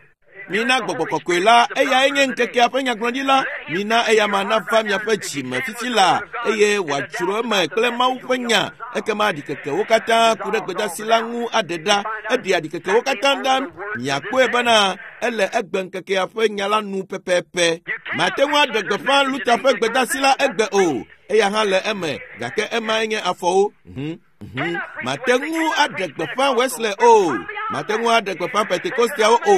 Mina gbɔgbɔ kɔkɔe la, eyae nye ŋkekea ƒe nyagblɔɖila. Mina eyama nava miaƒe dzi me fifi la, eye wòadzro eme kple Mawu ƒe nya. Ekema ɖikekewo katã ku ɖe gbedeasi la ŋu aɖe ɖa. Eɖea ɖikekewo katã ɖa. Miakpɔe bena ele egbe ŋkekea ƒe nya la nu pɛpɛpɛ. Mate ŋu aɖe gbeƒã Luther ƒe gbedeasi la egbe o. Eya hã le eme, gake emae nye afɔwo. Mate ŋu aɖe gbeƒã Wesley o. Mate ŋu aɖe gbeƒã Pentekosteawo o.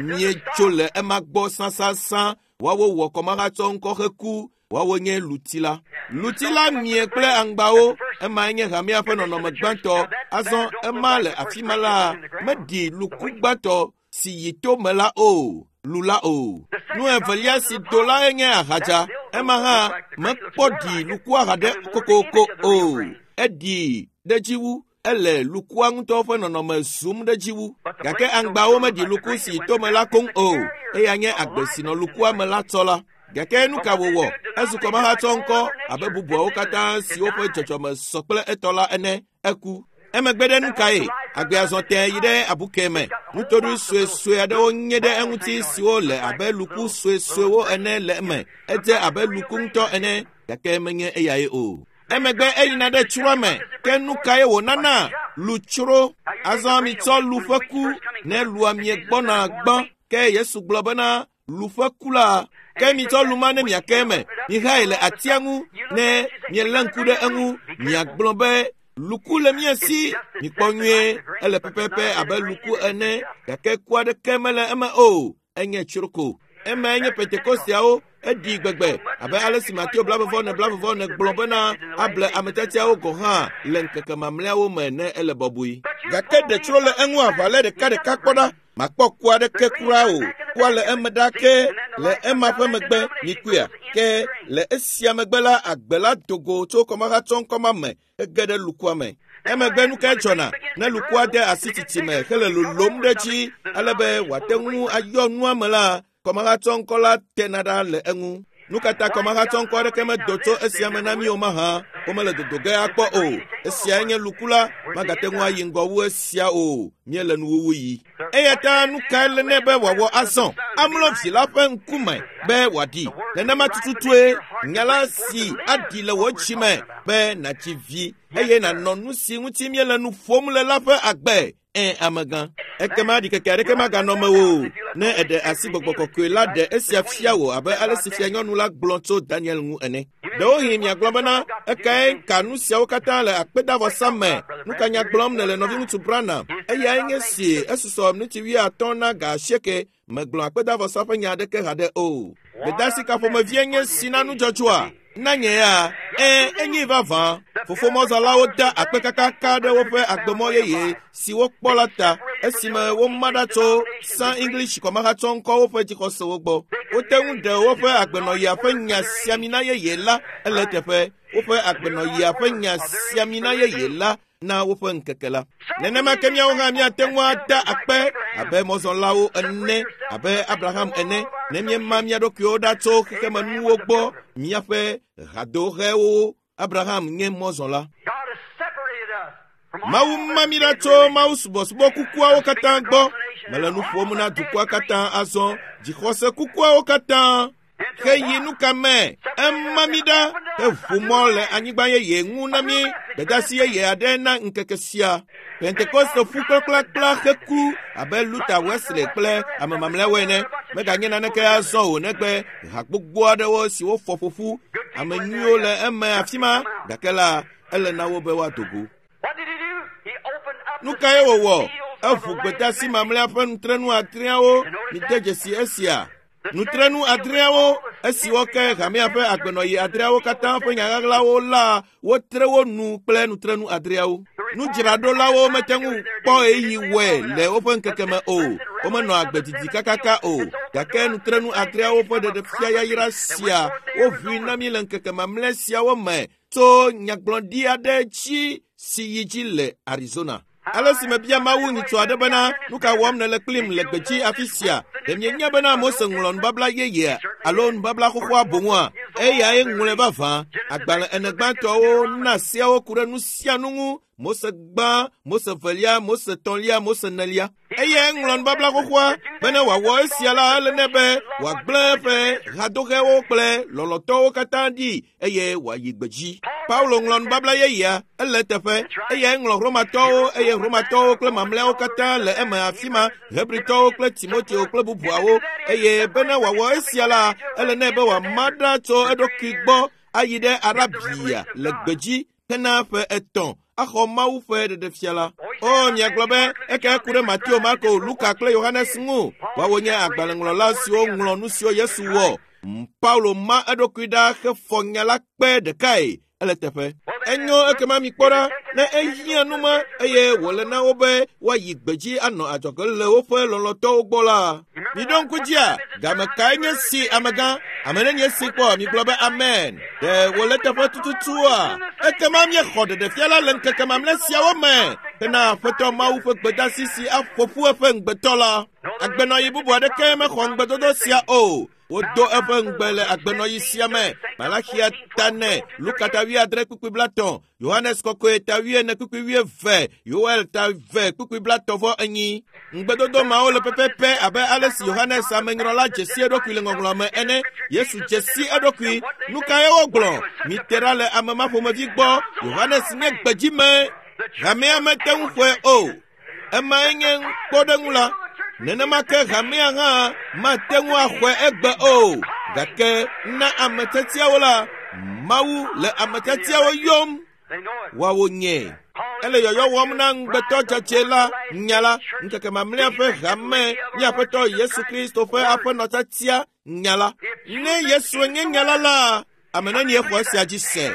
Míetso le ema gbɔ sãsãsã. Woawo wɔ kɔmahatsɔ ŋkɔ heku. Woawo nye luti la. Luti la mie kple aŋgbawo. Emae nye hamea ƒe nɔnɔme gbãtɔ. Azɔ ema le afi ma la, meɖi luku gbãtɔ si yi to me la o, lu la o. Nu evelia si do lae nye ahadza. Ema hã mekpɔ ɖi lukua haɖe kokoko o. Eɖi ɖe dzi wu. Ele lukua ŋutɔ ƒe nɔnɔme zum ɖe dzi wu. Gake aŋgbawo meɖi luku si yi tome la koŋ o. Eya nye agbe si nɔ lukua me la tsɔ la. Gake nu ka wòwɔ? Ezu kɔmahatsɔ ŋkɔ abe bubuawo katã siwo ƒe dzɔdzɔme sɔ kple etɔ la ene. Eku. Emegbe ɖe nu kae? Agbea zɔ tẽe yi ɖe abuke me. Nutoɖoe suesue aɖewo nye ɖe eŋuti siwo le abe luku suesuewo ene le eme. Edze abe luku ŋutɔ ene, gake menye eyae o. Emegbe eyina ɖe tsroa me. Ke nu kae wònana? Lutsro. Azɔ mitsɔ lu ƒe ku ne lua miegbɔna gbã. Ke Yesu gblɔ bena lu ƒe ku la, ke mitsɔ lu ma ne miake eme. Mihae le atia ŋu ne mielé ŋku ɖe eŋu. Miagblɔ be luku le mia si. Mikpɔ nyuie, ele pɛpɛpɛ abe luku ene, gake ku aɖeke mele eme o. Enye tsroko. Emae nye Pentekosteawo. Eɖi gbegbe abe ale si Mateo 24:44 gblɔ bena able ame tiatiawo gɔ̃ hã le ŋkeke mamlɛawo me ne ele bɔbɔe. Gake ɖe tsro le eŋu aʋa le ɖekaɖeka kpɔ ɖa. Makpɔ ku aɖeke kura o. Kua le eme ɖa ke le ema ƒe megbe mikuia. Ke le esia megbe la, agbe la do go tso kɔmahatsɔŋkɔ ma me hege ɖe lukua me. Emegbe nu kae dzɔna ne lukua de asi tsitsi me hele lolom ɖe dzi ale be wòate ŋu ayɔ nua me la, kɔmahatsɔŋkɔ la tena ɖa le eŋu. Nu ka ta kɔmahatsɔŋkɔ aɖeke medo tso esia me na mí o mahã? Womele dodo ge akpɔ o. Esiae nye luku la, magate ŋu ayi ŋgɔ wu esia o. Míele nuwuwu yi. Eya ta nu kae le nɛ be wòawɔ azɔ? Amlɔ vi la ƒe ŋkume be wòaɖi. Nenema tututue nya la si aɖi le wò dzi me be nàdzi vi eye nànɔ nu si ŋuti míele nu ƒom le la ƒe agbe. Ẽ, amegã. Ekema ɖikeke aɖeke maganɔ mewò o ne èɖe asi gbɔgbɔ kɔkɔe la ɖe esia fia wò abe ale si fianyɔnu la gblɔ tso Daniel ŋu ene. Ɖewohĩ miagblɔ bena, ekae ka nu siawo katã le akpedavɔsa me? Nu ka nya gblɔm nèle nɔviŋutsu Branham? Eyae nye si esusɔ miniti 50 na ga 8. Megblɔ akpedavɔsa ƒe nya aɖeke haɖe o. Gbedeasi ka ƒomevie nye si na nudzɔdzɔa? Na nye ya, ẽ, enye vavã. Fofo mɔzɔlawo da akpe kakaka ɖe woƒe agbemɔ yeye si wokpɔ la ta esime woma ɖa tso San English kɔmahatsɔŋkɔwo ƒe dzixɔsewo gbɔ. Wote ŋu ɖe woƒe agbenɔɣia ƒe nya siamina yeye la ele eteƒe. Woƒe agbenɔɣia ƒe nya siamina yeye la na woƒe ŋkeke la. Nenema ke míawo hã míate ŋu ada akpe abe mɔzɔlawo ene, abe Abraham ene, ne míema mía ɖokuiwo ɖa tso xexemenuwo gbɔ, míaƒe hadohewo. Abraham nye mɔzɔla. God has separated us from all Mawu ma mí ɖa tso Mawu subɔsubɔ kukuawo katã gbɔ. Mele nu ƒom na dukɔa katã azɔ, dzixɔse kukuawo katã. Heyi nu ka me? Ema mí ɖa heʋu mɔ le anyigba yeye ŋu na mí gbedeasi yeye aɖe na ŋkeke sia. Pentekoste ƒu kplakplakpla heku abe Luther, Wesley kple ame mamlɛawo ene. Meganye naneke azɔ o negbe ha gbogbo aɖewo siwo fɔ ƒoƒu. Ame nyuiwo le eme afi ma, gake la, ele na wo be woado go. What did he do? He opened up Nu the kae wòwɔ? seals of Eʋu the gbedeasi last mamlɛa ƒe nutrenu adreawo. Mide dzesi esia. Nutrenu adreawo, esiwo ke hamea ƒe agbenɔɣi adreawo katã ƒe nyaɣaɣlawo la, wotre wo nu kple nutrenu adreawo. Nudzraɖolawo mete ŋu kpɔ ɣeyiɣi wɔe le woƒe ŋkeke me o. Womenɔ agbe didi kakaka o. Gake nutrenu adreawo ƒe ɖeɖefia yayra sia woʋui na mí le ŋkeke mamlɛ siawo me tso nyagblɔɖi aɖe dzi si yi dzi le Arizona. Ale si mebia Mawu nyitsɔ aɖe bena, nu ka wɔm nèle kplim le gbedzi afi sia? Ɖe mienya bena Mose ŋlɔ nubabla yeyea alo nubabla xoxoa boŋua? Eyae ŋlɔe vavã. Agbalẽ ene gbãtɔwo na seawo ku ɖe nu sia nu ŋu. Mose gbã, Mose velia, Mose tɔ̃lia, Mose nelia. Eyae ŋlɔ nubabla xoxoa bene wòawɔ esia la, ele nɛ be wòagblẽ eƒe hadohewo kple lɔlɔ̃tɔwo katã ɖi eye wòayi gbedzi. Paulo ŋlɔ nubabla yeyea, ele eteƒe. Eyae ŋlɔ Romatɔwo eye Romatɔwo kple mamlɛawo katã le eme afi ma, Hebritɔwo kple Timoteo kple bubuawo. Eye bene wòawɔ esia la, ele nɛ be wòama ɖa tso eɖokui gbɔ ayi ɖe Arabia le gbedzi hena ƒe 3. axɔ Mawu ƒe ɖeɖefia la. O, miagblɔ be eka ku ɖe Mateo, Marko, Luka kple Yohanes ŋu. Woawo nye agbalẽŋlɔla siwo ŋlɔ nu siwo Yesu wɔ. Paulo ma eɖokui ɖa hefɔ nya la kpe ɖekae ele teƒe. Enyo ekema mikpɔ ɖa ne ehiã nu ma eye wòle na wo be woayi gbedzi anɔ adzɔge le woƒe lɔlɔ̃tɔwo gbɔ la. Miɖo ŋku dzia, game kae nye si amegã? Ame nenye si kpɔ migblɔ be amen. Ɖe wòle teƒe tututua? Ekema míexɔ ɖeɖefia la le ŋkeke mamlɛ siawo me hena Aƒetɔ Mawu ƒe gbedasi si aƒo ƒu eƒe ŋugbetɔ la. Agbenɔɣi bubu aɖeke mexɔ ŋugbedodo sia o. Wodo eƒe ŋugbe le agbenɔɣi sia me. Malaxia ta 4, Luka ta 7 kpukpui 30, Yohanes kɔkɔe ta 4 kpukpui 20, Yoel ta 2 kpukpui 34. Ŋugbedodo mawo le pɛpɛpɛ abe ale si Yohanes amenyrɔla dze si eɖokui le ŋɔŋlɔ me ene. Yesu dze si eɖokui. Nu kae wogblɔ? Mite ɖa le ame ma ƒomevi gbɔ. Yohanes nye gbedzime. Hamea mete ŋu xɔe o. Emae nye kpɔɖeŋu la. Nenema ke hamea hã mate ŋu axɔe egbe o. Gake na ame tiatiawo la, Mawu le ame tiatiawo yɔm. Woawo nye. Ele yɔyɔ wɔm na ŋugbetɔ dzadzɛ la nya la, ŋkeke mamlɛa ƒe hame, mía Aƒetɔ Yesu Kristo ƒe aƒenɔ tiatia nya la. Ne Yesue nye nya la la, ame nenie xɔ esia dzi se?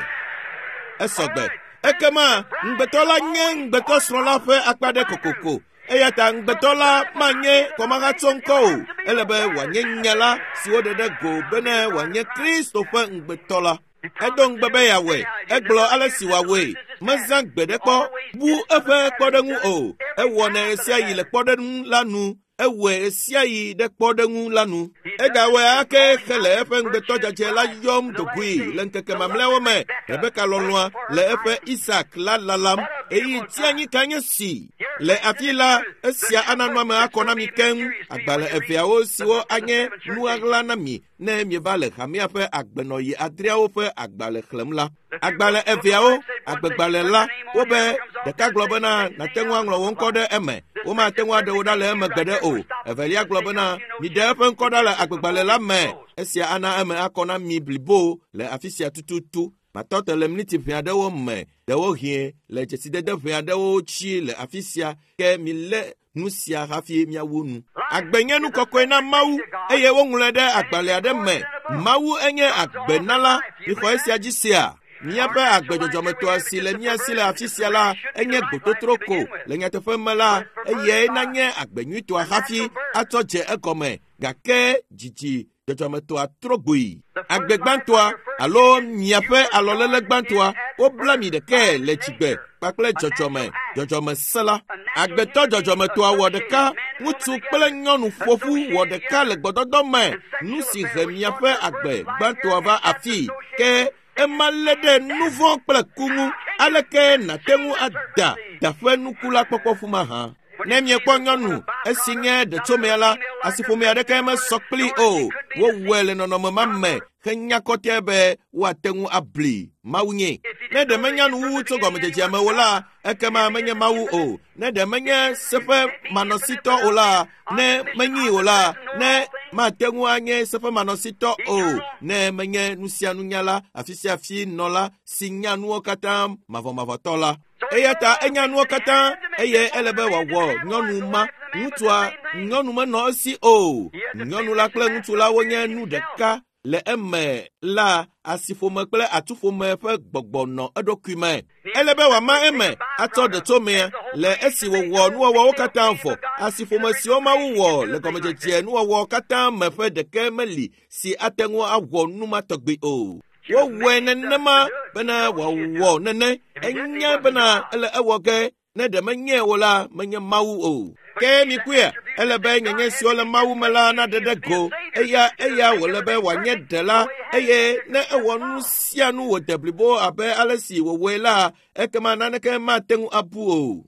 Esɔgbe. Ekema ŋugbetɔ la nye ŋugbetɔsrɔ̃ la ƒe akpa ɖe kokoko. Eya ta ŋugbetɔ la manye kɔmahatsɔ ŋkɔ o. Ele be wòanye nya la si woɖe ɖe go bene wòanye Kristo ƒe ŋugbetɔ la. Edo ŋugbe be yeawɔe. Egblɔ ale si wòawɔe. Mezã gbe ɖe kpɔ bu eƒe kpɔɖeŋu o. Ewɔnɛ ɣesiaɣi le kpɔɖeŋu la nu. Ewɔe ɣesiaɣi ɖe kpɔɖeŋu la nu. Egawɔe ake hele eƒe ŋugbetɔ dzadzɛ la yɔm do goe le ŋkeke mamlɛawo me. Rebeka lɔlɔ̃a le eƒe Isak la lalam. Ɣeyiɣi tianyi ka nye si? Le afi la, esia ana nua me akɔ na mi keŋ. Agbalẽ eveawo siwo anye nu ɣaɣla na mi ne mieva le hamea ƒe agbenɔɣi adreawo ƒe agbalẽ xlẽm la. Agbalẽ eveawo, agbegbalẽ la, wobe ɖeka gblɔ bena nàte ŋu aŋlɔ wò ŋkɔ ɖe eme, womate ŋu aɖe wò ɖa le eme gbeɖe o. Evelia gblɔ bena miɖe eƒe ŋkɔ ɖa le agbegbalẽ la me. Esia ana eme akɔ na mi blibo le afi sia tututu. Matɔ te le miniti ʋɛ aɖewo me, ɖewohĩ le dzesidede ʋɛ aɖewo tsi le afi sia, ke milé nu sia hafi míawu nu. Agbe nye nu kɔkɔe na Mawu eye woŋlɔe ɖe agbalẽ aɖe me. Mawu enye agbenala. Mixɔ esia dzi sea? Míaƒe agbe dzɔdzɔmetɔa si le mía si le afi sia la enye gbototro ko. Le nyateƒe me la, eyae nanye agbe nyuitɔa hafi atsɔ dze egɔme. Gake dzidzi dzɔdzɔmetɔa trɔ gboe. Agbe gbãtɔa alo miaƒe alɔléle gbãtɔa, wobla mi ɖekae le dzigbe kpakple dzɔdzɔme, dzɔdzɔmese la. Agbetɔ dzɔdzɔmetɔa wɔ ɖeka, ŋutsu kple nyɔnu ƒoƒu wɔ ɖeka le gbɔdɔdɔ me. Nu si he miaƒe agbe gbãtɔa va afii ke ema lé ɖe nu vɔ̃ kple ku ŋu. Aleke nàte ŋu ada daƒe nuku la kpɔkpɔ ƒu mahã? Ne miekpɔ nyɔnu esi nye ɖetsomea la, asiƒome aɖeke mesɔ kplii o. Wowɔe le nɔnɔme ma me henya kɔtɛ be woate ŋu abli Mawu nye. Ne ɖe menya nuwuwu tso gɔmedzedzea me o la, ekema menye Mawu o. Ne ɖe menye seƒe manɔsitɔ o la, ne menyii o la, ne mate ŋu anye seƒe manɔsitɔ o, ne menye nu sia nunyala, afi sia afi nɔla si nya nuwo katã mavɔmavɔtɔ la. Eya ta enya nuwo katã eye ele be wòawɔ nyɔnu ma. Ŋutsua, nyɔnu menɔ esi o. Nyɔnu la kple ŋutsu la wonye nu ɖeka. Le eme la, asiƒome kple atuƒome ƒe gbɔgbɔ nɔ eɖokui me. Ele be wòama eme atsɔ ɖetsomea le esi wòwɔ nuwɔwɔwo katã vɔ. Asiƒome siwo Mawu wɔ le gɔmedzedze nuwɔwɔ katã me ƒe ɖeke meli si ate ŋu awɔ nu ma tɔgbi o. Wowɔe nenema bena wòawɔ nene. Enya bena ele ewɔ ge. Ne ɖe menye o la, menye Mawu o. Ke mikpɔea, ele be nyenye siwo le Mawu me la naɖe ɖe go. Eya eya wòle be wòanye ɖela eye ne ewɔ nu sia nu wòde blibo abe ale si wòwɔe la, ekema naneke mate ŋu abu o.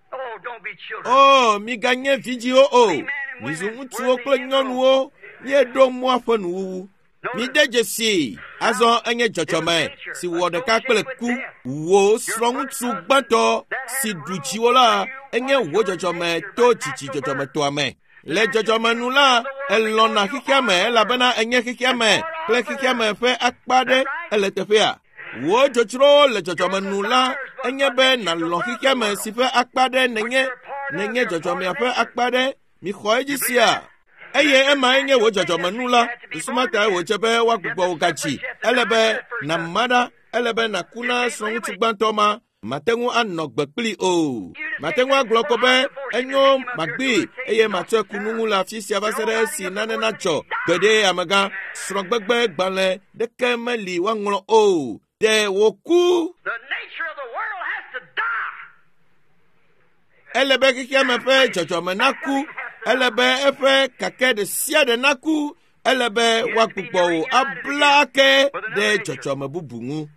O, miganye vidziwo o. Mizu ŋutsuwo kple nyɔnuwo. Míeɖo mɔa ƒe nuwuwu. Mide dzesii, azɔ enye dzɔdzɔme si wɔ ɖeka kple ku. Wò srɔ̃ŋutsu gbãtɔ si ɖu dziwò la, enye wò dzɔdzɔme to dzidzi dzɔdzɔmetɔa me. Le dzɔdzɔme nu la, elɔ̃na xexea me elabena enye xexea me kple xexea me ƒe akpa aɖe ele teƒea. Wò dzodzrowo le dzɔdzɔme nu la enye be nàlɔ̃ xexeame si ƒe akpa ɖe nènye, nènye dzɔdzɔmea ƒe akpa ɖe. Mixɔ edzi sia. Eye emae nye wò dzɔdzɔmenu la. Susu ma tae wòdze be woagbugbɔ wò gadzi. Ele be nàma ɖa. Ele be nàku na srɔ̃ŋutsu gbãtɔ ma. Mate ŋu anɔ gbe kplii o. Mate ŋu agblɔ ko be enyo magbee eye matsɔe ku nu ŋu le afi sia va se ɖe esi nane nadzɔ. Gbeɖe amegã, srɔ̃gbegbe gbalẽ ɖeke meli woaŋlɔ o. Ɖe wòku. The nature of the world has to die. Ele be xexeame ƒe dzɔdzɔme naku. Ele be eƒe kake ɖe sia ɖe naku. Ele be woagbugbɔ wò abla ake ɖe dzɔdzɔme bubu ŋu.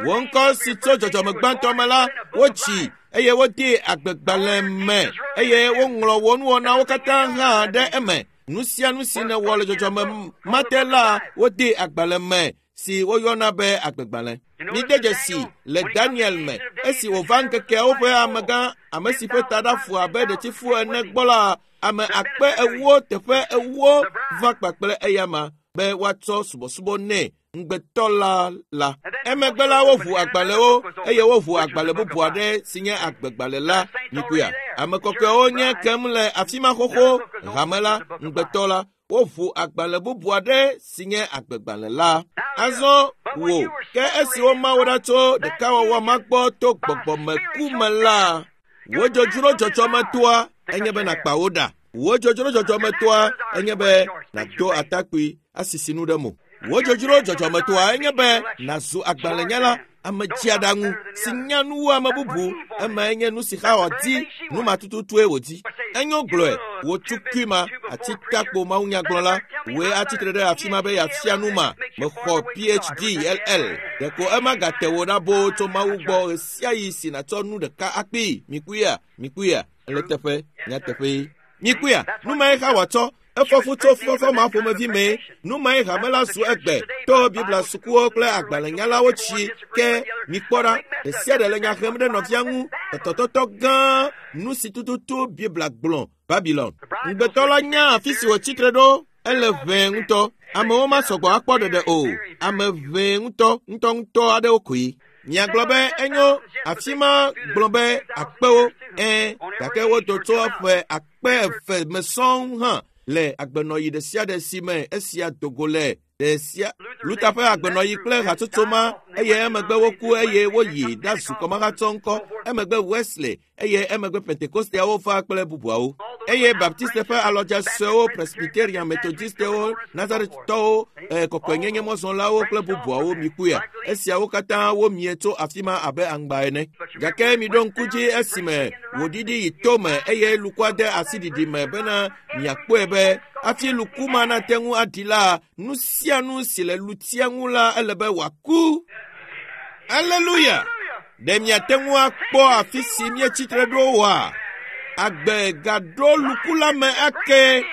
Wò ŋkɔ si tso dzɔdzɔme gbãtɔ me la, wotsi eye wodee agbegbalẽ me eye woŋlɔ wò nuwɔnawo katã hã ɖe eme. Nu sia nu si nèwɔ le dzɔdzɔme ma te la, wodee agbalẽ me si woyɔna be agbegbalẽ. Mide dzesi le Daniel me esi wòva ŋkekeawo ƒe amegã ame si ƒe taɖa fu abe ɖetifu ene gbɔ la, ame akpe ewo teƒe ewo va kpakple eyama be woatsɔ subɔsubɔ nɛ ŋugbetɔ la la. Emegbe la woʋu agbalẽwo eye woʋu agbalẽ bubu aɖe si nye agbegbalẽ la. Mikuya. Ame kɔkɔewo nye kem le afi ma xoxo. Hame la, ŋugbetɔ la, woʋu agbalẽ bubu aɖe si nye agbegbalẽ la. Azɔ wò, ke esi woma wò ɖa tso ɖekawɔwɔ ma gbɔ to gbɔgbɔmeku me la, wò dzodzro dzɔdzɔmetoa enye be nàkpa wo ɖa. Wò dzodzro dzɔdzɔmetoa enye be nàdo atakpui asisi nu ɖe mo. Wò dzodzro dzɔdzɔmetoa enye be nàzu agbalẽnyala, ame dziaɖaŋu si nya nu wu ame bubu. Emae nye nu si Xawa di, nu ma tututue wòdi. Enyo gblɔe, wò tukui ma, atitakpo mawunyagblɔla, wòe atsitre ɖe afi ma be yeafia nu ma. Mexɔ PhD LL. Ɖeko ema gate wò ɖa boo tso Mawu gbɔ ɣesiaɣi si nàtsɔ nu ɖeka akpee. Mikuia, mikuia, ele teƒe, nyateƒee. Mikuia, nu mae Xawa tsɔ. Efɔ fu tso fufɔfɔ ma ƒomevi mee. Nu mae hame la zu egbe to Biblia sukuwo kple agbalẽnyalawo tsi ke mikpɔ ɖa. Ɖe sia ɖe le nya hem ɖe nɔvia ŋu. Tɔtɔtɔtɔ gã nu si tututu Biblia gblɔ. Babylon. Ŋugbetɔ la nya afi si wòtsi tre ɖo. Ele ʋɛe ŋutɔ. Amewo masɔgbɔ akpɔ ɖeɖe o. Ame ʋɛe ŋutɔ ŋutɔŋutɔ aɖewo koe. Miagblɔ be enyo afi ma gblɔ be akpewo. Ɛ̃, gake wodo tso ƒe akpe eve me sɔŋ hã le agbenɔɣi ɖe sia ɖe si me esia do go le ɖe sia. Luther ƒe agbenɔɣi kple hatsotso ma eye emegbe woku eye woyi ɖazu kɔmahatsɔ ŋkɔ. Emegbe Wesley eye emegbe Pentekosteawo va kple bubuawo. Eye Baptiste ƒe alɔdze suewo, Presbyterian, Methodistewo, Nazaretɔwo, kɔkɔenyenye mɔzɔlawo kple bubuawo mikuya. Esiawo katã womie tso afi ma abe aŋgba ene. Gake miɖo ŋku dzi esime wòɖiɖi yi tome eye lukua de asi ɖiɖi me bena miakpɔe be hafi luku ma nate ŋu aɖi la, nu sia nu si le lutia ŋu la ele be wòaku. Aleluya! Ɖe miate ŋu akpɔ afi si míetsi tre ɖo oa? Agbe gaɖo luku la me ake.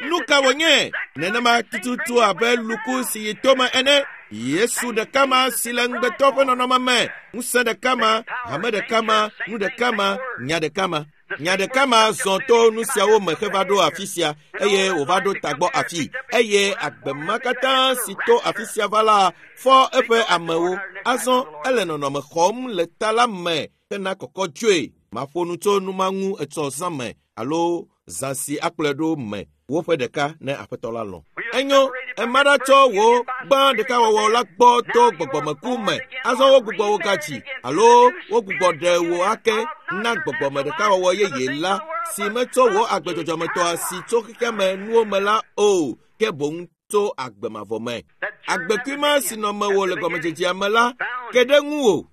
Nu ka wònye? Nenema tututu abe luku si yi tome ene. Yesu ɖeka ma si le ŋugbetɔ ƒe nɔnɔme me, ŋusẽ ɖeka ma, hame ɖeka ma, nu ɖeka ma, nya ɖeka ma. Nya ɖeka ma zɔ to nu siawo me heva ɖo afi sia eye wòva ɖo tagbɔ afi. Eye agbe ma katã si to afi sia va la fɔ eƒe amewo. Azɔ ele nɔnɔme xɔm le ta la me hena kɔkɔ dzoe. Maƒo nu tso nu ma ŋu etsɔ zã me alo zã si akplɔe ɖo me woƒe ɖeka ne aƒetɔ la lɔ̃. Enyo, ema ɖa tsɔ wò gbã ɖekawɔwɔ la gbɔ to gbɔgbɔmeku me. Azɔ wogbugbɔ wò gadzi alo wogbugbɔ ɖe wò ake na gbɔgbɔme ɖekawɔwɔ yeye la si metsɔ wò agbedzɔdzɔmetɔa si tso xexeame nuwo me la o, ke boŋ tso agbe mavɔ me. Agbekui ma si nɔ mewò le gɔmedzedzea me la ke ɖe ŋuwò.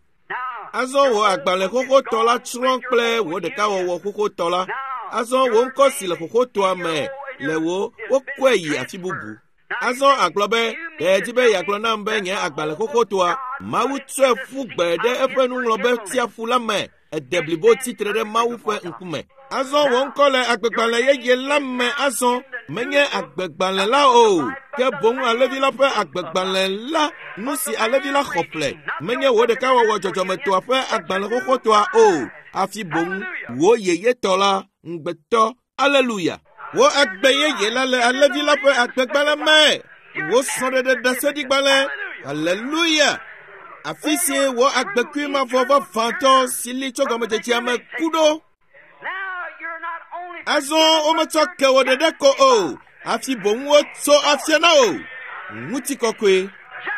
Azɔ wò agbalẽ xoxotɔ la tsrɔ̃ kple wò ɖekawɔwɔ xoxotɔ la. Azɔ wò ŋkɔ si le xoxotɔa me le wò wokɔe yi afi bubu. Azɔ agblɔ be, ɖe edzi be yeagblɔ nam be nye agbalẽ xoxotɔa, Mawu tsɔe ƒu gbe ɖe eƒe nuŋlɔbe tsiaƒu la me. Ede blibo tsitre ɖe Mawu ƒe ŋkume. Azɔ wò ŋkɔ le agbegbalẽ yeye la me azɔ menye agbegbalẽ la o, ke boŋ alẽvi la ƒe agbegbalẽ la, nu si alẽvi la xɔ ƒle, menye wò ɖekawɔwɔ dzɔdzɔmetɔa ƒe agbalẽ xoxotɔa o, hafi boŋ wò yeyetɔ la, ŋugbetɔ. Aleluya! Wò agbe yeye la le alẽvi la ƒe agbegbalẽ me. Wò srɔ̃ɖeɖe ɖaseɖigbalẽ. Aleluya! Afi si wò agbekui mavɔ vavãtɔ si li tso gɔmedzedzea me ku ɖo. Azɔ wometsɔ ke wò ɖeɖe ko o, hafi boŋ wotso afia na wò. Ŋutikɔkɔe.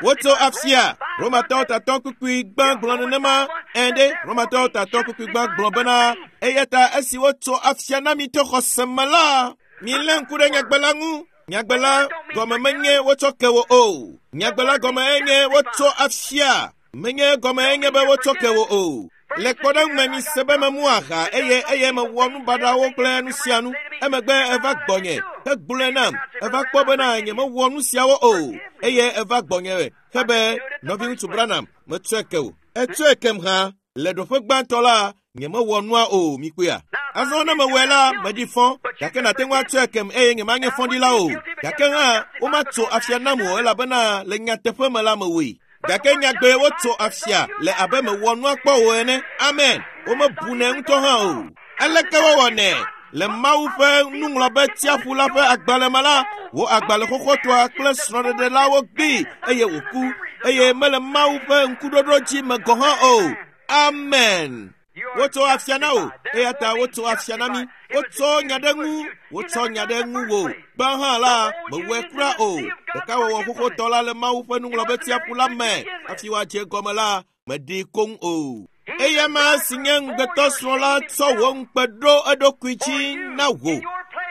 Wotso afia. Romatɔwo tatɔ kpukpui gbã gblɔ nenema. Ɛ̃ ɖe, Romatɔwo tatɔ kpukpui gbã gblɔ bena, eya ta esi wotso afia na mi to xɔse me la, milé ŋku ɖe nyagbe la ŋu. Nyagbe la gɔme menye wotsɔ ke wò o. Nyagbe la gɔme enye wotso afia. Menye gɔme enye be wotsɔ ke wò o. Le kpɔɖeŋu me mi se be memu aha eye eye mewɔ nu baɖawo kple nu sia nu. Emegbe eva gbɔnye hegblɔe nam. Eva kpɔ bena nyemewɔ nu siawo o eye eva gbɔnye hebe nɔviŋutsu Branham metsɔe ke o. Etsɔe kem hã. Le ɖoƒe gbãtɔ la, nyemewɔ nua o, mikpɔea. Azɔ ne mewɔe la, meɖi fɔ, gake nàte ŋu atsɔe kem eye nyemanye fɔɖila o. Gake hã, womatso afia nam o elabena le nyateƒe me la mewɔe. Gake nyagbee wotso afia le abe mewɔ nua kpɔ o ene. Amen. Womebunɛ ŋutɔ hã o. Aleke wowɔnɛ? Le Mawu ƒe nuŋlɔbe tsiaƒu la ƒe agbalẽ me la, wò agbalẽ xoxotɔa kple srɔ̃ɖeɖe la wogbee eye wòku eye mele Mawu ƒe ŋkuɖoɖo dzi me gɔ̃ hã o. Amen. Wotso afia na wò eya ta wotso afia na mí. Wotsɔ nya ɖe ŋu, wotsɔ nya ɖe ŋu wò. Gbã hã la, mewɔe kura o. Ɖekawɔwɔ xoxotɔ la le Mawu ƒe nuŋlɔbe tsiaƒu la me. Hafi woadze egɔme la, meɖii koŋ o. Eya ma si nye ŋugbetɔsrɔ̃ la tsɔ wò ŋukpe ɖo eɖokui dzi na wò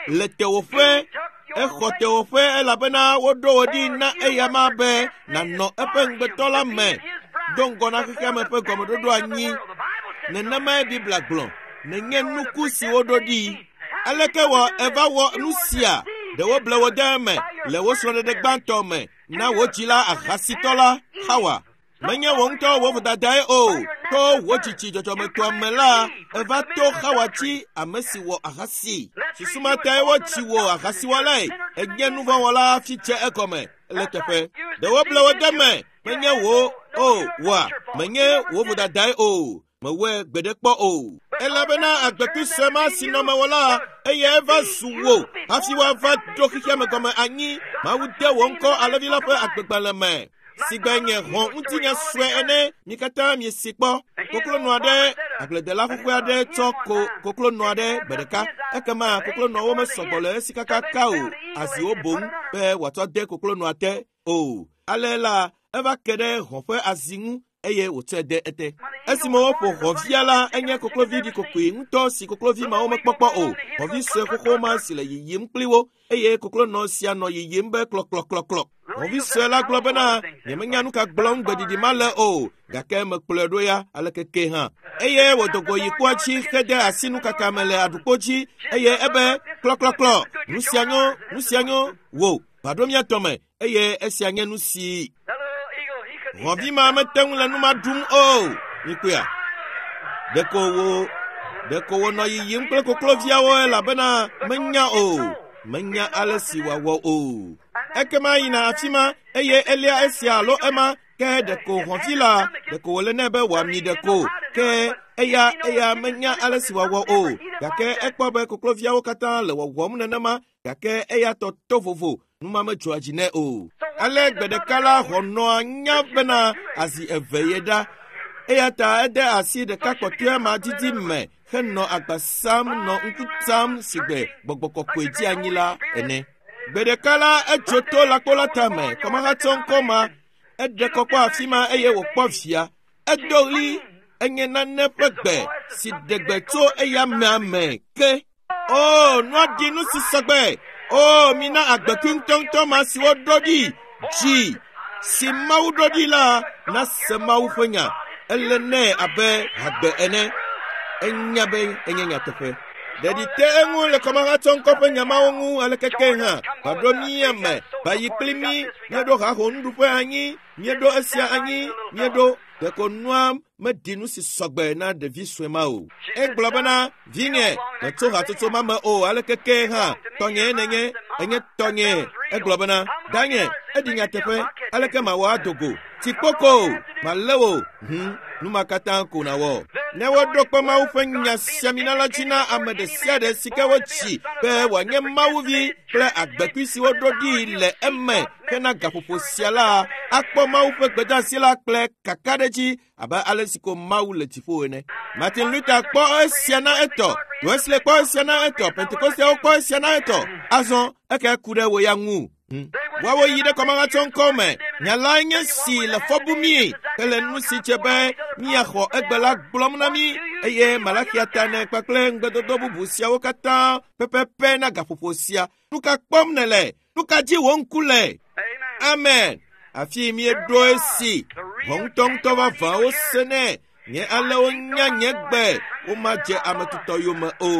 le tewòƒe. Exɔ tewòƒe elabena woɖo wò ɖi na eya ma be nànɔ eƒe ŋugbetɔ la me do ŋgɔ na xexea me ƒe gɔmeɖoɖo anyi. Nenemae Biblia gblɔ. Nenye nuku si woɖo ɖi. Aleke wɔ eva wɔ nu sia? Ɖe woble wò de eme le wò srɔ̃ɖeɖe gbãtɔ me na wò dzila ahasitɔ la, Hawa. Menye wò ŋutɔ wò vodadae o. To wò tsitsi dzɔdzɔmetɔa me la, eva to Hawa dzi ame si wɔ ahasi. Susu ma tae wotsi wò ahasiwɔlae. Ènye nuvɔ̃wɔla hafi dze egɔme le teƒe. Ɖe woble wò de eme. Menye wò o wɔa, menye wò vodadae o. Mewɔe gbeɖe kpɔ o. Elabena agbekui sue ma si nɔ mewò la, eyae va zu wò hafi woava ɖo xexea me gɔme anyi. Mawu de wò ŋkɔ alẽvi la ƒe agbegbalẽ me. Sigbe nye hɔ̃ ŋutinya sue ene, mi katã miesi kpɔ. Koklonɔ aɖe, agbledela xoxoe aɖe tsɔ ko koklonɔ aɖe gbe ɖeka. Ekema koklonɔwo mesɔgbɔ le esi kakaka o. Aziwo boŋ be wòatsɔ de koklonɔa te o. Ale la, eva ke ɖe hɔ̃ ƒe azi ŋu eye wòtsɔe de ete. Esime woƒo hɔ̃via la, enye koklovi ɖikokoe ŋutɔ si koklovi mawo mekpɔkpɔ o. Hɔ̃vi sue xoxo ma si le yiyim kpli wo eye koklonɔ sia nɔ yiyim be klɔklɔklɔklɔ. Hɔ̃vi sue la gblɔ bena, nyemenya nu ka gblɔm gbeɖiɖi ma le o, gake mekplɔe ɖo ya aleke ke hã. Eye wòdo go yi kpoa dzi hede asi nukaka me le aɖukpo dzi eye ebe klɔklɔklɔ, nu sia nyo, nu sia nyo, wò, va ɖo mía tɔ me eye esia nye nu si hɔ̃vi ma mete ŋu le nu ma ɖum o. Mikpɔea? Ɖeko wònɔ yiyim kple kokloviawo elabena menya o. Menya ale si wòawɔ o. Ekema yina afi ma eye elia esia alo ema ke ɖeko hɔ̃vi la ɖeko wòle nɛ be wòami ɖeko ke eya eya menya ale si wòawɔ o. Gake ekpɔ be kokloviawo katã le wɔwɔm nenema gake eya tɔ to vovo nu ma medzɔa dzi nɛ o. Ale gbe ɖeka la hɔ̃nɔa nya bena azi eve ye ɖa. Eya ta ede asi ɖeka kpɔtɔea ma didi me henɔ agba sam nɔ ŋku tam sigbe gbɔgbɔ kɔkɔe dzi anyi la ene. Gbe ɖeka la etso to lãkpo la tame, kɔmahatsɔ ŋkɔ ma, eɖe kɔ kpɔ afi ma eye wòkpɔ via. Edo ɣli, enye nane ƒe gbe si ɖe gbe tso eya mea me ke. O, nua ɖi nu si sɔgbe. O, mina agbekui ŋutɔŋutɔ ma si woɖo ɖi dzi si Mawu ɖo ɖi la nase Mawu ƒe nya. Ele nɛ abe hagbe ene. Enya be enye nyateƒe. Ɖeɖi te eŋu le kɔmahatsɔ ŋkɔ ƒe nya mawo ŋu aleke ke hã. Va ɖo mía me, va yi kpli mí. Míeɖo haho nuɖuƒe anyi, míeɖo esia anyi, míeɖo. Ɖeko nua meɖi nu si sɔgbe na ɖevi sue ma o. Egblɔ bena, vinye, metso hatsotso ma me o, aleke ke hã, tɔnyee nenye, enye tɔnyee. Egblɔ bena, danye, eɖi nyateƒe, aleke mawɔ ado go? Tsikpoko, malé wò, nu ma katã ko nàwɔ. Ne woɖo kpe Mawu ƒe nya siamina la dzi na ame ɖe sia ɖe si ke wotsi be wòanye Mawuvi kple agbekui si woɖo ɖi le eme hena gaƒoƒo sia la, akpɔ Mawu ƒe gbedeasi la kple kakaɖedzi abe ale si ko Mawu le dziƒo ene. Martin Luther kpɔ esia na etɔ, Wesley kpɔ esia na etɔ, Pentekosteawo kpɔ esia na etɔ. Azɔ eke ku ɖe wò ya ŋu. Woawo yi ɖe kɔmahatsɔŋkɔ me. Nya lae nye si le fɔ bum mí hele nu si dze be míaxɔ egbe la gblɔm na mí eye Malakia ta ene kpakple ŋugbedodo bubu siawo katã pɛpɛpɛ na gaƒoƒo sia. Nu ka kpɔm nèle? Nu ka dzi wò ŋku le? Amen. Afi míeɖo esi. Ʋɔ ŋutɔŋutɔ vavãwo senɛ. Nye alewo nya nye gbe, womadze ame tutɔ yome o.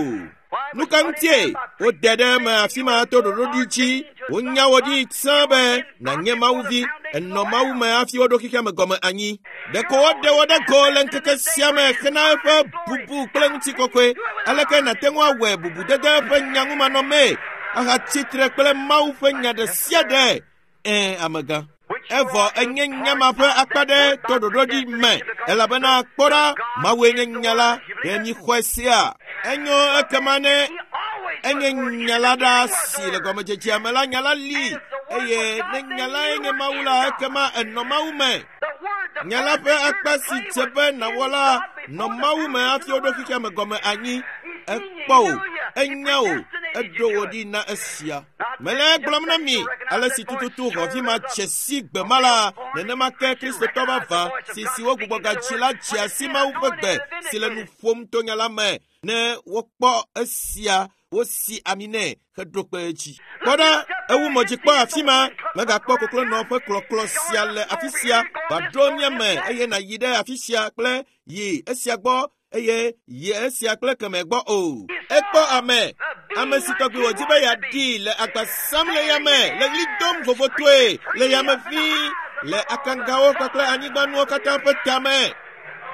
Nu ka ŋutie wode ɖe eme afi ma to ɖoɖoɖi dzi? Wonya wò ɖi sã be nànye Mawuvi. Ènɔ Mawu me hafi woɖo xexea me gɔme anyi. Ɖeko woɖe wò ɖe go le ŋkeke sia me hena eƒe bubu kple ŋutikɔkɔe. Aleke nàte ŋu awɔe bubudede eƒe nyaŋumanɔmee ahatsi tre kple Mawu ƒe nya ɖe sia ɖe? Ɛ̃, amegã. Evɔ enye nya ma ƒe akpa ɖe to ɖoɖoɖi me elabena kpɔ ɖa, Mawue nye nya la, ɖe míxɔe sia. Enyo ekema ne enye nya la ɖa si le gɔmedzedzea me la, nya la li eye ne nya lae nye Mawu la, ekema enɔ Mawu me. Nya la ƒe akpa si dze be nàwɔ la nɔ Mawu me hafi woɖo xexea me gɔme anyi. Ekpɔ wò, enya wò, eɖo wò ɖi na esia. Mele egblɔm na mi ale si tututu xɔvi ma dze si gbe ma la, nenema ke Kristotɔ vavã si si wogbugbɔ gadzi la dzea si Mawu ƒe gbe si le nu ƒom to nya la me ne wokpɔ esia wosi ami nɛ heɖo kpe edzi. Kpɔ ɖa, ewu mɔdzikpɔ afi ma, mègakpɔ koklonɔ ƒe klɔklɔ sia le afi sia, va ɖo mía me eye nàyi ɖe afi sia kple yi esia gbɔ eye yi esia kple kemɛ gbɔ o. Ekpɔ ame, ame si tɔgbi wòdi be yeaɖi le agba sam le yame, le ɣli dom vovotoe le yame ʋĩi, le akangawo kpakple anyigbanuwo katã ƒe tame.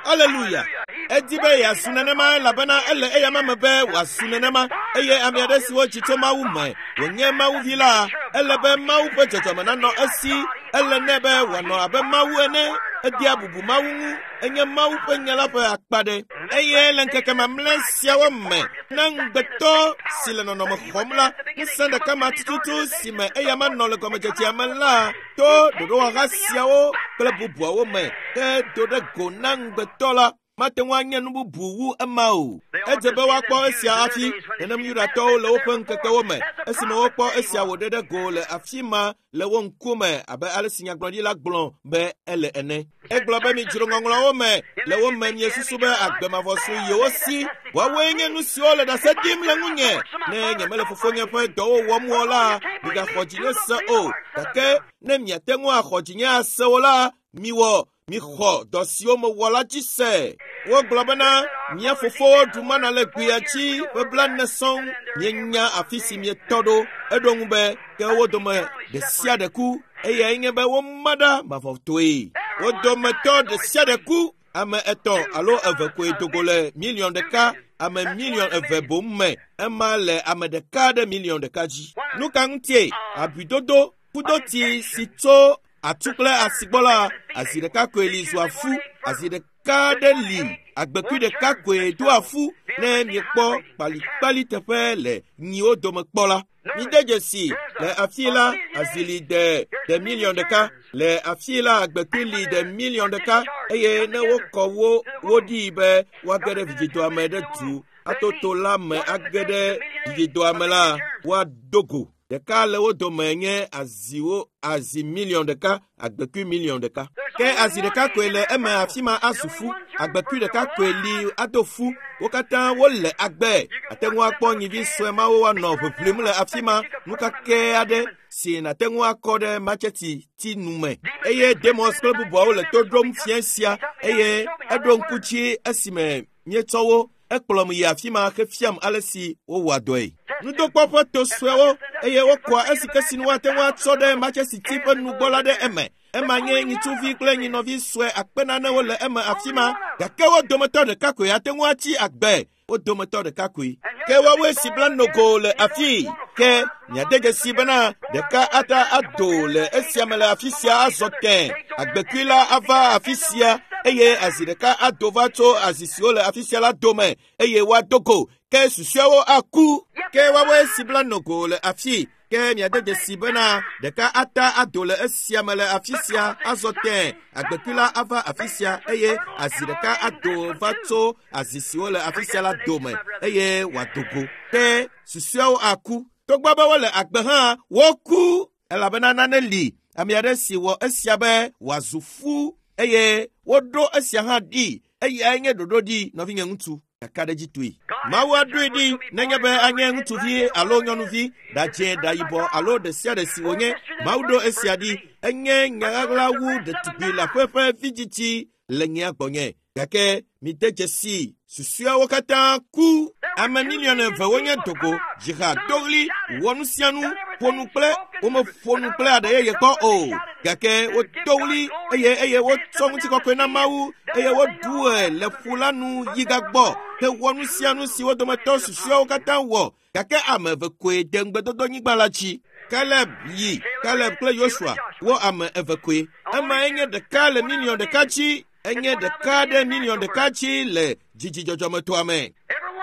Aleluya! Edi be yeazu nenema elabena ele eyama me be wòazu nenema eye ame aɖe si wodzi tso Mawu me wònye Mawuvi la, ele be Mawu ƒe dzɔdzɔme nanɔ esi. Ele nɛ be wòanɔ abe Mawu ene. Edea bubu Mawu ŋu. Enye Mawu ƒe nya la ƒe akpa ɖe. Eye le ŋkeke mamlɛ siawo me, na ŋugbetɔ si le nɔnɔme xɔm la, ŋusẽ ɖeka ma tututu si me eyama nɔ le gɔmedzedzea me la, to ɖoɖowɔha siawo kple bubuawo me ke do ɖe go na ŋugbetɔ la, mate ŋu anye nu bubu wu ema o. Edze be woakpɔ esia hafi nenem Yudatɔwo le woƒe ŋkekewo me esime wokpɔ esia wòɖe ɖe go le afi ma le wo ŋkume abe ale si nyagblɔɖila gblɔ be ele ene. Egblɔ be midzro ŋɔŋlɔawo me le wo me miesusu be agbe mavɔ su yewo si. Woawoe nye nu siwo le ɖase ɖim le ŋunye. Ne nyemele fofonye ƒe dɔwo wɔm o la, migaxɔ dzinye se o. Gake ne miate ŋu axɔ dzinye ase o la, miwɔ mixɔ dɔ siwo mewɔ la dzi se. Wogblɔ bena mía fofowo ɖu mana le gbea dzi ƒe blaene sɔŋ. Mienya afi si mietɔ ɖo. Eɖo ŋu be ke wo dome ɖe sia ɖe ku eyae nye be woma ɖa mavɔtɔe. Wo dometɔ ɖe sia ɖe ku. Ame etɔ̃ alo eve koe do go le miliɔn ɖeka, ame miliɔn eve boŋ me. Ema le ame ɖeka ɖe miliɔn ɖeka dzi. Nu ka ŋutie abidodo kudoti si tso atu kple asi gbɔ la, azi ɖeka koe li zua fu, azi ɖeka ɖe li, agbekui ɖeka koe doa fu ne miekpɔ kpalikpali teƒe le nyiwo dome kpɔ la. Mide dzesi le afi la azi li de ɖe miliɔn ɖeka, le afi la agbekui li ɖe miliɔn ɖeka eye ne wokɔ wo wo ɖi be woage ɖe vidzidɔa me ɖe du atoto la me age ɖe vidzidɔa me la, woado go. Ɖeka le wo dome nye aziwo azi miliɔn ɖeka, agbekui miliɔn ɖeka. Ke azi ɖeka koe le eme afi ma azu fu, agbekui ɖeka koe li ado fu. Wo katã wole agbe. Ate ŋu akpɔ nyivi sue mawo woanɔ ʋiʋlim le afi ma, nu kakɛ aɖe si nàte ŋu akɔ ɖe matseti ti nu me. Eye Demos kple bubuawo le to ɖom fia sia eye eɖo ŋku dzi esime míetsɔ wo. Ekplɔm yi afi ma hefiam ale si wowɔa dɔe. Nudokpɔ ƒe to suewo eye wokɔa esi ke sinu woate ŋu atsɔ ɖe matsesiti ƒe nugbɔ la ɖe eme. Ema nye nyitsuvi kple nyinɔvi sue akpe nanewo le eme afi ma gake wo dometɔ ɖeka koe ate ŋu atsi agbe. Wo dometɔ ɖeka koe. Ke woawoe si bla nogo le afii. Ke miade dzesi bena ɖeka ata ado le esia me le afi sia azɔ tẽ. Agbekui la ava afi sia eye azi ɖeka ado va tso azi siwo le afi sia la dome eye woado go. Ke susɔeawo aku. Ke woawoe si bla nogo le afii. Ke miade dzesi bena ɖeka ata ado le esia me le afi sia azɔ tẽ. Agbekui la ava afi sia eye azi ɖeka ado va tso azi siwo le afi sia la dome eye wòado go. Ke susɔeawo aku. Togbɔ be wole agbe hã, woku elabena nane li. Ame aɖe si wɔ esia be wòazu fu eye woɖo esia hã ɖi. Eyae nye ɖoɖo ɖi, nɔvinye ŋutsu. Kakaɖedzitɔe. Mawu aɖoe ɖi nenye be anye ŋutsuvi alo nyɔnuvi, ɖadzẽ, ɖayibɔ alo ɖe sia ɖe si wònye. Mawu ɖo esia ɖi. Enye nya ɣaɣla wu ɖetugbi le aƒe ƒe vidzidzi le nyea gbɔnye. Gake mide dzesi susɔeawo katã ku. Ame miliɔn eve wonye dogo, dziha, do ɣli, wɔ nu sia nu, ƒo nu kple womeƒo nu kple aɖe yeye kpɔ o. Gake wodo ɣli eye eye wotsɔ ŋutikɔkɔe na Mawu eye woɖu le ƒu la nu yi gagbɔ hewɔ nu sia nu si wo dometɔ susɔeawo katã wɔ. Gake ame eve koe de ŋugbedodonyigba la dzi. Kaleb yi, Kaleb kple Yosua, wo ame eve koe. Emae nye ɖeka le miliɔn ɖeka dzi. Enye ɖeka ɖe miliɔn ɖeka dzi le dzidzidzɔdzɔmetoa me.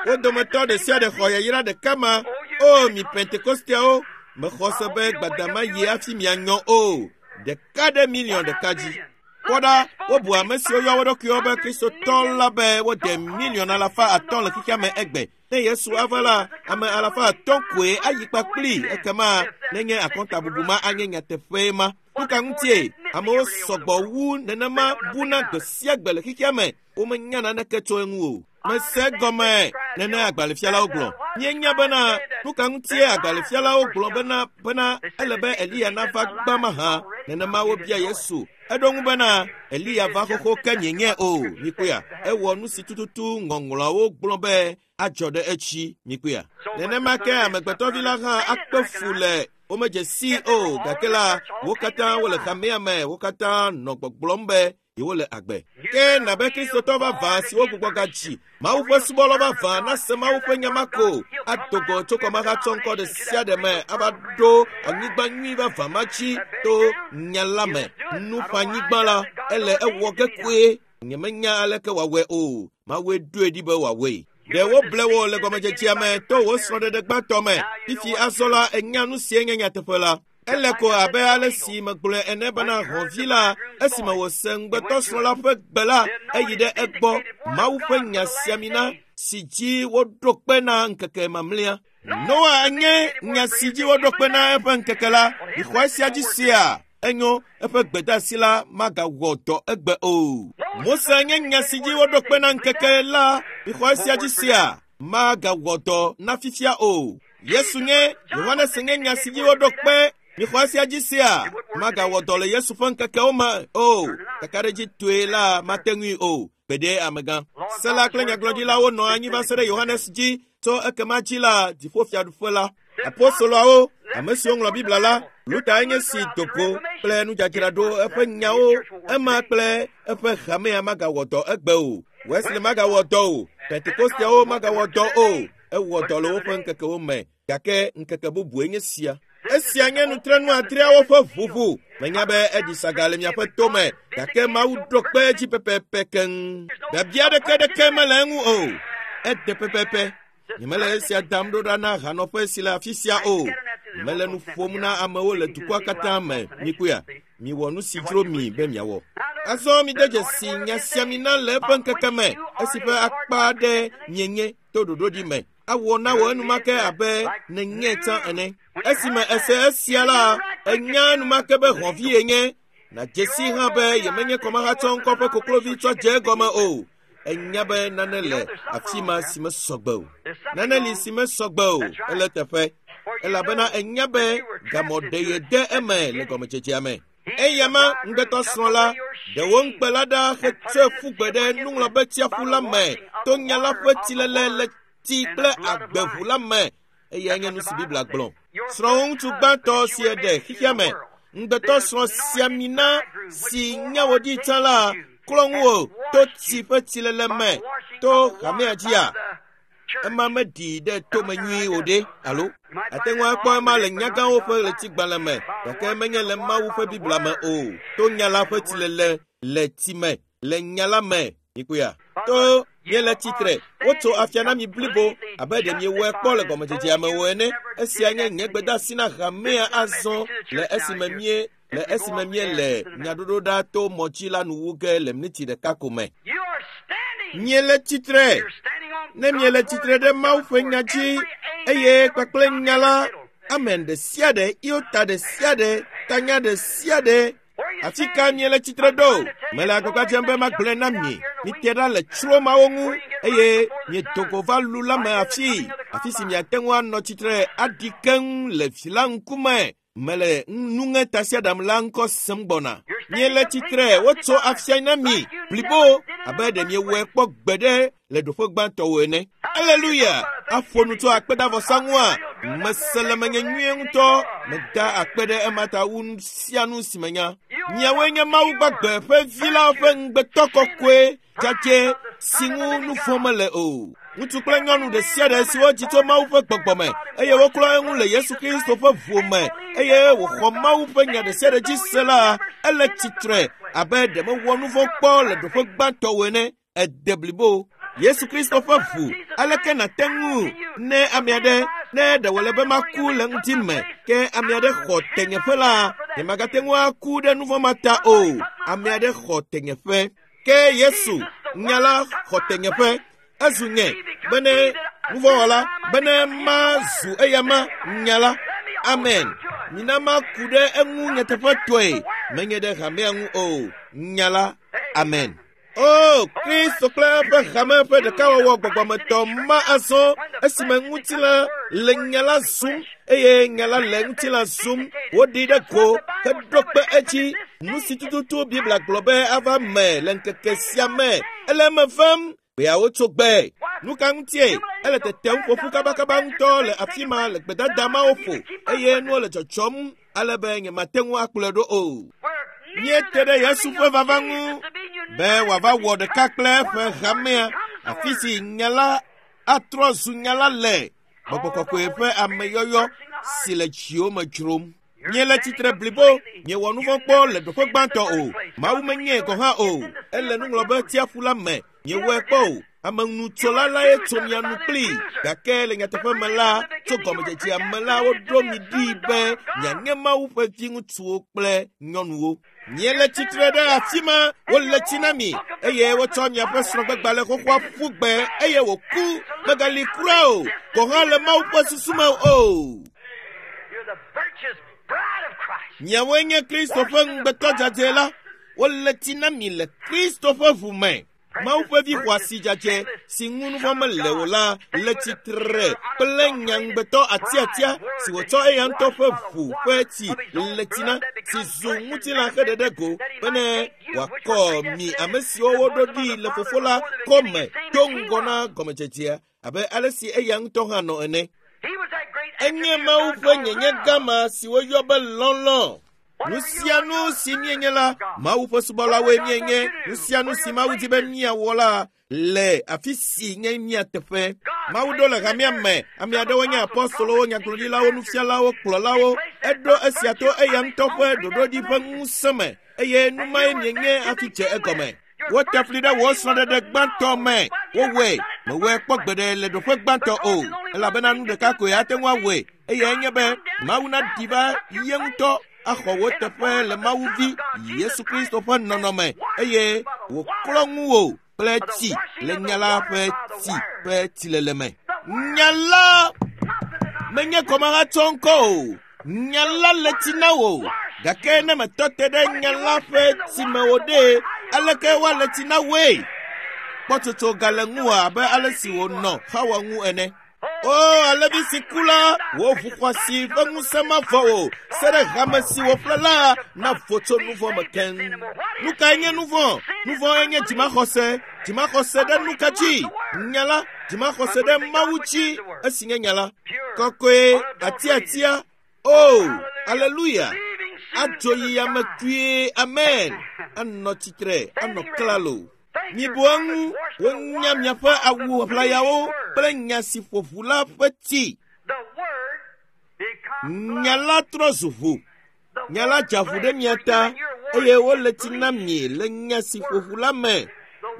Wo dometɔ ɖe sia ɖe xɔ yayra ɖeka ma. O, mi Pentekosteawo, mexɔ se be gbadama yi hafi mianyɔ o. Ɖeka ɖe miliɔn ɖeka dzi. Kpɔ ɖa, wobu ame siwo yɔ wo ɖokuiwo be Kristotɔ la be wode miliɔn 500 le xexea me egbe. Ne Yesu ava la, ame 500 koe ayi kpakpli. Ekema nenye akɔntabubu ma anye nyateƒe ma. Nu ka ŋutie amewo sɔgbɔ wu nenema buna gbe sia gbe le xexea me? Womenya naneke tso eŋu o. Mese gɔme nene agbalẽfialawo gblɔ. Míenya bena nu ka ŋutie agbalẽfialawo gblɔ bena bena ele be Eliya nava gbã mahã. Nenema wobia Yesu. Eɖo ŋu bena Eliya va xoxo ke mienyae o. Mikpɔea, ewɔ nu si tututu ŋɔŋlɔawo gblɔ be adzɔ ɖe etsi. Mikpɔea. Nenema ke amegbetɔvi la hã akpe fu le womedze sii o. Gake la, wo katã wole hamea me, wo katã nɔ gbɔgblɔm be yewole agbe. Ke nabe Kristotɔ vavã siwo gbugbɔ gadzi Mawu ƒe subɔlɔ vavã nase Mawu ƒe nya ma ko ado go tso kɔmahatsɔ ŋkɔ ɖe sia ɖe me ava ɖo anyigba nyui vavã ma dzi to nya la me. Nuƒanyigba la, ele ewɔ ge koe. Nyemenya aleke wòawɔe o. Mawue ɖoe ɖi be wòawɔe. Ɖe woble wò le gɔmedzedzea me to wò srɔ̃ɖeɖe gbãtɔ me. Fifi azɔ la, ènya nu sie nye nyateƒe la. Ele ko abe ale si megblɔe ene bena hɔ̃vi la, esime wòse ŋugbetɔsrɔ̃ la ƒe gbe la, eyi ɖe egbɔ. Mawu ƒe nya sia mi na si dzi woɖo kpe na ŋkeke mamlɛa. Noa nye nya si dzi woɖo kpe na eƒe ŋkeke la. Mixɔ esia dzi sia. Enyo, eƒe gbedeasi la magawɔ dɔ egbe o. Mose nye nya si dzi woɖo kpe na ŋkeke la. Mixɔ esia dzi sia. Magawɔ dɔ na fifia o. Yesu nye Yohanes nye nya si dzi woɖo kpe. Mixɔ esia dzi sia. Magawɔ dɔ le Yesu ƒe ŋkekewo me o. Kakaɖedzitɔe la mate ŋui o. Gbeɖe amegã. Se la kple nyagblɔɖilawo nɔ anyi va se ɖe Yohanes dzi. Tso ekema dzi la, dziƒofiaɖuƒe la. Apostoloawo, ame siwo ŋlɔ Biblia la, Luther nye si do go kple nudzadzraɖo eƒe nyawo. Ema kple eƒe hamea magawɔ dɔ egbe o. Wesley magawɔ dɔ o. Pentekosteawo magawɔ dɔ o. Ewɔ dɔ le woƒe ŋkekewo me. Gake ŋkeke bubue nye sia. Esia nye nutrenu adreawo ƒe ʋuʋu. Menya be eɖi saga le miaƒe tome, gake Mawu ɖo kpe edzi pɛpɛpɛ keŋ. Biabia ɖeke ɖeke mele eŋu o. Ede pɛpɛpɛ. Nyemele esia dam ɖo ɖa na hanɔƒe si le afi sia o. Mele nu ƒom na amewo le dukɔa katã me. Mikpɔea, miwɔ nu si dzro mi be miawɔ. Azɔ mide dzesi nya sia mi na le eƒe ŋkeke me, esi ƒe akpa aɖe mienye to ɖoɖoɖi me. Awɔ na wò enumake abe nenye tsã ene. Esime ese esia la, enya enumake be hɔ̃vi yenye. Nàdze si hã be yemenye kɔmahatsɔ ŋkɔ ƒe koklovi tsɔ dze egɔme o. Enya be nane le afi ma si mesɔgbe o. Nane li si mesɔgbe o, ele teƒe. Elabena enya be gamɔ ɖe ye de eme le gɔmedzedzea me. Eya ma ŋugbetɔsrɔ̃ la, ɖe wò ŋukpe la ɖa hetsɔe ƒu gbe ɖe nuŋlɔbetsiaƒu la me to nya la ƒe tsilele le tsi kple agbeʋu la me. Eyae nye nu si Biblia gblɔ. Srɔ̃wò ŋutsu gbãtɔ si eɖe xexea me, ŋugbetɔsrɔ̃ sia mi na si nye wò ɖi tsã la, klɔ ŋuwò to tsi ƒe tsilele me to hamea dzia. Ema meɖi ɖe tome nyuie o ɖe, alo? Ate ŋu akpɔ ema le nyagãwo ƒe ɣletigbalẽ me, gake menye le Mawu ƒe Biblia me o. To nya la ƒe tsilele le tsi me, le nya la me, mikpɔea? To miele tsitre, wotso afia na mi blibo abe ɖe miewɔe kpɔ le gɔmedzedzea me o ene. Esia nye nye gbedeasi na hamea azɔ le esime mie le esime míele nyaɖoɖoɖa to mɔdzi la nu wu ge le miniti ɖeka ko me. You are standing. Miele tsitre. You're standing on Ne miele God's tsitre word. ɖe Mawu ƒe nya dzi eye kpakple nya la, amen ɖe sia ɖe, iota ɖe sia ɖe, tanya ɖe sia ɖe. Afi ka miele tsitre ɖo? Mele agbagba dzem be magblɔe na mi. Mite ɖa le tsro mawo ŋu eye miedo go va lu la me afii, afi si miate ŋu anɔ tsitre aɖi keŋ le vi la ŋkume. Mele nuŋetasiaɖam la ŋkɔ sem gbɔna. Miele tsitre, wotso afia na mi blibo abe ɖe miewɔe kpɔ gbeɖe le ɖoƒe gbãtɔwo ene. Aleluya! Aƒo nu tso akpedavɔsa ŋua, mese le menye nyuie ŋutɔ. Meda akpe ɖe ema ta wu nu sia nu si menya. Miawoe nye Mawu gbagbe ƒe vi la ƒe ŋugbetɔ kɔkɔe dzadzɛ si ŋu nu vɔ̃ mele o. Ŋutsu kple nyɔnu ɖe sia ɖe si wodzi tso Mawu ƒe gbɔgbɔ me eye woklɔ eŋu le Yesu Kristo ƒe ʋu me eye wòxɔ Mawu ƒe nya ɖe sia ɖe dzi se la, ele tsitre abe ɖe mewɔ nu vɔ̃ kpɔ le ɖoƒe gbãtɔwo ene. Ede blibo. Yesu Kristo ƒe ʋu, aleke nàte ŋu ne ame aɖe ne ɖe wòle be maku le ŋuti me ke ame aɖe xɔ tenyeƒe la, nyemagate ŋu aku ɖe nu vɔ̃ ma ta o. Ame aɖe xɔ tenyeƒe. Ke Yesu, nya la xɔ tenyeƒe. Ezu nye bene nuvɔ̃wɔla bene mazu eyama nya la. Amen. Mina maku ɖe eŋu nyateƒetɔe, menye ɖe hamea ŋu o. Nya la. Amen. O, Kristo kple eƒe hame ƒe ɖekawɔwɔ gbɔgbɔmetɔ ma azɔ esime ŋutilã le nya la zum eye nya la le ŋutilã zum. Woɖi ɖe go heɖo kpe edzi. Nu si tututu Biblia gblɔ be ava me le ŋkeke sia me ele eme vam. Gbeawo tso gbe. Nu ka ŋutie? Ele tetem ƒoƒu kabakaba ŋutɔ le afi ma le gbedada mawo ƒo eye nuwo le dzɔdzɔm ale be nyemate ŋu akplɔe ɖo o. Míete ɖe Yesu ƒe vava ŋu be wòava wɔ ɖeka kple eƒe hamea, afi si nya la atrɔ zu nya la le Gbɔgbɔ Kɔkɔe ƒe ameyɔyɔ si le dziwo me dzrom. Miele tsitre blibo, miewɔ nu vɔ̃ kpɔ le ɖoƒe gbãtɔ o. Mawu menyae gɔ̃ hã o. Ele nuŋlɔbe tsiaƒu la me, miewɔe kpɔ o. Amenutsola lae tso mia nu kplii, gake le nyateƒe me la, tso gɔmedzedzea me la, woɖo mi ɖi be mianye Mawu ƒe viŋutsuwo kple nyɔnuwo. Miele tsitre ɖe afi ma, wole tsi na mi eye wotsɔ miaƒe srɔ̃gbegbalẽ xoxoa ƒu gbe eye wòku. Megali kura o, gɔ̃ hã le Mawu ƒe susu me o. You're the virtuous bride of Christ. Miawoe nye Kristo ƒe ŋugbetɔ dzadzɛ la. Wole tsi na mi le Kristo ƒe ʋu me. Mawu ƒe vi xɔasi dzadzɛ si ŋu nu vɔ̃ mele o la le tsitre kple nya ŋugbetɔ atiatia si wòtsɔ eya ŋutɔ ƒe ʋu ƒe tsi le tsi na si zu ŋutilã heɖe ɖe go bene wòakɔ mi ame siwo woɖo ɖi le fofo la kɔme do ŋgɔ na gɔmedzedzea abe ale si eya ŋutɔ hã nɔ ene. He was that great Enye attribute Mawu of ƒe God nyenye love. gama si woyɔ be lɔlɔ̃. Nu sia nu si míenye la, Mawu ƒe subɔlawoe míenye. Nu sia nu si Mawu di be míawɔ la le afi si nye mía teƒe. Mawu ɖo le hamea me. Ame aɖewo nye apɔstolowo, nyagblɔɖilawo, nufialawo, kplɔlawo. Eɖo esia to eya ŋutɔ ƒe ɖoɖoɖi ƒe ŋusẽ me eye nu mae mienye hafi dze egɔme. Wote fli ɖe wò srɔ̃ɖeɖe gbãtɔ me. Wowɔe, mewɔe kpɔ gbeɖe le ɖoƒe gbãtɔ o, elabena nu ɖeka koe ate ŋu awɔe eyae nye be Mawu naɖi va ye ŋutɔ axɔ wò teƒe le Mawu vi Yesu Kristo ƒe nɔnɔme eye wòklɔ ŋuwò kple tsi le nya la ƒe tsi ƒe tsilele me. Nya la menye kɔmahatsɔ ŋkɔ o. Nya la le tsi na wò gake ne metɔ te ɖe nya la ƒe tsi me o ɖe, aleke woale tsi na woe? Kpɔtsotso gale ŋuwò abe ale si wònɔ Xawa ŋu ene. O, alevi si ku la, wò ʋu xɔasi ƒe ŋusẽ mavɔ o, se ɖe hame si wòƒle la navo tso nu vɔ̃ me keŋ. Nu kae nye nu vɔ̃? Nu vɔ̃e nye dzimaxɔse. Dzimaxɔse ɖe nu ka dzi? Nya la. Dzimaxɔse ɖe Mawu dzi esi nye nya la. Kɔkɔe, atiatia. O, aleluya. Adzo yi ame kpuie, amen. Anɔ tsitre, anɔ klalo. Mibu eŋu, wonya miaƒe awu ʋlayawo kple nya si ƒo ʋu la ƒe tsi. The Word become Nya la trɔ zu ʋu. the Nya la Word dza ʋu ɖe mia flesh ta for you and your eye word wole tsi na mi le nya si ƒo ʋu la me.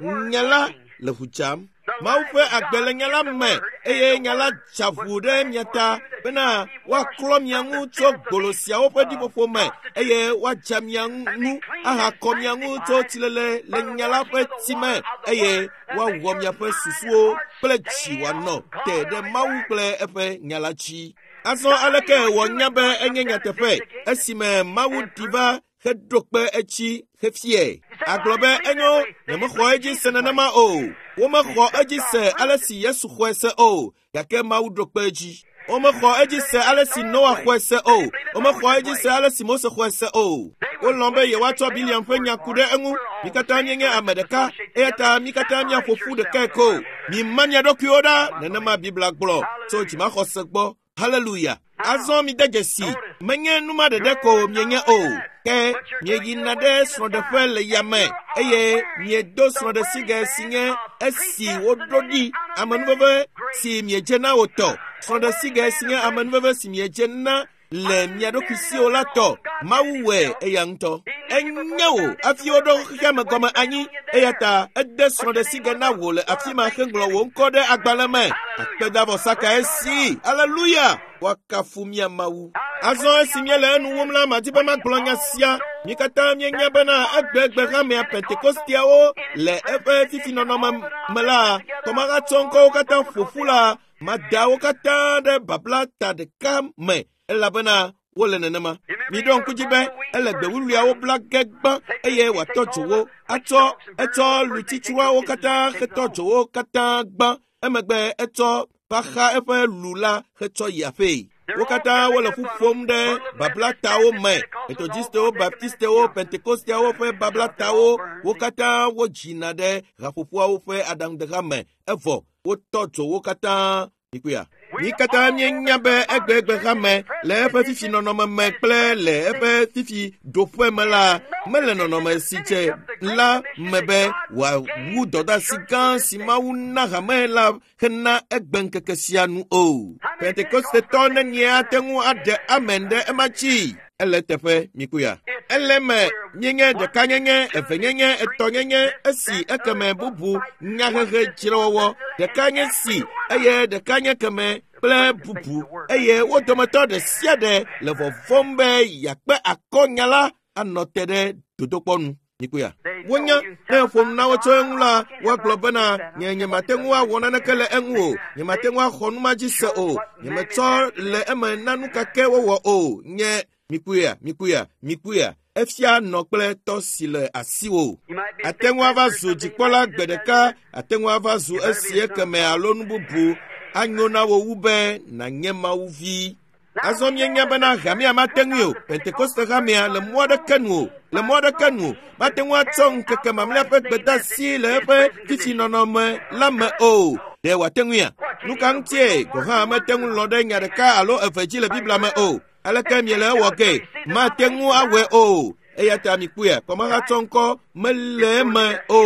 Nya la le ʋu dzam. Mawu ƒe agbe le nya la me eye nya la dza ʋu ɖe mia ta bena woaklɔ mia ŋu tso gbolo siawo ƒe ɖiƒoƒo me eye woadza mia ŋu ahakɔ mia ŋu tso tsilele le nya la ƒe tsi me eye woawɔ miaƒe susuwo kple dzi wòanɔ te ɖe Mawu kple eƒe nya la dzi. Azɔ aleke wònya be enye nyateƒe esime Mawu ɖi va heɖo kpe etsi hefiae. Agblɔ be enyo nyemexɔ edzi se nenema o. Womexɔ edzi se ale si Yesu xɔe se o gake Mawu ɖo kpe edzi. Womexɔ edzi se ale si Noa xɔe se o. Womexɔ edzi se ale si Mose xɔe se o. Wolɔ̃ be yewoatsɔ Biliam ƒe nya ku ɖe eŋu. Mi katã míenye ame ɖeka eya ta mi katã míaƒo ƒu ɖekae ko. Mima mia ɖokuiwo ɖa nenema Biblia gblɔ tso dzimaxɔse gbɔ. Haleluya. Azɔ mide dzesi, menye numa ɖeɖe ko mienye o, ke mieyina ɖe srɔ̃ɖeƒe le yame eye miedo srɔ̃ɖesigɛ si nye esi woɖo ɖi amenuveve si miedze na wo tɔ. Srɔ̃ɖesigɛ si nye amenuveve si miedze na le mia ɖokui si o la tɔ. Mawu wɔe eya ŋutɔ. Enye wò hafi woɖo xexea me gɔme anyi eya ta ede srɔ̃ɖesigɛ na wò le afi ma heŋlɔ wò ŋkɔ ɖe agbalẽ me. Akpedavɔsa kae si. Aleluya! Woakafu mía Mawu. Azɔ esi míele enu wum la, madi be magblɔ nya sia. Mi katã míenya bena egbegbe hamea Pentekosteawo le eƒe fifi nɔnɔme me la, kɔmahatsɔ ŋkɔwo katã ƒo ƒu la, mada wo katã ɖe babla ta ɖeka me elabena wole nenema. Miɖo ŋku dzi be ele gbe wuwluiawo bla ge gbã eye wòatɔ dzo wo. Atsɔ etsɔ lutsitsuawo katã hetɔ dzo wo katã gbã. Emegbe etsɔ va xa eƒe lu la hetsɔ yi aƒee. Wo katã wole ƒu ƒom ɖe bablatawo me. Metodistewo, Baptistewo, Pentekosteawo ƒe bablatawo, wo katã wodzina ɖe haƒoƒoawo ƒe aɖaŋudeha me evɔ wotɔ dzo wo katã. Mikpɔea? Mi katã míenya be egbegbe hame le eƒe fifi nɔnɔme me kple le eƒe fifi ɖoƒe me la mele nɔnɔme si dze la me be wòawu dɔdeasi gã si Mawu na hame la hena egbeŋkeke sia nu o. Pentekostetɔ nenie ate ŋu aɖe amen ɖe ema dzi? Ele teƒe mikpɔea? Ele eme míenye ɖekanyenye, evenyenye, etɔ̃nyenye, esi ekeme bubu, nyahehe dzrewɔwɔ, ɖeka nye si eye ɖeka nye keme kple bubu eye wo dometɔ ɖe sia ɖe le vɔvɔ̃m be yeakpe akɔ nya la anɔ te ɖe dodokpɔ nu. Mikpɔea? Wonya ne ƒo nu na wo tso eŋu la, woagblɔ bena nye nyemate ŋu awɔ naneke le eŋu o, nyemate ŋu axɔ nu ma dzi se o, nyemetsɔ le eme na nu ka ke wowɔ o, nye mikpɔea, mikpɔea, mikpɔea, efia nɔ kple tɔ si le asiwò. Ate ŋu ava zu dzikpɔla gbe ɖeka, ate ŋu ava zu esi ekeme alo nu bubu anyo na wò wu be nànye Mawu vi. Azɔ míenya bena hamea mate ŋui o, Pentekoste hamea le mɔ aɖeke nu o, le mɔ aɖeke nu o, mate ŋu atsɔ ŋkeke mamlɛa ƒe gbedeasi le eƒe fifi nɔnɔme la me o. Ɖe wòate ŋuia? Nu ka ŋutie gɔ̃ hã mete ŋu lɔ̃ ɖe nya ɖeka alo eve dzi le Biblia me o? Aleke miele ewɔ ge? Mate ŋu awɔe o. Eya ta mikpɔea, kɔmahatsɔ ŋkɔ mele eme o.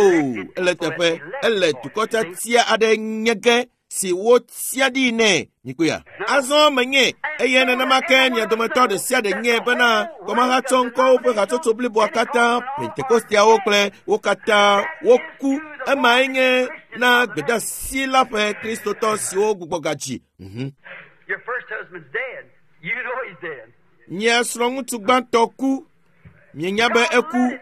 Ele teƒe, ele dukɔ tiatia aɖe nye ge si wotia ɖi nɛ. Mikpɔea? Azɔ menye eye nenema ke mia dometɔ ɖe sia ɖe nye bena kɔmahatsɔ ŋkɔwo ƒe hatsotso bliboa katã, Pentekosteawo kple wo katã woku. Emae nye na gbedeasi la ƒe Kristotɔ siwo gbugbɔ gadzi. Your first husband's dead. You know he's dead. Mia srɔ̃ŋutsu gbãtɔ ku. Mienya be eku.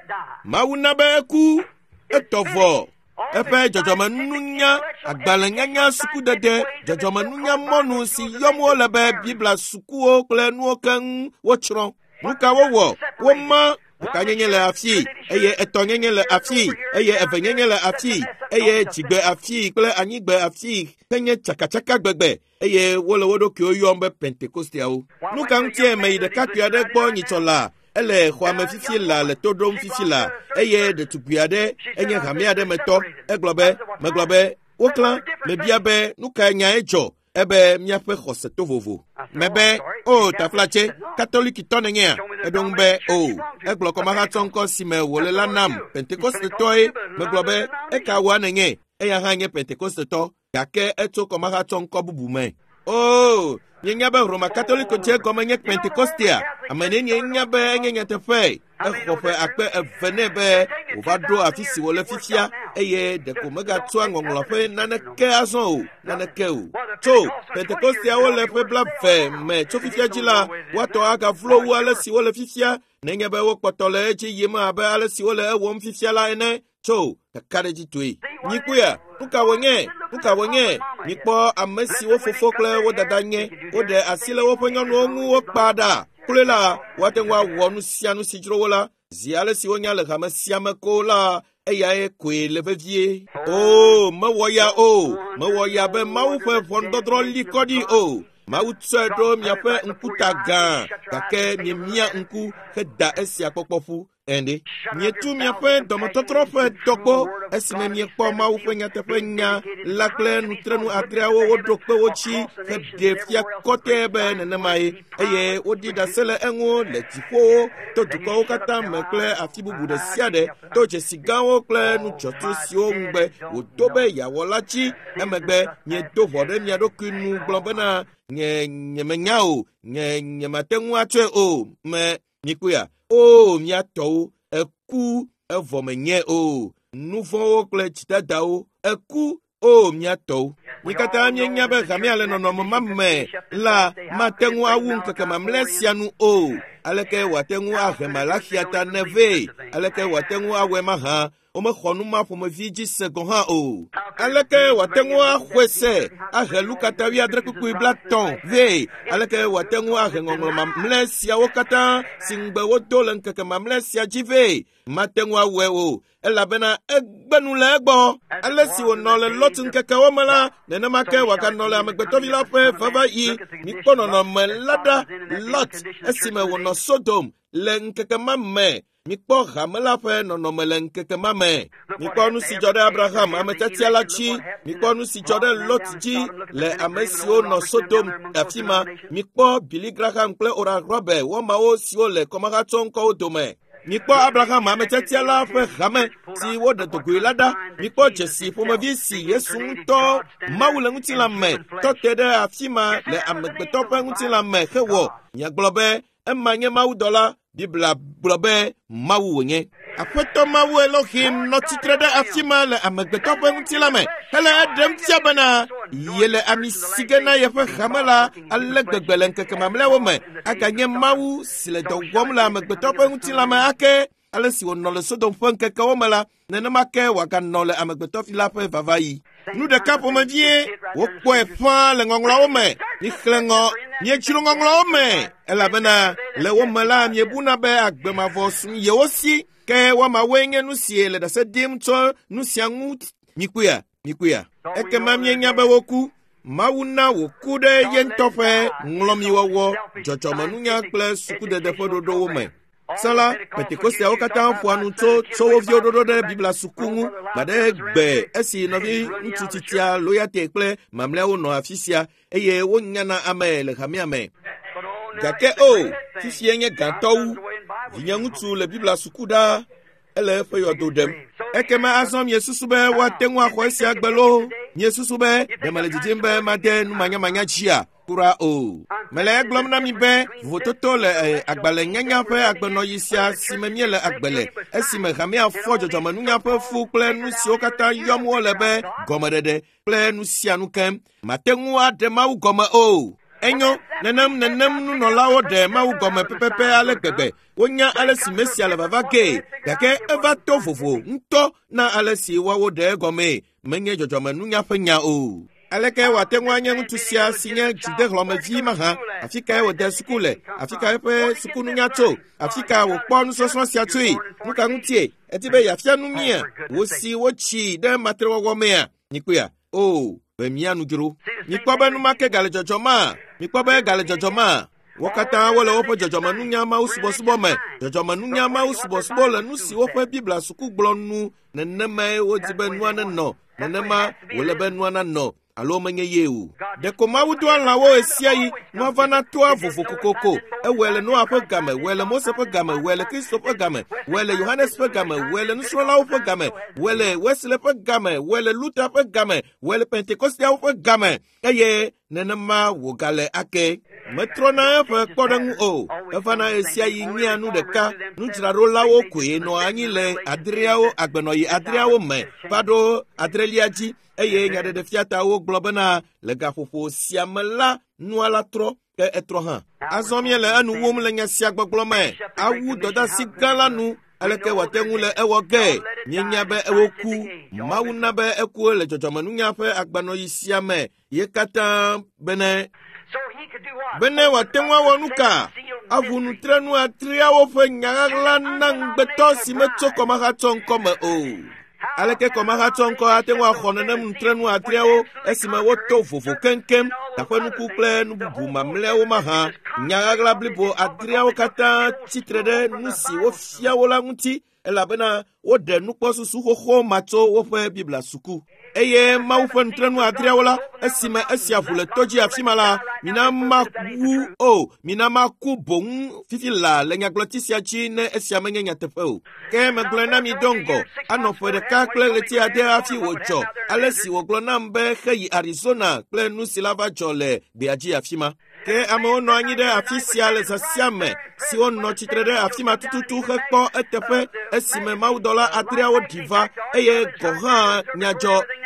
Mawu na be eku. Etɔ vɔ. Eƒe dzɔdzɔmenunya, agbalẽnyanya sukudede, dzɔdzɔmenunya mɔnu si yɔm wole be Biblia sukuwo kple nuwo keŋ wotsrɔ̃. Nu ka wowɔ? Woma ɖekanyenye le afii eye etɔ̃nyenye le afii eye evenyenye le afii eye dzigbe afii kple anyigbe afii henye tsakatsaka gbegbe eye wole wo ɖokuiwo yɔm be Pentekosteawo. Nu ka ŋutie meyi ɖekakpui aɖe gbɔ nyitsɔ la? Ele xɔa me fifi la le to ɖom fifi la eye ɖetugbui aɖe enye hame aɖe me tɔ. Egblɔ be, megblɔ be, woklã, mebia be nu kae nyae dzɔ ebe míaƒe xɔse to vovo. Mebe, o taflatse, katolikitɔ nènyea? Eɖo ŋu be, o. Egblɔ kɔmahatsɔ ŋkɔ si me wòle la nam, Pentekostetɔe. Megblɔ be, eka wòa nènye? Eya hã nye Pentekostetɔ. Gake etso kɔmahatsɔ ŋkɔ bubu me. O, mienya be Roma Katoliko dze gɔme nye Pentekostea. Ame nenie nya be enye nyateƒe. Exɔ ƒe 200 nɛ be wòva ɖo afi si wòle fifia eye ɖeko megatsɔa ŋɔŋlɔ ƒe naneke azɔ o, naneke o. Tso Pentekosteawo le ƒe 20 me tso fifia dzi la, woatɔ agavlo wu ale si wole fifia nenye be wokpɔtɔ le edzi yim abe ale si wole ewɔm fifia la ene. Tso kakaɖedzitɔe. Mikpɔea, nu ka wònye? Nu ka wònye? Mikpɔ ame siwo fofo kple wo dada nye. Woɖe asi le woƒe nyɔnuwo ŋu wokpa ɖa. Kloe la, woate ŋu awɔ nu sia nu si dzro wo la. Zi ale si wonya le hame sia me ko la, eyae koe le vevie. O, mewɔ ya o. Mewɔ ya be Mawu ƒe ʋɔnudɔdrɔ̃ li kɔ ɖi o. Mawu tsɔe ɖo miaƒe ŋkuta gã, gake miemia ŋku heda esia kpɔkpɔ ƒu. Ende. Mietu miaƒe dɔmetɔtrɔ ƒe dɔkpo esime miekpɔ Mawu ƒe nyateƒe nya la kple nutrenu adreawo woɖo kpe wo dzi heɖe fia kɔtɛ be nenemae eye woɖi ɖase le eŋu le dziƒowo to dukɔwo katã me kple afi bubu ɖe sia ɖe to dzesi gãwo kple nudzɔtsu siwo ŋugbe wòdo be yeawɔ la dzi. Emegbe miedo ʋɔ ɖe mia ɖokui nu gblɔ bena nye nyemenya o, nye nyemate ŋu atsɔe o. Me mikpɔea? O, mia tɔwo, eku evɔ menye o. Nu vɔ̃wo kple dzidadawo, eku o mia tɔwo. Mi katã mienya be hamea le nɔnɔme ma me la mate ŋu awu ŋkeke mamlɛ sia nu o. Aleke wòate ŋu ahe Malaxia ta ne vee? Aleke wòate ŋu awɔe mahã? Womexɔ nu ma ƒomevi dzi se gɔ̃ hã o. Aleke wòate ŋu axɔe se ahe Luka ta 7:30 vee? Aleke wòate ŋu ahe ŋɔŋlɔ mamlɛ siawo katã si ŋugbe wodo le ŋkeke mamlɛ sia dzi vee? Mate ŋu awɔe o, elabena egbe nu le egbɔ. Ale si wònɔ le Lot ŋkekewo me la, nenema ke wòaganɔ le amegbetɔvi la ƒe vavaɣi. Mikpɔ nɔnɔme la ɖa. Lot esime wònɔ Sodom le ŋkeke ma me. Mikpɔ hame la ƒe nɔnɔme le ŋkeke ma me. Mikpɔ nu si dzɔ ɖe Abraham, ame tiatia la dzi. Mikpɔ nu si dzɔ ɖe Lot dzi le ame siwo nɔ Sodom afi ma. Mikpɔ Billy Graham kple Oral Roberts wɔmawo siwo le kɔmahatsɔ ŋkɔwo dome. Mikpɔ Abraham ame tiatia la ƒe hame si woɖe dogoe la ɖa. Mikpɔ dzesi ƒomevi si Yesu ŋutɔ Mawu le ŋutilã me tɔ te ɖe afi ma le amegbetɔ ƒe ŋutilã me hewɔ. Miagblɔ be ema nye mawudɔla. Biblia gblɔ be Mawu wònye. Aƒetɔ Mawu Elohim nɔ tsitre ɖe afi ma le amegbetɔ ƒe ŋutilã me hele eɖem fia bena yele ami si ge na yeƒe hame la ale gbegbe le ŋkeke mamlɛawo me. Aganye Mawu si le dɔ wɔm le amegbetɔ ƒe ŋutilã me ake. Ale si wònɔ le Sodom ƒe ŋkekewo me la, nenema ke wòaganɔ le amegbetɔvi la ƒe vavaɣi. Nu ɖeka ƒomevie wokpɔe ƒãa le ŋɔŋlɔawo me. Mixlẽ ŋɔ, miedzro ŋɔŋlɔawo me, elabena le wo me la miebuna be agbe mavɔ su yewo si. Ke woamawoe nye nu si le ɖase ɖim tso nu sia ŋu. Mikpɔea? Mikpɔea? Ekema mienya be woku. Mawu na wòku ɖe ye ŋutɔ ƒe ŋlɔmiwɔwɔ, dzɔdzɔmenunya kple sukudede ƒe ɖoɖowo me. Tsã la, Pentekosteawo katã ƒoa nu tso tso wo viwo ɖoɖo ɖe Biblia suku ŋu gbaɖe gbe esi nɔvi ŋutsu titia Loyate kple mamlɛawo nɔ afi sia eye wonyana ame le hamea me. Gake o, fifie nye gãtɔ wu. Vinye ŋutsu le Biblia suku ɖaa. Ele eƒe yɔdo ɖem. Ekema azɔ miesusu be woate ŋu axɔ esia gbe loo? Miesusu be ɖe mele didim be made numanyamanya dzia? Kura o. Mele egblɔm na mi be vovototo le agbalẽnyanya ƒe agbenɔɣi sia si me míele agbe le, esime hamea fɔ dzɔdzɔmenunya ƒe fu kple nu siwo katã yɔm wole be gɔmeɖeɖe kple nu sia nu keŋ. Mate ŋu aɖe Mawu gɔme o. Enyo, nenem nenem nunɔlawo ɖe Mawu gɔme pɛpɛpɛ ale gbegbe. Wonya ale si Mesia le vava gee, gake eva to vovo ŋutɔ na ale si woawo ɖe egɔmee. Menye dzɔdzɔmenunya ƒe nya o. Aleke wòate ŋu anye ŋutsu sia si nye dzidehlɔ̃mevi mahã? Afi kae wòde suku le? Afi ka eƒe sukununya tso? Afi ka wòkpɔ nusɔsrɔ̃ sia tsoe? Nu ka ŋutie? Edi be yeafia nu mía? Wò si wotsi ɖe matrewɔwɔ mea? Mikpɔea? O, be mía nu dzro. Mikpɔ be numake gale dzɔdzɔmaa? Mikpɔ be gale dzɔdzɔmaa? Wo katã wole woƒe dzɔdzɔmenunya Mawu subɔsubɔ me. Dzɔdzɔmenunya Mawu subɔsubɔ le nu si woƒe Biblia suku gblɔ nu. Nenemae wodi be nua nenɔ. Nenema wòle be nua nanɔ. alo menye ye o. Ɖeko Mawu doa lãwo ɣesiaɣi, nua vana toa vovo kokoko. Ewɔe le Noa ƒe game, wɔe le Mose ƒe game, wɔe le Kristo ƒe game, wɔe le Yohanes ƒe game, wɔe le nusrɔ̃lawo ƒe game, wɔe le Wesley ƒe game, wɔe le Luther ƒe game, wɔe le Pentekosteawo ƒe game, eye nenema wògale ake. Metrɔna eƒe kpɔɖeŋu o. Evana ɣesiaɣi nyea nu ɖeka. Nudzraɖolawo koe nɔa anyi le adreawo agbenɔɣi adreawo me va ɖo adrelia dzi eye nyaɖeɖefiatawo gblɔ bena le gaƒoƒo sia me la nua la trɔ ke etrɔ hã. Azɔ míele enu wum le nya sia gbɔgblɔ me. Awu dɔdeasi gã la nu aleke wòate ŋu le ewɔ ge? Míenya be ewoku. Mawu na be eku le dzɔdzɔmenunya ƒe agbanɔɣi sia me ye katã bene bene wòate ŋu awɔ nu ka? Aʋu nutrenu adreawo ƒe nya ɣaɣla na ŋugbetɔ si metso kɔmahatsɔ ŋkɔ me o. Aleke kɔmahatsɔ ŋkɔ ate ŋu axɔ nenem nutrenu adreawo esime woto vovo keŋkeŋ taƒenuku kple nu bubu mamlɛawo mahã? Nya ɣaɣla blibo adreawo katã tsitre ɖe nu si wofia wo la ŋuti elabena woɖe nukpɔsusu xoxo ma tso woƒe Biblia suku. Eye Mawu ƒe nutrenu adreawo la, esime esia ʋu le to dzi afi ma la, mina mawu o, mina maku boŋ fifi laa le nyagblɔti sia dzi ne esia menye nyateƒe o. Ke megblɔe na mi do ŋgɔ, anɔ ƒe ɖeka kple ɣleti ade hafi wòdzɔ, ale si wògblɔ nam be heyi Arizona kple nu si la va dzɔ le gbea dzi afi ma. Ke amewo nɔ anyi ɖe afi sia le zã sia me, siwo nɔ tsitre ɖe afi ma tututu hekpɔ eteƒe esime mawudɔla adreawo ɖi va eye gɔ̃ hã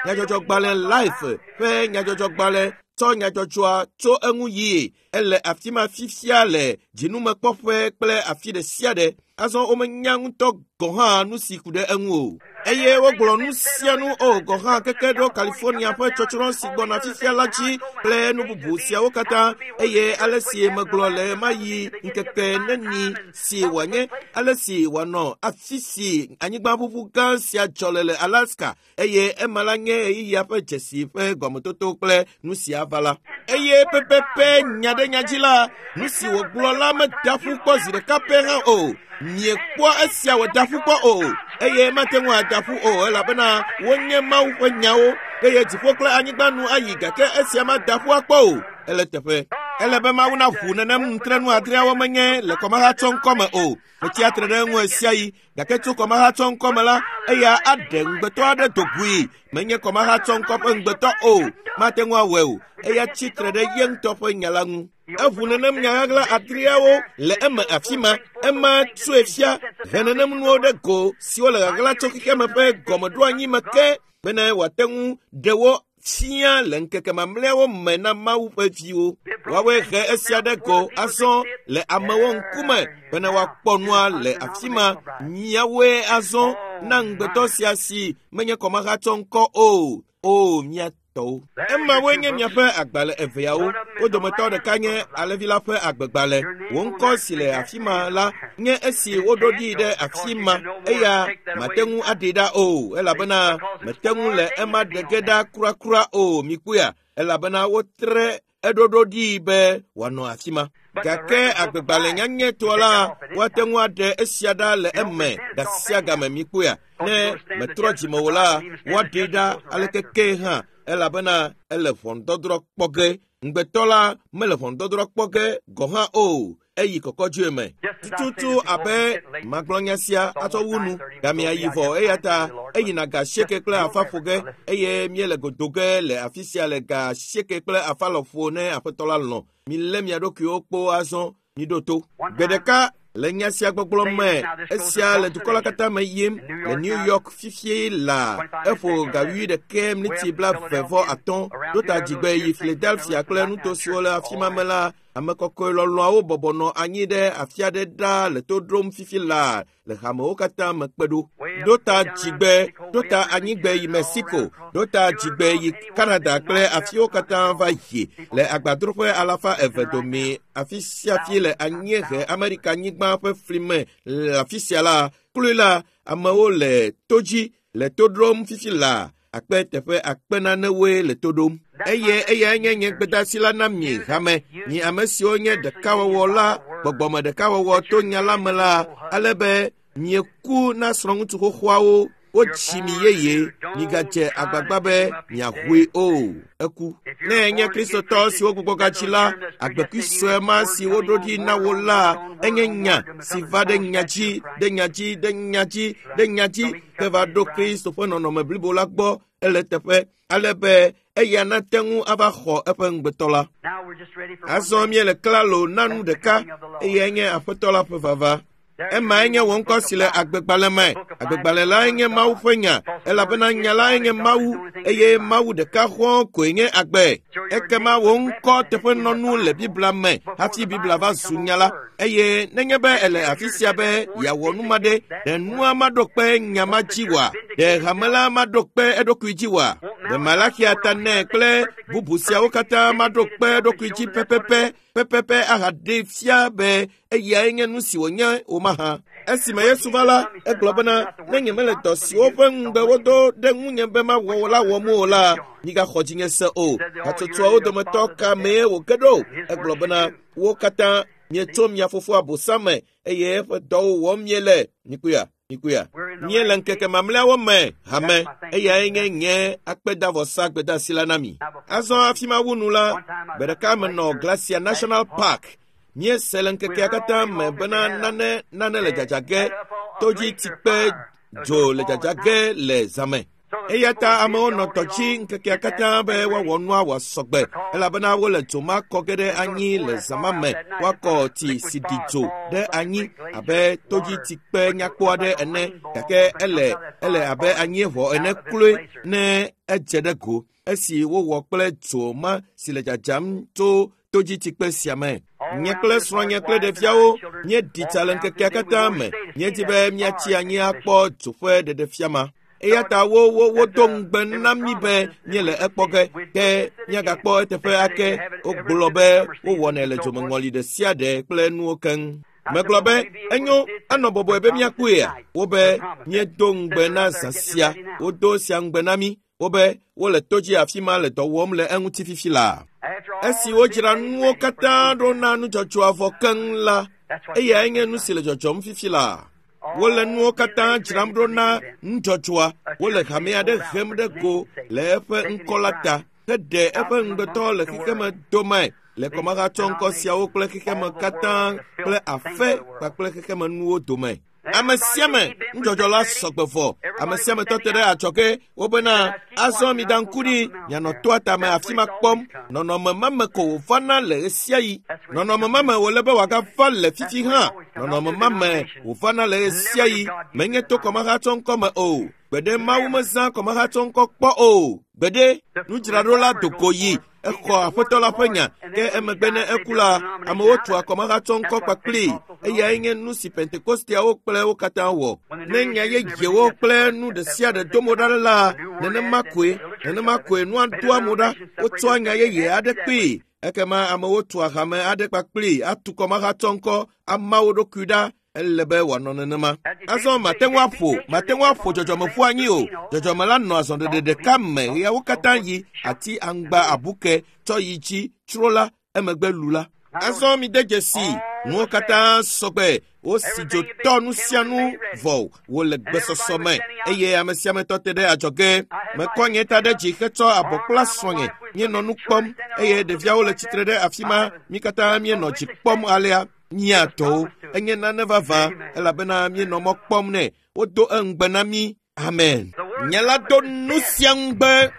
nyadzɔdzɔgbalẽ Life ƒe nyadzɔdzɔgbalẽ tsɔ nyadzɔdzɔa tso eŋu yie. Ele afi ma fifia le dzinumekpɔƒe kple afi ɖe sia ɖe. Azɔ womenya ŋutɔ gɔ̃ hã nu si ku ɖe eŋu o. Eye wogblɔ nu sia nu o gɔ̃ hã keke ɖo California ƒe tsɔtsrɔ̃ si gbɔna fifia la dzi kple nu bubu siawo katã eye ale si megblɔ le mayi ŋkeke neni si wòanye ale si wòanɔ afi si anyigbaʋuʋu gã sia dzɔ le le Alaska eye ema la nye ɣeyiɣia ƒe dzesi ƒe gɔmetoto kple nu sia va la. Eye pɛpɛpɛ nya ɖe nya dzi la, nu si wògblɔ la meda ƒu kpɔ zi ɖeka pɛ hã o. Miekpɔa esia wòda ƒu kpɔ o, eye mate ŋu ada ƒu o elabena wonye Mawu ƒe nyawo eye dziƒo kple anyigba nu ayi gake esia mada ƒu akpɔ o. Ele teƒe. Ele be Mawu naʋu nenem nutrenu adreawo menye le kɔmahatsɔ ŋkɔ me o. Metsia tre ɖe eŋu ɣesiaɣi gake tso kɔmahatsɔ ŋkɔ me la, eya aɖe ŋugbetɔ aɖe do goe. Menye kɔmahatsɔ ŋkɔ ƒe ŋugbetɔ o. Mate ŋu awɔe o. Eya tsi tre ɖe ye ŋutɔ ƒe nya la ŋu. Eʋu nenem nya ɣaɣla adreawo le eme afi ma. Ema tsoe fia he nenem nuwo ɖe go siwo le ɣaɣla tso xexeame ƒe gɔmeɖoanyi me ke bene wòate ŋu ɖe wo fia le ŋkeke mamlɛawo me na Mawu ƒe viwo. Woawoe he esia ɖe go azɔ le amewo ŋkume bene woakpɔ nua le afi ma. Miawoe azɔ na ŋugbetɔ sia si menye kɔmahatsɔ ŋkɔ o. O, mia tɔwo. Emawoe nye miaƒe agbalẽ eveawo. Wo dometɔ ɖeka nye Alẽvi la ƒe agbegbalẽ. Wò ŋkɔ si le afi ma la nye esi woɖo ɖi ɖe afi ma eya mate ŋu aɖee ɖa o elabena mete ŋu le ema ɖe ge ɖa kurakura o mikpɔea elabena wotre eɖoɖo ɖi be wòanɔ afi ma. Gake agbegbalẽ nyanyɛtɔ la woate ŋu aɖe esia ɖa le eme gasia game mikpɔea ne metrɔ dzime o la woaɖee ɖa aleke ke hã elabena ele ʋɔnudɔdrɔ̃ kpɔ ge. Ŋugbetɔ la mele ʋɔnudɔdrɔ̃ kpɔ ge gɔ̃ hã o eyi kɔkɔdzoe me. Tututu abe magblɔ nya sia atsɔ wu nu gamea yi vɔ eya ta eyina ga asieke kple afa ƒo ge eye míele godo ge le afi sia le ga asieke kple afa lɔƒo ne aƒetɔ la lɔ̃. Milé mia ɖokuiwo kpo azɔ miɖo to. Gbe ɖeka le nya sia gbɔgblɔ me esia le dukɔ la katã me yim le New York fifie la eƒo ga wuiɖekɛ miniti 25 ɖo ta dzigbe yi Philadelphia kple nuto siwo le afi ma me la ame kɔkɔe lɔlɔ̃awo bɔbɔ nɔ anyi ɖe afi aɖe ɖaa le to ɖom fifi laa le hamewo katã me kpe ɖo. Ɖo ta dzigbe, ɖo ta anyigbe yi Mexico, ɖo ta dzigbe yi Canada kple afiwo katã va yi le agbadroƒe 200 dome afi sia afi le anyiehe Amerika nyigba ƒe fli me le afi sia la, kloe la, amewo le to dzi le to ɖom fifi laa akpe teƒe akpe nanewoe le to ɖom. Eye eyae nye nye gbedeasi la na mi hame, mi ame siwo nye ɖekawɔwɔ la, gbɔgbɔme ɖekawɔwɔ to nya la me la, ale be mieku na srɔ̃ŋutsu xoxoawo. Wotsi mi yeye, migadze agbagba be miahoe o. Eku. Ne enye Kristotɔ siwo gbugbɔgatsi la, agbekui sue ma si woɖo ɖi na wo la, enye nya si va ɖe nya dzi, ɖe nya dzi, ɖe nya dzi, ɖe nya dzi, ke va ɖo Kristo ƒe nɔnɔme blibo la gbɔ ele teƒe ale be eya nate ŋu ava xɔ eƒe ŋugbetɔ la. Azɔ míele klalo na nu ɖeka, eyae nye Aƒetɔ la ƒe vava. Emae nye wò ŋkɔ si le agbegbalẽ me. Agbegbalẽ lae nye Mawu ƒe nya, elabena nya lae nye Mawu, eye Mawu ɖeka xɔ̃ koe nye agbe. Ekema wò ŋkɔ teƒenɔnu le Biblia me hafi Biblia va zu nya la. Eye nenye be ele afi sia be yeawɔ nu ma ɖe, ɖe nua maɖo kpe nya ma dzi oa? Ɖe hame la maɖo kpe eɖokui dzi oa? Ɖe Malaxia ta nɛ kple bubu siawo katã maɖo kpe eɖokui dzi pɛpɛpɛ pɛpɛpɛ ahaɖee fia be eyae nye nu si wònye o mahã. Esime Yesu va la, egblɔ bena, ne nyemele dɔ siwo ƒe ŋugbe wodo ɖe ŋunye be mawɔ la wɔm o la, migaxɔ dzinye se o. Hatsotsoawo dometɔ ka mee wòge ɖo? Egblɔ bena, wo katã mietso mia fofo Abosam me eye eƒe dɔwo wɔm miele. Mikuya, mikuya. Míele ŋkeke mamlɛawo me hame, eyae nye nye akpedavɔsa gbedeasi la na mi. Azɔ hafi mawu nu la, gbe ɖeka menɔ Glacier National Park. Míese le ŋkekea katã me bena nane nane le dzadza ge, todzi-tsikpe dzo le dzadza ge le zãme. Eya ta amewo nɔ tɔ dzi ŋkekea katã be woawɔ nua wòasɔ gbe, elabena wole dzo ma kɔ ge ɖe anyi le zã ma me. Woakɔ tsi si ɖi dzo ɖe anyi abe todzitsikpe nyakpɔ aɖe ene, gake ele ele abe anyieʋɔ ene kloe ne edze ɖe go esi wowɔ kple dzo ma si le dzadzam tso todzitsikpe sia me. Nye kple srɔ̃nye kple ɖeviawo míeɖi tsa le ŋkekea katã me. Míedi be míatsi anyi akpɔ dzo ƒe ɖeɖefia ma. Eya ta wo wo wodo ŋugbe na mí be míele ekpɔ ge, ke míagakpɔ eteƒe ake. Wogblɔ be wowɔnɛ le dzomeŋɔli ɖe sia ɖe kple nuwo keŋ. Megblɔ be, enyo, anɔ bɔbɔe be míakpɔea? Wobe, míedo ŋugbe na zã sia. Wodo sia ŋugbe na mí. Wobe, wole to dzi afi ma le dɔ wɔm le eŋuti fifi laa. Esi wodzra nuwo katã ɖo na nudzɔdzɔa vɔ keŋ la, eyae nye nu si le dzɔdzɔm fifi laa. Wole nuwo katã dzram ɖo na nudzɔdzɔa. Wole hame aɖe hem ɖe go le eƒe ŋkɔ la ta heɖe eƒe ŋugbetɔ le xexeme dome le kɔmahatsɔŋkɔ siawo kple xexeme katã kple afe kpakple xexemenuwo dome. Ame sia ame nudzɔdzɔ la sɔgbe vɔ. Ame sia ame tɔ te ɖe adzɔge wobena azɔ mida ŋku ɖi mianɔ toa tame afi ma kpɔm. Nɔnɔme ma me ko wòvana le ɣesiaɣi. Nɔnɔme ma me wòle be wòagava le fifi hã. Nɔnɔme ma me wòvana le ɣesiaɣi. Menye to kɔmahatsɔŋkɔ me o. Gbeɖe Mawu mezã kɔmahatsɔŋkɔ kpɔ o. Gbeɖe nudzraɖola do go yi exɔ Aƒetɔ la ƒe nya, ke emegbe ne eku la, amewo tua kɔmahatsɔŋkɔ kpakplii. Eyae nye nu si Pentekosteawo kple wo katã wɔ. Ne nya yeyewo kple nu ɖe sia ɖe do mo ɖa la, nenema koe, nenema koe nua doa mo ɖa. Wotsɔa nya yeye aɖe kpee. Ekema amewo tua hame aɖe kpakplii atu kɔmahatsɔŋkɔ ama wo ɖokui ɖa. Ele be wòanɔ nenema. Azɔ mate ŋu aƒo, mate ŋu aƒo dzɔdzɔme ƒu anyi o. Dzɔdzɔme la nɔ azɔɖeɖe ɖeka me ɣeawo katã yi, ati, aŋgba, abuke, tsɔ yi dzi, tsro la, emegbe lu la. Azɔ mide dzesi, nuwo katã sɔgbe, wosi dzo tɔ nu sia nu vɔ wòle gbesɔsɔ me, eye ame sia ame tɔ te ɖe adzɔge. Mekɔ nye ta ɖe dzi hetsɔ abɔ kpla srɔ̃nye. Míenɔ nu kpɔm, eye ɖeviawo le tsitre ɖe afi ma. Mí katã míenɔ dzi kpɔm alea. Mía tɔwo enye nane vavã, elabena míenɔ mɔ kpɔm nɛ. Wodo eŋugbe na mí. Amen. Nye la do nu sia ŋugbe.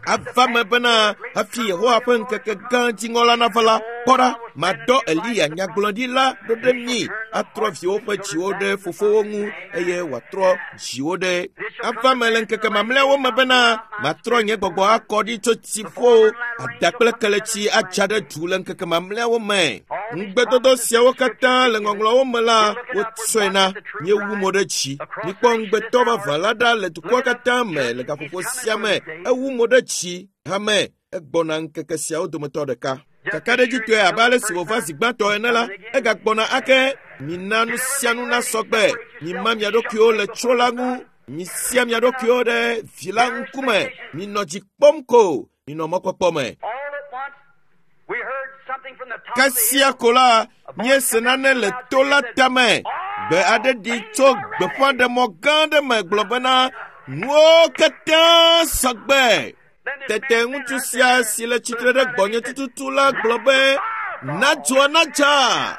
Ava me bena hafi Yehowa ƒe ŋkeke gã dziŋɔ la nava la, kpɔ ɖa, madɔ Eliya nyagblɔɖila ɖo ɖe mi, atrɔ viwo ƒe dziwo ɖe fofowo ŋu, eye wòatrɔ dziwo ɖe. Ava me le ŋkeke mamlɛawo me bena matrɔ nye gbɔgbɔ akɔ ɖi tso dziƒo, ada kple keletsi adza ɖe du le ŋkeke mamlɛawo me. Ŋugbedodo siawo katã le ŋɔŋlɔawo me la, wotsɔe na míewu mo ɖe dzi. Mikpɔ ŋugbetɔ vavã la ɖa le dukɔa katã me le gaƒoƒo sia me. Ewu mo ɖe dzi hame egbɔna ŋkeke siawo dometɔ ɖeka. Kakaɖedzitɔe abe ale si wòva zi gbãtɔ ene la, egagbɔna ake. Mina nu sia nu nasɔ gbe. Mima mia ɖokuiwo le tsro la ŋu. Misia mia ɖokuiwo ɖe vi la ŋkume. Minɔ dzi kpɔm ko. Minɔ mɔkpɔkpɔ me. Kasia ko la, míese nane le to la tame. Gbe aɖe ɖi tso gbeƒãɖemɔ gã aɖe me gblɔ bena nuwo katã sɔgbe. Tete ŋutsu sia si le tsitre ɖe gbɔnye tututu la gblɔ be na dzoa nadza.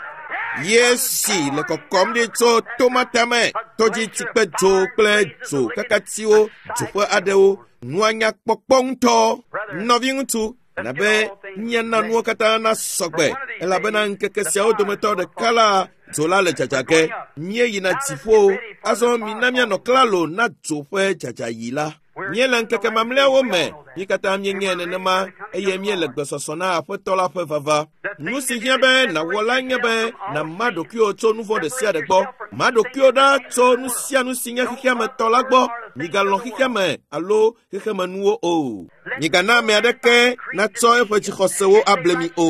Yesi le kɔkɔm ɖi tso tomata me, tɔdzitsikpe dzo kple dzo kakatiwo, dzoƒe aɖewo. Nua nya kpɔkpɔ ŋutɔ. Nɔviŋutsu, nabe míana nuwo katã nasɔgbe elabena ŋkeke siawo dometɔ ɖeka la dzo la le dzadza ge. Míeyina dziƒo. Azɔ mina míanɔ klalo na dzo ƒe dzadzayi la. Míele ŋkeke mamlɛawo me. Mí katã míenyae nenema eye míele gbesɔsɔ na Aƒetɔ la ƒe vava. Nu si hiã be nàwɔ la nye be nàma ɖokuiwò tso nu vɔ̃ ɖe sia ɖe gbɔ. Ma ɖokuiwò ɖa tso nu sia nu si nye xexea me tɔ la gbɔ. Migalɔ̃ xexea me alo xexemenuwo o. Migana ame aɖeke natsɔ eƒe dzixɔsewo able mi o.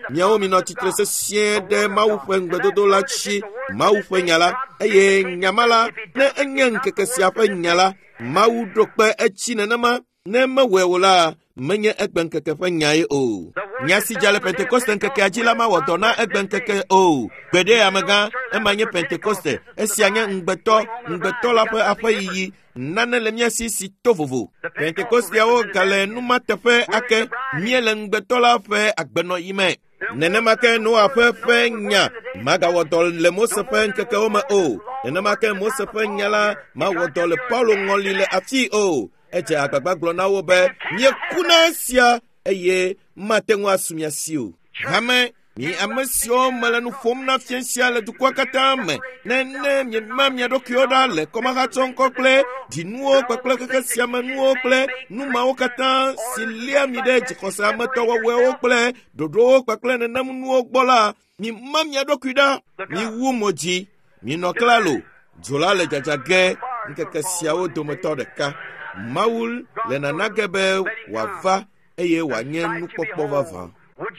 Miawo minɔ tsitre sesĩe ɖe Mawu ƒe ŋugbedodo la dzi, Mawu ƒe nya la, eye nya ma la, ne enye ŋkeke sia ƒe nya la, Mawu ɖo kpe edzi nenema. Ne mewɔe o la, menye egbeŋkeke ƒe nyae o. Nya si dza le Pentekoste ŋkekea dzi la mawɔ dɔ na egbeŋkeke o. Gbeɖe amegã, ema nye Pentekoste. Esia nye ŋugbetɔ, ŋugbetɔ la ƒe aƒeyiyi. Nane le mía si si to vovo. Pentekosteawo gale nu ma teƒe ake. Míele ŋugbetɔ la ƒe agbenɔɣi me. Nenema ke Noa ƒe ƒe nya magawɔ dɔ le Mose ƒe ŋkekewo me o. Nenema ke Mose ƒe nya la mawɔ dɔ le Paulo ŋɔli le afii o. Edze agbagba gblɔ na wo be míeku na esia eye mate ŋu asu mia si o. Hame, mi ame siwo mele nu ƒom na fia sia le dukɔa katã me, ne ne miema mia ɖokuiwo ɖa le kɔmahatsɔŋkɔ kple dzinuwo kpakple xexe sia me nuwo kple nu mawo katã si lia mi ɖe dzixɔse ametɔwɔwɔewo kple ɖoɖowo kpakple nenem nuwo gbɔ la, mima mia ɖokui ɖa, miwu mo dzi, minɔ klalo. Dzo la le dzadza ge ŋkeke siawo dometɔ ɖeka. Mawu le nana ge be wòava eye wòanye nukpɔkpɔ vavã.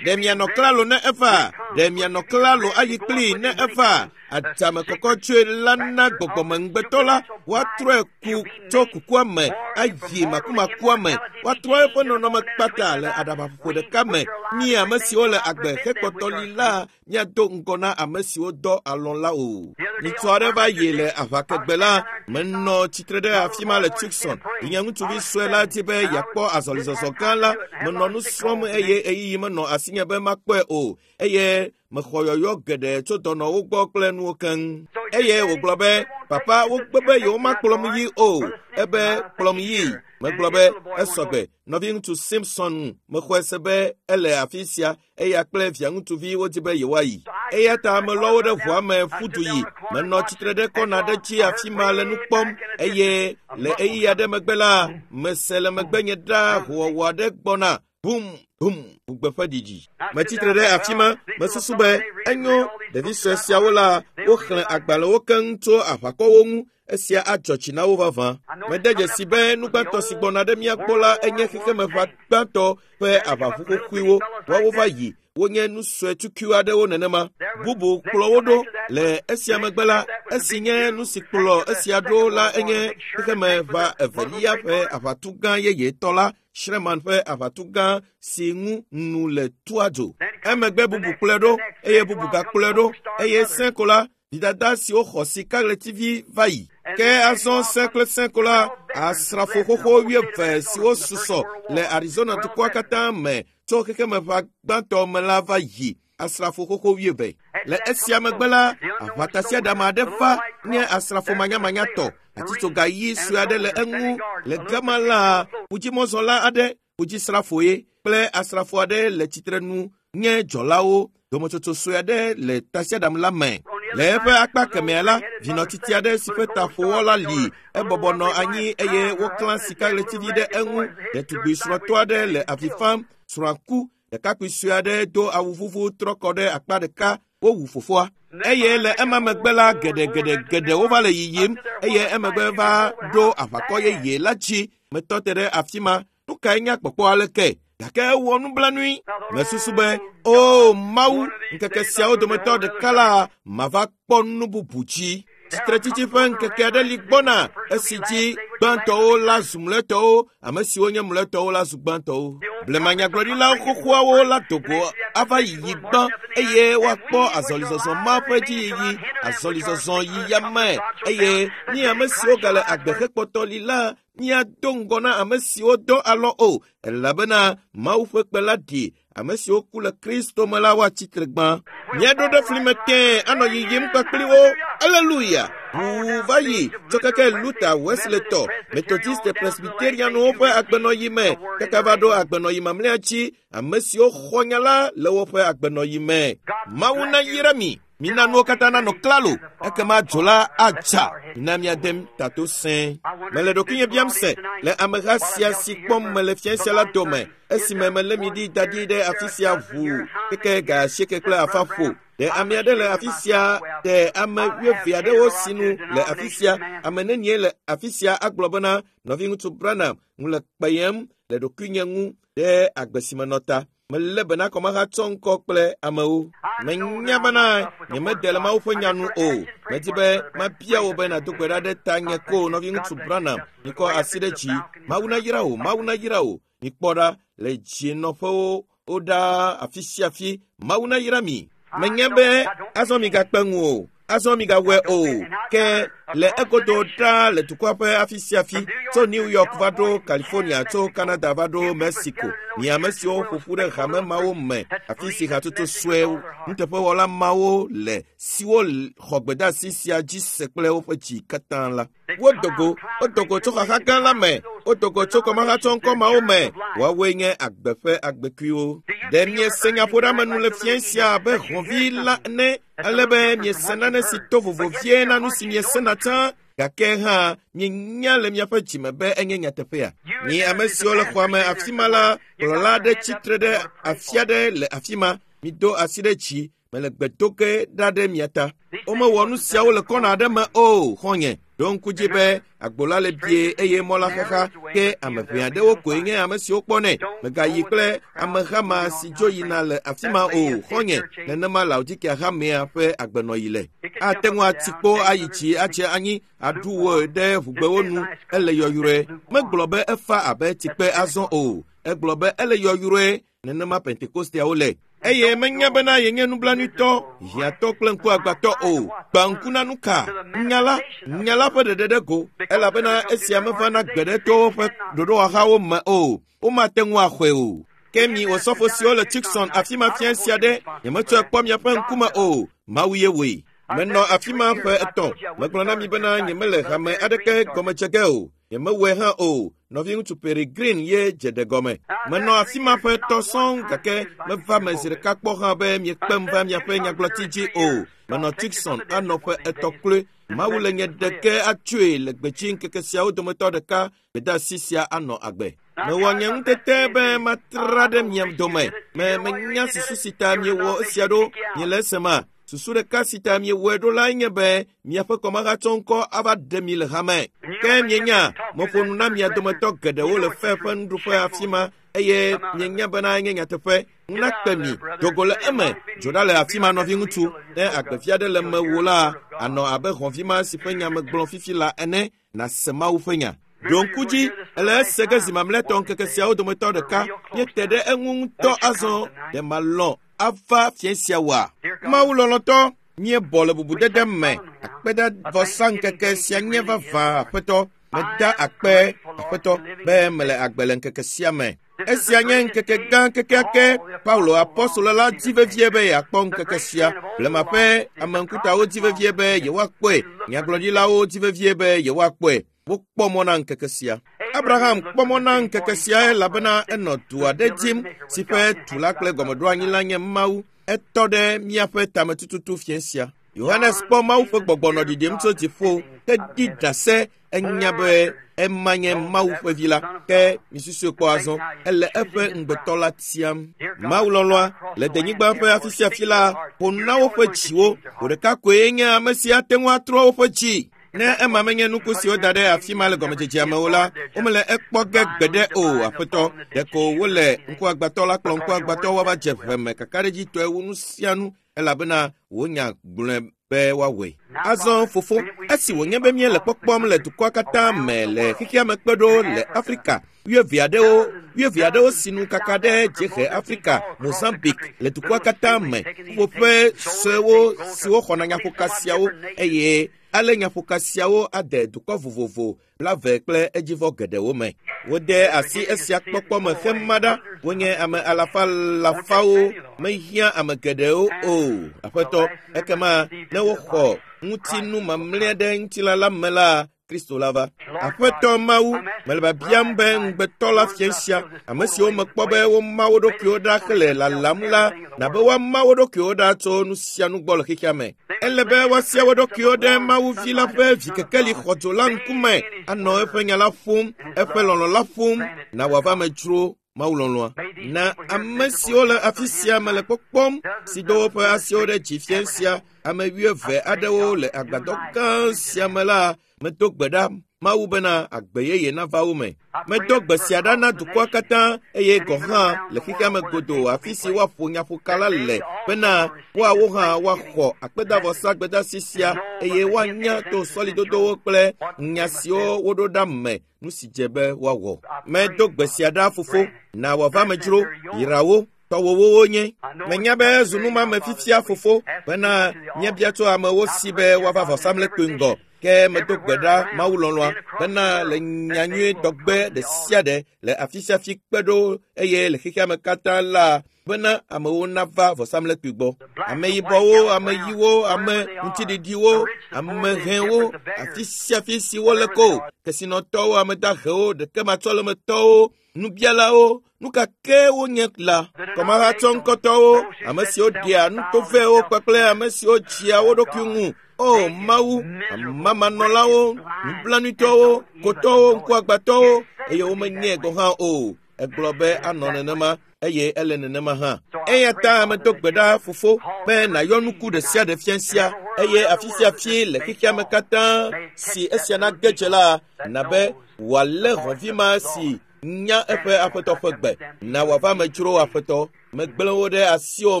Ɖe mianɔ klalo ne eva? Ɖe mianɔ klalo ayi kplii ne eva? Adzame kɔkɔ tsoe la na gbɔgbɔmeŋugbetɔ la woatrɔe ku tso kukua me ayi makumakua me. Woatrɔ eƒe nɔnɔme kpata le aɖabaƒoƒo ɖeka me. Mi ame siwo le agbe hekpɔtɔ li la míado ŋgɔ na ame siwo dɔ alɔ̃ la o. Ŋutsu aɖe va yi le aʋakegbe la, menɔ tsitre ɖe afi ma le Tucson. Nye ŋutsuvi sue la di be yeakpɔ azɔlizɔzɔ gã la. Menɔ nu srɔ̃m eye ɣeyiɣi menɔ asinye be makpɔe o eye mexɔ yɔyɔ geɖe tso dɔnɔwo gbɔ kple nuwo keŋ. Eye wògblɔ be, papa wogbe be yewomakplɔm yi o. Ebe kplɔm yi. Megblɔ be esɔgbe. Nɔviŋutsu Simpson mexɔe se be ele afi sia eya kple via ŋutsuvi wodi be yewoayi. Eya ta melɔ wo ɖe ʋua me ƒu du yi. Menɔ tsitre ɖe kɔna ɖe dzi afi ma le nu kpɔm eye le ɣeyiɣi aɖe megbe la, mese le megbenye ɖaa hoowɔwɔ aɖe gbɔna. Bum, bum, ʋugbe ƒe ɖiɖi. Metsitre ɖe afi ma, mesusu be enyo ɖevi sue siawo la, woxlẽ agbalẽwo keŋ tso aʋakɔwo ŋu. Esia adzɔ dzi na wo vavã. Mede dzesi be nu gbãtɔ si gbɔna ɖe mía gbɔ la enye xexemeʋa gbãtɔ ƒe aʋaʋu xoxoewo. Woawo va yi, wonye nu sue tukui aɖewo nenema. Bubu kplɔ wo ɖo. Le esia megbe la, esi nye nu si kplɔ esia ɖo la enye xexemeʋa evelia ƒe aʋatu gã yeyetɔ la, Sherman ƒe aʋatu gã si ŋu nu le tua dzo. Emegbe bubu kplɔe ɖo eye bubu gakplɔe ɖo eye sẽ ko la, vidada siwo xɔ sikaɣletivi va yi. Ke azɔ sẽ kple sẽ ko la, asrafo xoxo wuieve siwo susɔ le Arizona dukɔa katã me tso xexemeʋa gbãtɔ me la va yi. Asrafo xoxo wuieve. Le esia megbe la, aʋatasiaɖam aɖe va nye asrafo manyamanyatɔ. Atitsoga ɣi sue aɖe le eŋu. Le gama la, ƒudzimɔzɔla aɖe, ƒudzisrafoe kple asrafo aɖe le tsitrenu nye dzɔlawo. Dometsotso sue aɖe le tasiaɖam la me. Le eƒe akpa kemɛa la, vinɔtiti aɖe si ƒe ta ƒowɔ la li. Ebɔbɔ nɔ anyi eye woklã sikaɣletivi ɖe eŋu. Ɖetugbi srɔ̃tɔ aɖe le avi fam. Srɔ̃a ku. Ɖekakpui sue aɖe do awu vuvu trɔ kɔ ɖe akpa ɖeka. Wowu fofoa. Eye le ema megbe la, geɖegeɖegeɖe wova le yiyim eye emegbe va ɖo aʋakɔ yeye la dzi. Metɔ te ɖe afi ma. Nu kae nye kpɔkpɔ aleke? Gake ewɔ nublanui. Mesusu be, o Mawu, ŋkeke siawo dometɔ ɖeka la, mava kpɔ nu bubu dzi. Tsitretsitsi ƒe ŋkeke aɖe li gbɔna esi dzi gbãtɔwo la zu mlɔetɔwo, ame siwo nye mlɔetɔwo la zu gbãtɔwo. Blemanyagblɔɖilawo xoxoawo la do go ava yiyi gbã eye woakpɔ azɔlizɔzɔ ma ƒe dziyiyi, azɔlizɔzɔ yiyame eye mi ame siwo gale agbe hekpɔtɔ li la míado ŋgɔ na ame siwo dɔ alɔ o, elabena Mawu ƒe kpe la ɖi ame siwo ku le Kristo me la woatsi tre gbã. Míaɖo ɖe fli me tẽe anɔ yiyim kpakpli wo. Aleluya! Ʋuu va yi tso keke Luther, Wesley tɔ, Methodiste, Presbyterianwo ƒe agbenɔyi me kaka va ɖo agbenɔyi mamlɛa dzi, ame siwo xɔ nya la le woƒe agbenɔyi me. Mawu nayra mi. Mina nuwo katã nanɔ klalo, ekema dzo la atsa. Mina míade tato sẽe. Mele ɖokuinye biam se le ameha sia si kpɔm mele fia sia la dome, esime melé mi ɖi da ɖi ɖe afi sia ʋuu keke ga asieke kple afa ƒo. Ɖe ame aɖe le afi sia, ɖe ame wuieve aɖewo sinu le afi sia, ame nenie le afi sia agblɔ bena, nɔviŋutsu Branham, ŋu le kpeyem le ɖokuinye ŋu ɖe agbe si menɔ ta. Melé bena kɔmahatsɔ ŋkɔ kple amewo. Menya bena nyemede le Mawu ƒe nya nu o. Medi be mabia wò be nàdo gbe ɖa ɖe tanye ko nɔviŋutsu Branham. Mikɔ asi ɖe dzi. Mawu nayra wò, Mawu nayra wò. Mikpɔ ɖa le dzinɔƒewo woɖaa afi sia afi. Mawu nayra mi. Menya be azɔ migakpe ŋu o. Azɔ migawɔe o. Ke le egodo ɖaa le dukɔa ƒe afi sia afi, tso New York va ɖo California, tso Canada va ɖo Mexico, mi ame siwo ƒo ƒu ɖe hame mawo me, afi si hatsotso sue nuteƒewɔla mawo le, siwo xɔ gbedeasi sia dzi se kple woƒe dzi katã la. Wodo go, wodo go tso xaxa gã la me, wodo go tso kɔmahatsɔŋkɔ mawo me. Woawoe nye agbe ƒe agbekuiwo. Ɖe miese nyaƒoɖeamenu le fia sia abe hɔ̃vi la ene, ale be miese nane si to vovo vie na nu si miesena tsã, gake hã mienya le miaƒe dzime be enye nyateƒea. Mi ame siwo le xɔa me afi ma la, kplɔla aɖe tsitre ɖe afi aɖe le afi ma. Mido asi ɖe dzi, mele gbe do ge ɖa ɖe mia ta. Womewɔ nu siawo le kɔna aɖe me o, xɔ̃nye. Ɖo ŋku dzi be agbo la le bie eye mɔ la xaxa, ke ame ʋɛ aɖewo koe nye ame siwo kpɔnɛ. Mègayi kple ameha ma si dzo yina le afi ma o, xɔ̃nye. Nenema Laodikea hamea ƒe agbenɔyi le. Ate ŋu ati kpo ayi dzi adze anyi aɖu wò ɖe ʋugbewo nu. Ele yɔyrɔe. Megblɔ be efa abe tsikpe azɔ o. Egblɔ be ele yɔyrɔe. Nenema Pentekosteawo le. Eye menya bena yenye nublanuitɔ, hiãtɔ kple ŋkuagbãtɔ o. Gbã ŋku na nu ka? Nya la, nya la ƒe ɖeɖe ɖe go, elabena esia mevana gbe ɖe to woƒe ɖoɖowɔhawo me o. Womate ŋu axɔe o. Ke mi osɔfo siwo le Tucson afi ma fia sia ɖe, nyemetsɔe kpɔ miaƒe ŋkume o. Mawu ye wɔe. Menɔ afi ma ƒe etɔ̃. Megblɔ na mi bena nyemele hame aɖeke gɔme dze ge o. Nyemewɔe hã o. Nɔviŋutsu Peregrine ye dze ɖe gɔme. Menɔ afi ma ƒe etɔ̃ sɔŋ gake meva me zi ɖeka kpɔ hã be miekpem va miaƒe nyagblɔti dzi o. Menɔ Tucson anɔ ƒe etɔ̃ kloe. Mawu le nye ɖeke atsoe le gbedzi ŋkeke siawo dometɔ ɖeka gbedeasi sia anɔ agbe. Mewɔ nye ŋutete be matra ɖe mia dome. Me menya susu si ta miewɔ esia ɖo. Miele esema? Susu ɖeka si ta miewɔe ɖo lae nye be miaƒe kɔmahatsɔŋkɔ ava ɖe mi le hame. Ke mienya, meƒo nu na mia dometɔ geɖewo le fe ƒe nuɖuƒe afi ma eye mienya bena enye nyateƒe. Ŋu nakpe mi, do go le eme, dzo ɖa le afi ma nɔviŋutsu. Ne agbevi aɖe le mewò la, anɔ abe hɔ̃vi ma si ƒe nya megblɔ fifi la ene, nàse Mawu ƒe nya. Ɖo ŋku dzi, ele ese ge zi mamlɛtɔ ŋkeke siawo dometɔ ɖeka. Míete ɖe eŋu ŋutɔ azɔ. Ɖe malɔ̃ ava fia sia wɔa? Mawu lɔlɔ̃tɔ, míebɔ le bubudede me. Akpedavɔsa ŋkeke sia nye vavã, Aƒetɔ. Meda akpe, Aƒetɔ, be mele agbe le ŋkeke sia me. Esia nye ŋkeke gã kekeake. Paulo apɔstolo la di vevie be yeakpɔ ŋkeke sia. Blema ƒe ame ŋkutawo di vevie be yewoakpɔe. Nyagblɔɖilawo di vevie be yewoakpɔe. Wokpɔ mɔ na ŋkeke sia. Abraham kpɔ mɔ na ŋkeke sia elabena enɔ du aɖe dim si ƒe tu la kple gɔmeɖoanyi la nye Mawu. Etɔ ɖe míaƒe tametututu fia sia. Yohanes kpɔ Mawu ƒe gbɔgbɔ nɔ ɖiɖim tso dziƒo hedi ɖase enya be ema nye Mawu ƒe vi la. Ke misusue kpɔ azɔ, ele eƒe ŋugbetɔ la tiam. Mawu lɔlɔ̃a le denyigba ƒe afi sia afi la ƒo nu na woƒe dziwo. Wò ɖeka koe nye ame si ate ŋu atrɔ woƒe dzi. Ne ema menye nuku si woda ɖe afi ma le gɔmedzedzea me o la, womele ekpɔ ge gbeɖe o, Aƒetɔ. Ɖeko wole ŋkuagbãtɔ la kplɔ ŋkuagbãtɔ woava dze ʋe me kakaɖedzitɔe wu nu sia nu, elabena wò nya gblɔe be woawɔe. Azɔ, Fofo, Esi wònye be míele kpɔkpɔm le dukɔa katã me le xexea me kpe ɖo le Afrika, wuieve aɖewo sinu kaka ɖe dziehe Afrika, Mozambique le dukɔa katã me, ƒuƒoƒe suewo siwo xɔna nyaƒoka siawo eye ale nyaƒoka siawo ade dukɔ vovovo 20 kple edzivɔ geɖewo me. Wode asi esia kpɔkpɔ me hema ɖa, wonye ame alafa alafawo, mehiã ame geɖewo o. Aƒetɔ, ekema ne woxɔ ŋutinu mamlɛa ɖe ŋutilã la me la, Kristo la va. Aƒetɔ Mawu, mele biabiam be ŋugbetɔ la fia sia, ame siwo mekpɔ be woma wo ɖokuiwo ɖa hele lalam la, nabe woama wo ɖokuiwo ɖa tso nu sia nu gbɔ le xexea me. Ele be woasia wo ɖokuiwo ɖe Mawu vi la ƒe vikekeli xɔdzo la ŋkume, anɔ eƒe nya la ƒom, eƒe lɔlɔ̃ la ƒom, na wòava me dzro Mawu lɔlɔ̃a. Na ame siwo le afi sia me le kpɔkpɔm, si do woƒe asiwo ɖe dzi fia sia, ame 20 aɖewo le agbadɔ gã sia me la, medo gbe ɖa Mawu bena agbe yeye nava wo me. Medo gbe sia ɖa na dukɔa katã eye gɔ̃ hã le xexea me godoo afi si woaƒo nyaƒoka la le bena woawo hã woaxɔ akpedavɔsa gbedasi sia eye woanya to sɔlidodowo kple nya siwo woɖo ɖa me nu si dze be woawɔ. Medo gbe sia ɖa fofo, na wòava me dzro, yra wo, tɔwòwo wonye. Menya be ezu numame fifia fofo bena míebia tso amewo si be woava vɔsamlekpui ŋgɔ. Ke medo gbe ɖa Mawu lɔlɔ̃a bena le nyanyui dɔgbe ɖe sia ɖe le afi sia afi kpe ɖo eye le xexea me katã la bena amewo nava vɔsamlekpui gbɔ. Ameyibɔwo, ameyiwo, ame ŋutiɖiɖiwo, amehɛwo, afi sia afi si wole ko, kesinɔtɔwo, ame dahewo, ɖekematsɔlemetɔwo, nubialawo, nu ka ke wonye la, kɔmahatsɔŋkɔtɔwo, ame siwo ɖea nutovɛwo kpakple ame siwo dzia wo ɖokui ŋu. O Mawu, amamanɔlawo, nublanuitɔwo, kotɔwo, ŋkuagbãtɔwo, eye womenyae gɔ̃ hã o. Egblɔ be anɔ nenema eye ele nenema hã. Eya ta medo gbe ɖa fofo be nàyɔ nuku ɖe sia ɖe fia sia eye afi sia afi le xexea me katã si esia nage dze la, na be wòalé hɔ̃vi ma si nya eƒe aƒetɔ ƒe gbe. Na wòava me dzro aƒetɔ. Megblẽ wo ɖe asiwò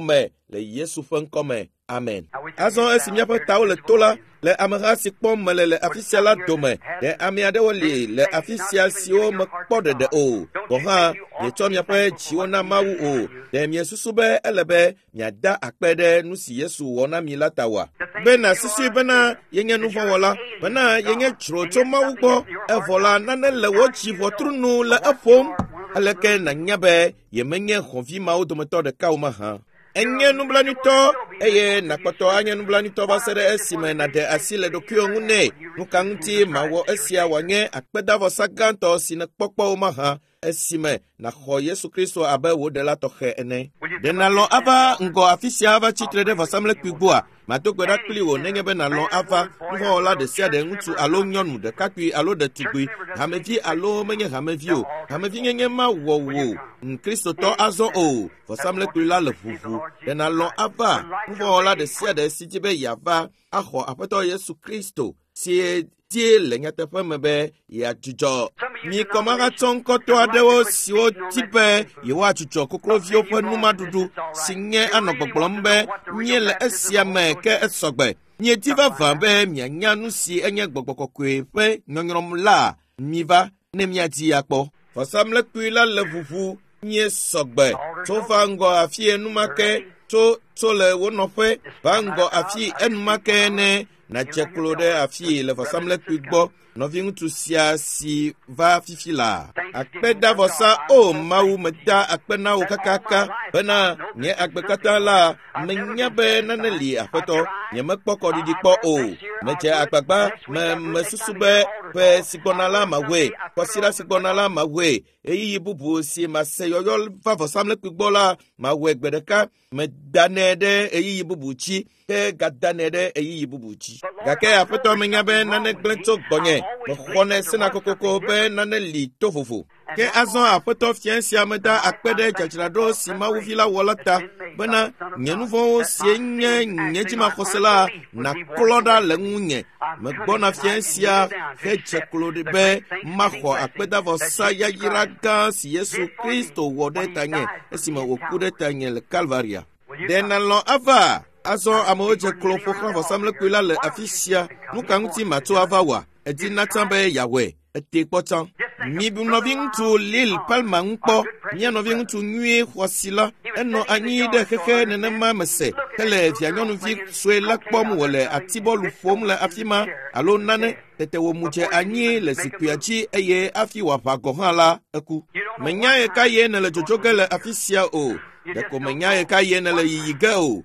me le Yesu ƒe ŋkɔ me. Amen. Azɔ esi míaƒe tawo le to la, le ameha si kpɔm mele le afi sia la dome, ɖe ame aɖewo li le afi sia siwo mekpɔ ɖeɖe o. Gɔ̃ hã, mietsɔ miaƒe dziwo na Mawu o. Ɖe miesusu be ele be miada akpe ɖe nu si Yesu wɔ na mi la ta oa? Be nàsusui bena yenye nuvɔ̃wɔla, bena yenye dzro tso Mawu gbɔ, evɔ la nane le wò dzi ʋɔtru nu le eƒom. Aleke nànya be yemenye xɔvi mawo dometɔ ɖeka o mahã? Enye nublanuitɔ eye nàkpɔtɔ anye nublanuitɔ va se ɖe esime nàɖe asi le ɖokuiwò ŋu nɛ. Nu ka ŋuti mawɔ esia wòanye akpedavɔsa gãtɔ si nèkpɔ kpɔ o mahã esime nàxɔ Yesu Kristo abe wò ɖela tɔxɛ ene? Ɖe nàlɔ̃ ava ŋgɔ afi sia ava tsitre ɖe vɔsamlekpui gbɔa? Mado gbe ɖa kpli wò nenye be nàlɔ̃ ava. Nuvɔ̃wɔla ɖe sia ɖe, ŋutsu alo nyɔnu, ɖekakpui alo ɖetugbui, hamevi alo menye hamevi o, hamevinyenye mawɔ wò Kristotɔ azɔ o. Vɔsamlekpui la le ʋuʋu. Ɖe nàlɔ̃ ava? Nuvɔ̃wɔla ɖe sia ɖe si di be yeava axɔ Aƒetɔ Yesu Kristo si die le nyateƒe me be yeadzudzɔ. Mi kɔmahatsɔŋkɔtɔ aɖewo siwo di be yewoadzudzɔ kokloviwo ƒe numaɖuɖu si nye anɔ gbɔgblɔm be míele esia me ke esɔgbe. Miedi vavã be mianya nu si enye gbɔgbɔ kɔkɔe ƒe nyɔnyrɔm la, miva ne miadi akpɔ. Vɔsamlekpui la le ʋuʋu míesɔgbe. Tso va ŋgɔ afi enumake, tso le wo nɔƒe va ŋgɔ afi enumake ne nàdze klo ɖe afi le vɔsamlekpui gbɔ. Nɔviŋutsu sia si va fifi la, akpedavɔsa, o Mawu, meda akpe na wò kakaka bena nye agbe katã la, menya be nane li aƒetɔ, nyemekpɔ kɔɖiɖi kpɔ o. Medze agbagba, mesusu be ƒe si gbɔna la mawɔe, kɔsiɖa si gbɔna la mawɔe, ɣeyiɣi bubu si mase yɔyɔ va vɔsamlekpui gbɔ la, mawɔe gbe ɖeka. Medanɛ ɖe ɣeyiɣi bubu dzi, ke gadanɛ ɖe ɣeyiɣi bubu dzi. Gake aƒetɔ menya be nane gblẽ tso gbɔnye, mexɔnɛ sena kokoko be nane li to vovo. Ke azɔ aƒetɔ fia sia meda akpe ɖe dzadzraɖo si Mawu vi la wɔ la ta bena nye nuvɔ̃wo sie nye nye dzimaxɔse la nàklɔ ɖa le ŋunye. Megbɔna fia sia hedze klo ɖi be maxɔ akpedavɔsa yayra gã si Yesu Kristo wɔ ɖe tanye esime wòku ɖe tanye le Kalvaria. Ɖe nàlɔ̃ ava? Azɔ amewo dze klo ƒo xlã vɔsamlekpui la le afi sia. Nu ka ŋuti màtso ava oa? Èdi na tsã be yeawɔe. Ètee kpɔ tsã. Mibu nɔviŋutsu Lil Palmer ŋu kpɔ, mía nɔviŋutsu nyuie xɔasi la. Enɔ anyi ɖe xexe nenema me se hele vianyɔnuvi sue la kpɔm wòle atibɔlu ƒom le afi ma alo nane. Tete wòmu dze anyi le zikpuia dzi eye hafi wòaʋa gɔ̃ hã la, eku. Menya ɣekaɣie nèle dzodzo ge le afi sia o. Ɖeko menya ɣekaɣie nèle yiyi ge o.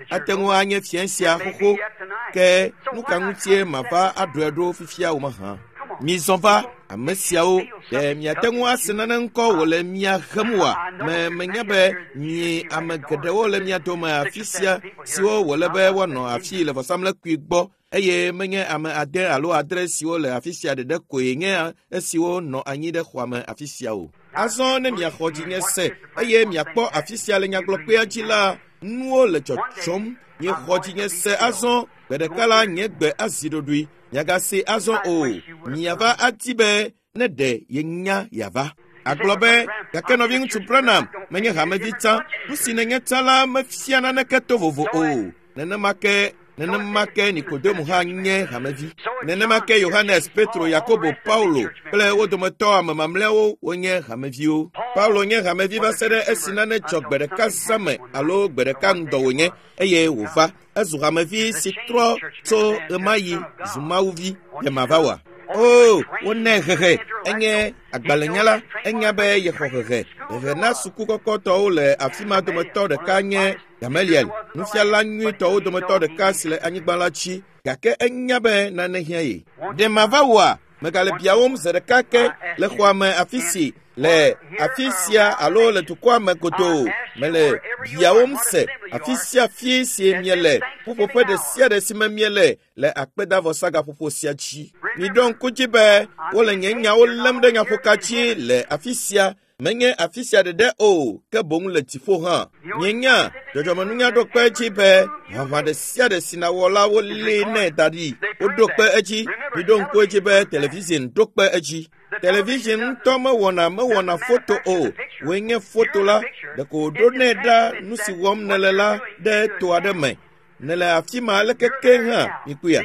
Ate ŋu anye fiẽ sia xoxo. Ke nu ka ŋutie mava aɖɔe ɖo fifia o mahã? Mizɔ va, ame siawo, ɖe miate ŋu ase nane ŋkɔ wòle mia hem oa? Me menya be mi ame geɖewo le mia dome afi sia siwo wòle be woanɔ afii le vɔsamlekpui gbɔ eye menye ame ade alo adre siwo le afi sia ɖeɖe koe nye esiwo nɔ anyi ɖe xɔa me afi sia o. Azɔ ne miaxɔ dzinye se eye miakpɔ afi sia le nyagblɔkpea dzi la, nuwo le dzɔdzɔm. Miexɔ dzinye se azɔ, gbe ɖeka la nye gbe azi ɖoɖoe. Miagase azɔ o. Miava adi be ne ɖe yenya yeava. Agblɔ be, gake nɔviŋutsu Branham menye hamevi tsã. Nu si nènye tsã la mefia naneke to vovo o. Nenema ke nenema ke Nikodemo hã nye hamevi. Nenema ke Yohanes, Petro, Yakobo, Paulo kple wo dometɔ ame mamlɛawo wonye hameviwo. Paulo nye hamevi va se ɖe esi nane dzɔ gbe ɖeka zã me alo gbe ɖeka ŋdɔ wònye eye wòva. Ezu hamevi si trɔ tso ɣemaɣi zu Mawuvi. Ɖe mava oa? O, wonɛ hehe. Enye agbalẽnyala. Enya be yexɔ hehe. Hehe na suku kɔkɔtɔwo le afi ma dometɔ ɖeka nye Gamaliel, nufiala nyuitɔwo dometɔ ɖeka si le anyigba la dzi, gake enya be nane hiã ye. Ɖe mava oa? Megale biawòm zi ɖeka ke le xɔa me afi si le afi sia alo le dukɔa me godoo. Mele biawòm se afi sia afi si miele, ƒuƒoƒe ɖe sia ɖe si me miele le akpedavɔsagaƒoƒo sia dzi. Miɖo ŋku dzi be wole nye nyawo lém ɖe nyaƒoka dzi le afi sia Menye afi sia ɖeɖe o, ke boŋ le dziƒo hã. Mienya, dzɔdzɔmenunya ɖo kpe edzi be ʋaʋã ɖe sia ɖe si nàwɔ la wolée nɛ da ɖi. Woɖo kpe edzi. Miɖo ŋku edzi be television ɖo kpe edzi. Television ŋutɔ mewɔna mewɔna foto o. Wòe nye foto la. Ɖeko wòɖonɛ ɖa nu si wɔm nèle la ɖe to aɖe me. Nèle afi ma aleke ke hã, mikpɔea?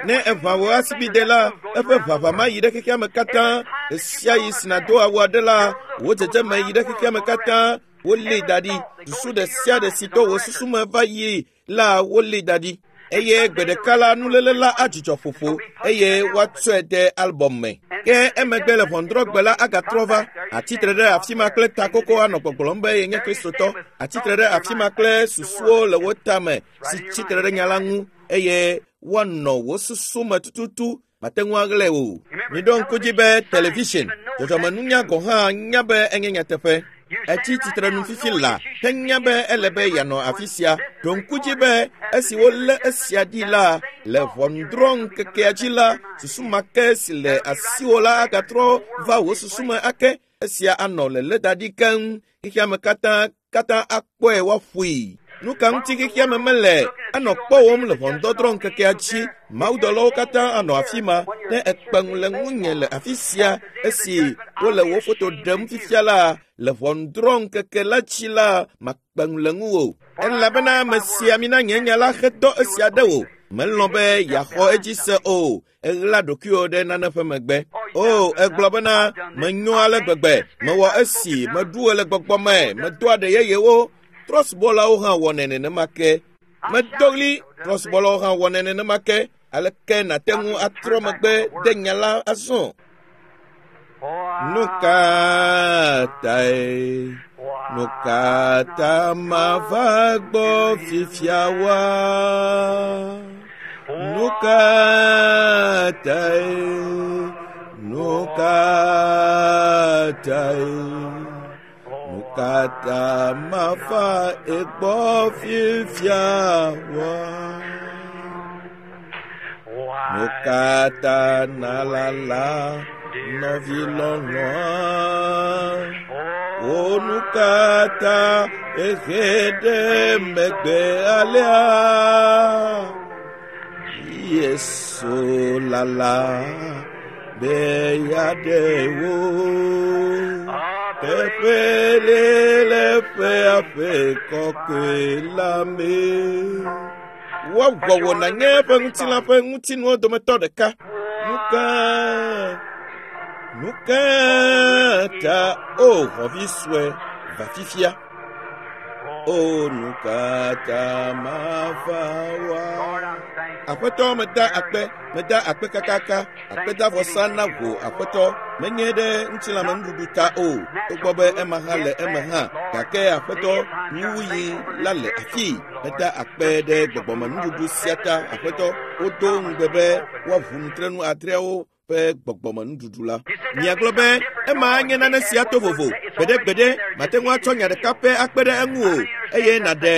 Ne eʋã wò asibide la, eƒe ʋaʋã ma yi ɖe xexea me katã. Ɣesiaɣi si nàdo awu aɖe la, wò dzedzeme yi ɖe xexea me katã. Wolée da ɖi. Susu ɖe sia ɖe si to wò susu me va yi la, wolée da ɖi. Eye gbe ɖeka la, nuléle la adzudzɔ ƒoƒo eye woatsɔe de albɔm me. Ke emegbe le ʋɔnudrɔ̃gbe la agatrɔ va, atsi tre ɖe afi ma kple takoko anɔ gbɔgblɔm be yenye Kristotɔ. Atsi tre ɖe afi ma kple susuwo le wò tame si tsi tre ɖe nya la ŋu eye woanɔ wò susu me tututu mate ŋu aɣlae o. Miɖo ŋku dzi be television, dzɔdzɔmenunya gɔ̃ hã nya be enye nyateƒe. Etsi tsitrenu fifi la henya be ele be yeanɔ afi sia. Ɖo ŋku dzi be esi wolé esia ɖi la, le ʋɔnudrɔ̃ŋkekea dzi la, susu ma ke si le asiwò la agatrɔ va wò susu me ake. Esia anɔ lelé da ɖi keŋ. Xexeame katã katã akpɔe woaƒoe. Nu ka ŋuti xexeame mele anɔ kpɔwòm le ʋɔnudɔdrɔ̃ ŋkekea dzi? Mawudɔlawo katã anɔ afi ma. Ne èkpe ŋu le ŋunye le afi sia esi wole wò foto ɖem fifia la, le ʋɔnudrɔ̃ ŋkeke la dzi la, makpe ŋu le ŋuwò. Elabena ame sia mina nye nya la xe dɔ esia ɖe wò. Melɔ̃ be yeaxɔ edzi se o. Èɣla ɖokuiwò ɖe nane ƒe megbe. O, ègblɔ bena, menyo ale gbegbe, mewɔ esi, meɖu ɣe le gbɔgbɔ me, medo aɖe yeyewo. Trɔ̃subɔlawo hã wɔnɛ nenema ke. Medo ɣli, trɔ̃subɔlawo hã wɔnɛ nenema ke. Aleke nàte ŋu atrɔ megbe de nya la azɔ? Nu ka tae? Nu ka ta mava gbɔ fifia wa? Nu ka tae? Nu ka tae? Nu ka ta mava egbɔ fifia wa? Nu ka ta nalala nɔvi lɔlɔ̃a? O nu ka ta ehe ɖe megbe alea? Yesu lala be yeaɖe wo. Teƒe le le ƒe aƒe kɔkɔe la me. Woawɔ wò nànye eƒe ŋutilã ƒe ŋutinuwo dometɔ ɖeka. Nu ka ta o xɔvi sue va fifia? O nu ka ta mava wa? Aƒetɔ meda akpe, meda akpe kakaka, akpedavɔsa na wò aƒetɔ, menye ɖe ŋutilãmenuɖuɖu ta o, togbɔ be ema hã le eme hã, gake aƒetɔ nuwuɣi la le afii. Meda akpe ɖe gbɔgbɔmenuɖuɖu sia ta aƒetɔ, wodo ŋugbe be woaʋu nutrenu adreawo ƒe gbɔgbɔmenuɖuɖu la. Miagblɔ be ema anye nane sia to vovo. Gbeɖegbeɖe mate ŋu atsɔ nya ɖeka pɛ akpe ɖe eŋu o, eye nàɖe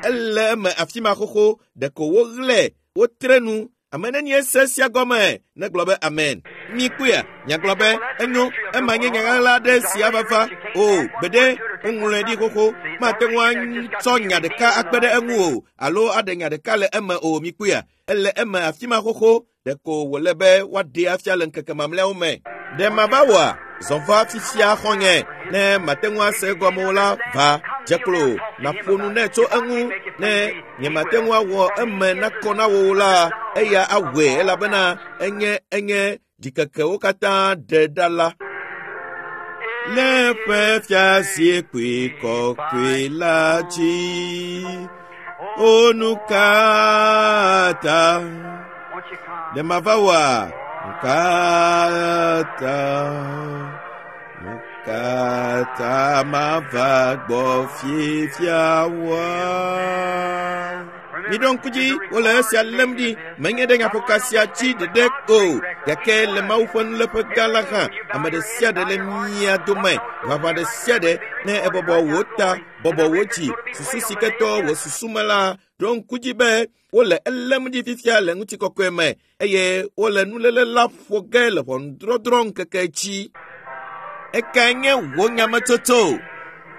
ele eme afi ma xoxo. Ɖeko woɣlae, wotre nu. Ame nenie se sia gɔme negblɔ be amen. Mikpɔea, miagblɔ be enyo, ema nye nya ɣaɣla aɖe si ava va. O, gbeɖe, woŋlɔe ɖi xoxo. Mate ŋu atsɔ nya ɖeka akpe ɖe eŋu o, alo aɖe nya ɖeka le eme o. Mikpɔea, ele eme afi ma xoxo. Ɖeko wòle be woaɖee afia le ŋkeke mamlɛawo me. Ɖe mava wɔa? Zɔ va fifia xɔ̃nye, ne mate ŋu ase egɔme o la, va, dze klo, nàƒo nu nɛ tso eŋu. Ne nyemate ŋu awɔ eme nakɔ na wò o la, eya awɔe elabena enye enye ɖikekewo katã ɖe ɖa la. Le eƒe fiazikpui kɔkɔe la dzi, o nu ka ta ɖe mava wɔa? Nu ka ta? Nu ka ta mava gbɔ fifia wɔa? Miɖo ŋku dzi, wole esia lém ɖi, menye ɖe nyaƒoka sia dzi ɖeɖe o, gake le Mawu ƒe nuléƒe gã la hã, ame ɖe sia ɖe le mia dome, ʋaʋã ɖe sia ɖe, ne ebɔbɔ wò ta, bɔbɔ wò dzi, susu si ke tɔ wò susu me la, ɖo ŋku dzi be wole elém ɖi fifia le ŋutikɔkɔe me, eye wole nuléle la ƒo ge le ʋɔnudɔdrɔ̃ ŋkeke dzi. Ekae nye wò nyametsotso?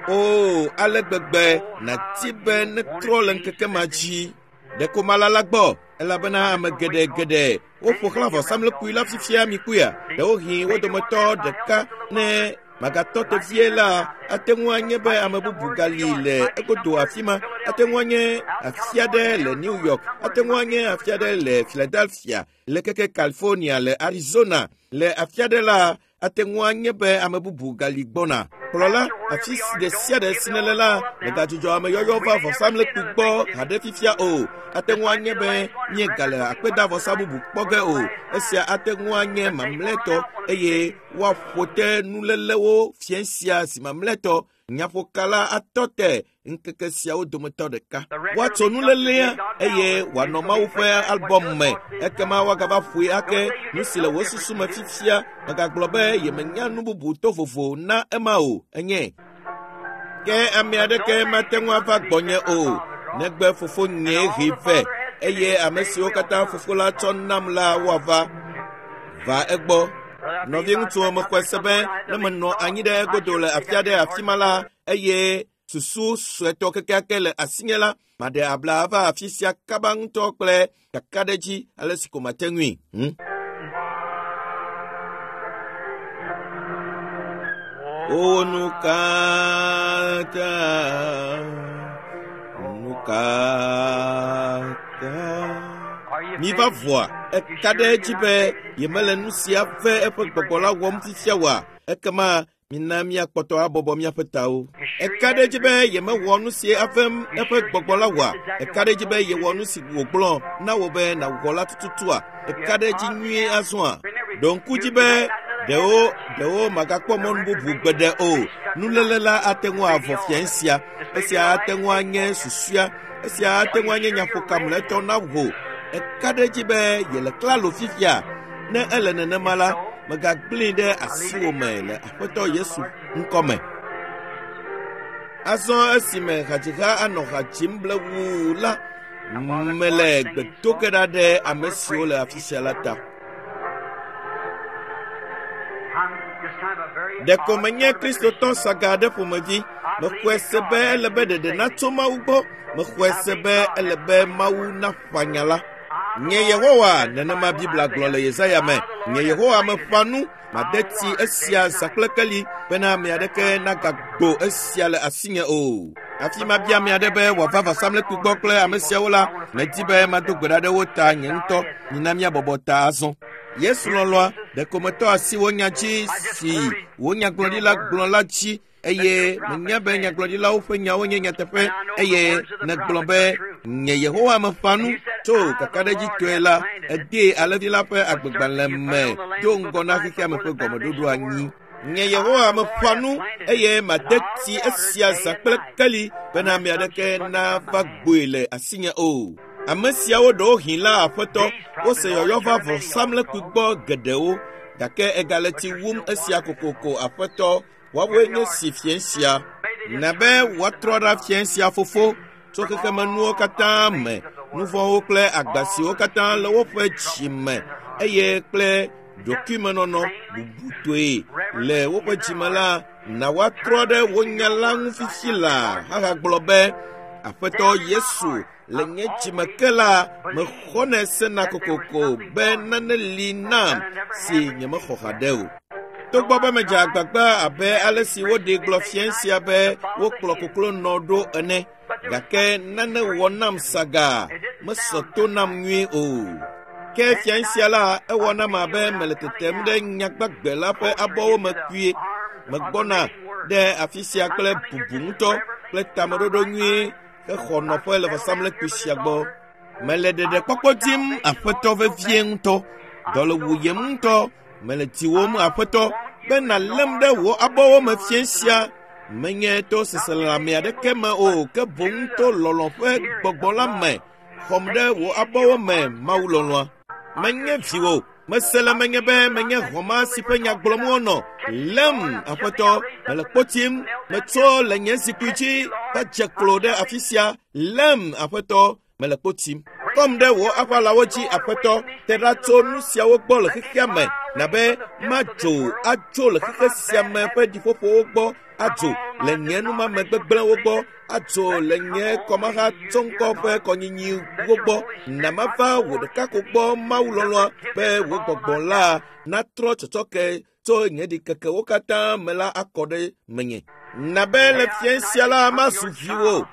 O, ale gbegbe nàdi be netrɔ le ŋkeke ma dzi. Ɖeko malala gbɔ, elabena ame geɖe geɖe woƒo xlã vɔsamlekpui la fifia mikpɔea. Ɖewohĩ wo dometɔ ɖeka ne magatɔ te vie la, ate ŋu anye be ame bubu gali le egodo afi ma. Ate ŋu anye afi aɖe le New York, ate ŋu anye afi aɖe le Philadelphia, le keke California, le Arizona, le afi aɖe la, ate ŋu anye be ame bubu gali gbɔna. Kplɔla, afi ɖe sia ɖe si nèle la, mègadzudzɔ ameyɔyɔ va vɔsamlekpui gbɔ haɖe fifia o. Ate ŋu anye be míegale akpedavɔsa bubu kpɔ ge o. Esia ate ŋu anye mamlɛtɔ eye woaƒo te nulélewo fiẽ sia zi mamlɛtɔ. Nyaƒoka la atɔ te ŋkeke siawo dometɔ ɖeka. Woatso nulélea eye wòanɔ Mawu ƒe albɔm me. Ekema woagava ƒoe ake. Nu si le wò susu me fifia, mègagblɔ be yemenya nu bubu to vovo na ema o. Enye. Ke ame aɖeke mate ŋu ava gbɔnye o, negbe Fofonyee hee vɛ, eye ame siwo katã Fofo la tsɔ nam la woava. Va egbɔ. Nɔviŋutsuwo, mexɔe se be ne menɔ anyi ɖe egodo le afi aɖe afi ma la, eye susu suetɔ kekeake le asinye la, maɖe abla ava afi sia kaba ŋutɔ kple kakaɖedzi ale si ko mate ŋui. O nu ka ta, nu ka ta. Miva vɔa, eka ɖe edzi be yemele nu sia ve eƒe gbɔgbɔ la wɔm fifia oa? Ekema mina míakpɔtɔ abɔbɔ míaƒe tawo. Eka ɖe edzi be yemewɔ nu si avem eƒe gbɔgbɔ la wɔa? Eka ɖe edzi be yewɔ nu si wògblɔ na wò be nàwɔ la tututua? Eka ɖe edzi nyuie azɔa? Ɖo ŋku dzi be ɖewo ɖewo magakpɔ mɔnu bubu gbeɖe o. Nuléle la ate ŋu avɔ fiẽ sia. Esia ate ŋu anye susua. Esia ate ŋu anye nyaƒoka mlɔetɔ na wò. Eka ɖe edzi be yele klalo fifia. Ne ele nenema la, mègagblẽe ɖe asiwò me le Aƒetɔ Yesu ŋkɔ me. Azɔ esime hadziha anɔ ha dzim blewuu la, mele gbe do ge ɖa ɖe ame siwo le afi sia la ta. Ɖeko menye Kristotɔ saga aɖe ƒomevi. Mexɔe se be ele be ɖeɖe natso Mawu gbɔ. Mexɔe se be ele be Mawu naƒã nya la. Nye Yehowa, nenema Biblia gblɔ le Yesaya me. Nye Yehowa meƒã nu, made tsi esia zã kple keli bena ame aɖeke nagagbo esia le asinye o. Hafi mabia ame aɖe be wòava vɔsamlekpui gbɔ kple ame siawo la, medi be mado gbe ɖa ɖe wo ta nye ŋutɔ. Mina míabɔbɔ ta azɔ. Yesu lɔlɔ̃a, ɖeko metɔ asi wò nya dzi si wò nyagblɔɖila gblɔ la dzi eye menya be nyagblɔɖilawo ƒe nyawo nye nyateƒe eye nègblɔ be nye Yehowa meƒã nu tso kakaɖedzitɔe la, edee alẽvi la ƒe agbegbalẽ me do ŋgɔ na xexea me ƒe gɔmeɖoɖo anyi. Nye Yehowa meƒã nu eye made tsi esia zã kple keli bena ame aɖeke nava gboe le asinye o. Ame siawo ɖewohĩ la aƒetɔ, wose yɔyɔ va vɔsamlekpui gbɔ geɖewo, gake egale tsi wum esia kokoko aƒetɔ. Woawoe nye si fiẽ sia. Na be woatrɔ ɖa fiẽ sia fofo tso xexemenuwo katã me, nu vɔ̃wo kple agba siwo katã le woƒe dzi me eye kple ɖokuimenɔnɔ bubutɔe le woƒe dzime la, na woatrɔ ɖe wo nya la ŋu fifi laa ahagblɔ be, Aƒetɔ Yesu, le nye dzime ke la, mexɔnɛ sena kokoko be nane li nam si nyemexɔ haɖe o. Togbɔ be medze agbagba abe ale si woɖee gblɔ fiẽ sia be wokplɔ koklonɔ ɖo ene, gake nane wɔ nam sagaa, mesɔ to nam nyuie o. Ke fiẽ sia la, ewɔ nam abe mele tetem ɖe nyagbagbe la ƒe abɔwo me kpuie. Megbɔna ɖe afi sia kple bubu ŋutɔ kple tameɖoɖo nyuie hexɔ nɔƒe le vɔsamlekpui sia gbɔ. Mele ɖeɖekpɔkpɔ dim aƒetɔ vevie ŋutɔ. Dɔ le wuyem ŋutɔ. Mele diwòm aƒetɔ be nàlém ɖe wò abɔwo me fiẽ sia. Menye to seselelãme aɖeke me o, ke boŋ to lɔlɔ̃ ƒe gbɔgbɔ la me. Xɔm ɖe wò abɔwo me, Mawu lɔlɔ̃a. Menye viwò. Mese le menye be menye hɔ̃ma si ƒe nya gblɔm wonɔ. Lém, aƒetɔ, mele kpo tim. Metso le nye zikpui dzi va dze klo ɖe afi sia. Lém, aƒetɔ, mele kpo tim. Kɔm ɖe wò aʋalawo dzi, aƒetɔ. Te ɖa tso nu siawo gbɔ le xexea me, na be madzo atso le xexe sia me ƒe ɖiƒoƒowo gbɔ, adzo le nye numame gbegblẽwo gbɔ, adzo le nye kɔmahatsɔŋkɔ ƒe kɔnyinyiwo gbɔ. Na mava wò ɖeka ko gbɔ, Mawu lɔlɔ̃a, be wò gbɔgbɔ la natrɔ tsɔtsɔke tso nye ɖikekewo katã me la akɔ ɖe menye. Na be le fiẽ sia la mazu viwò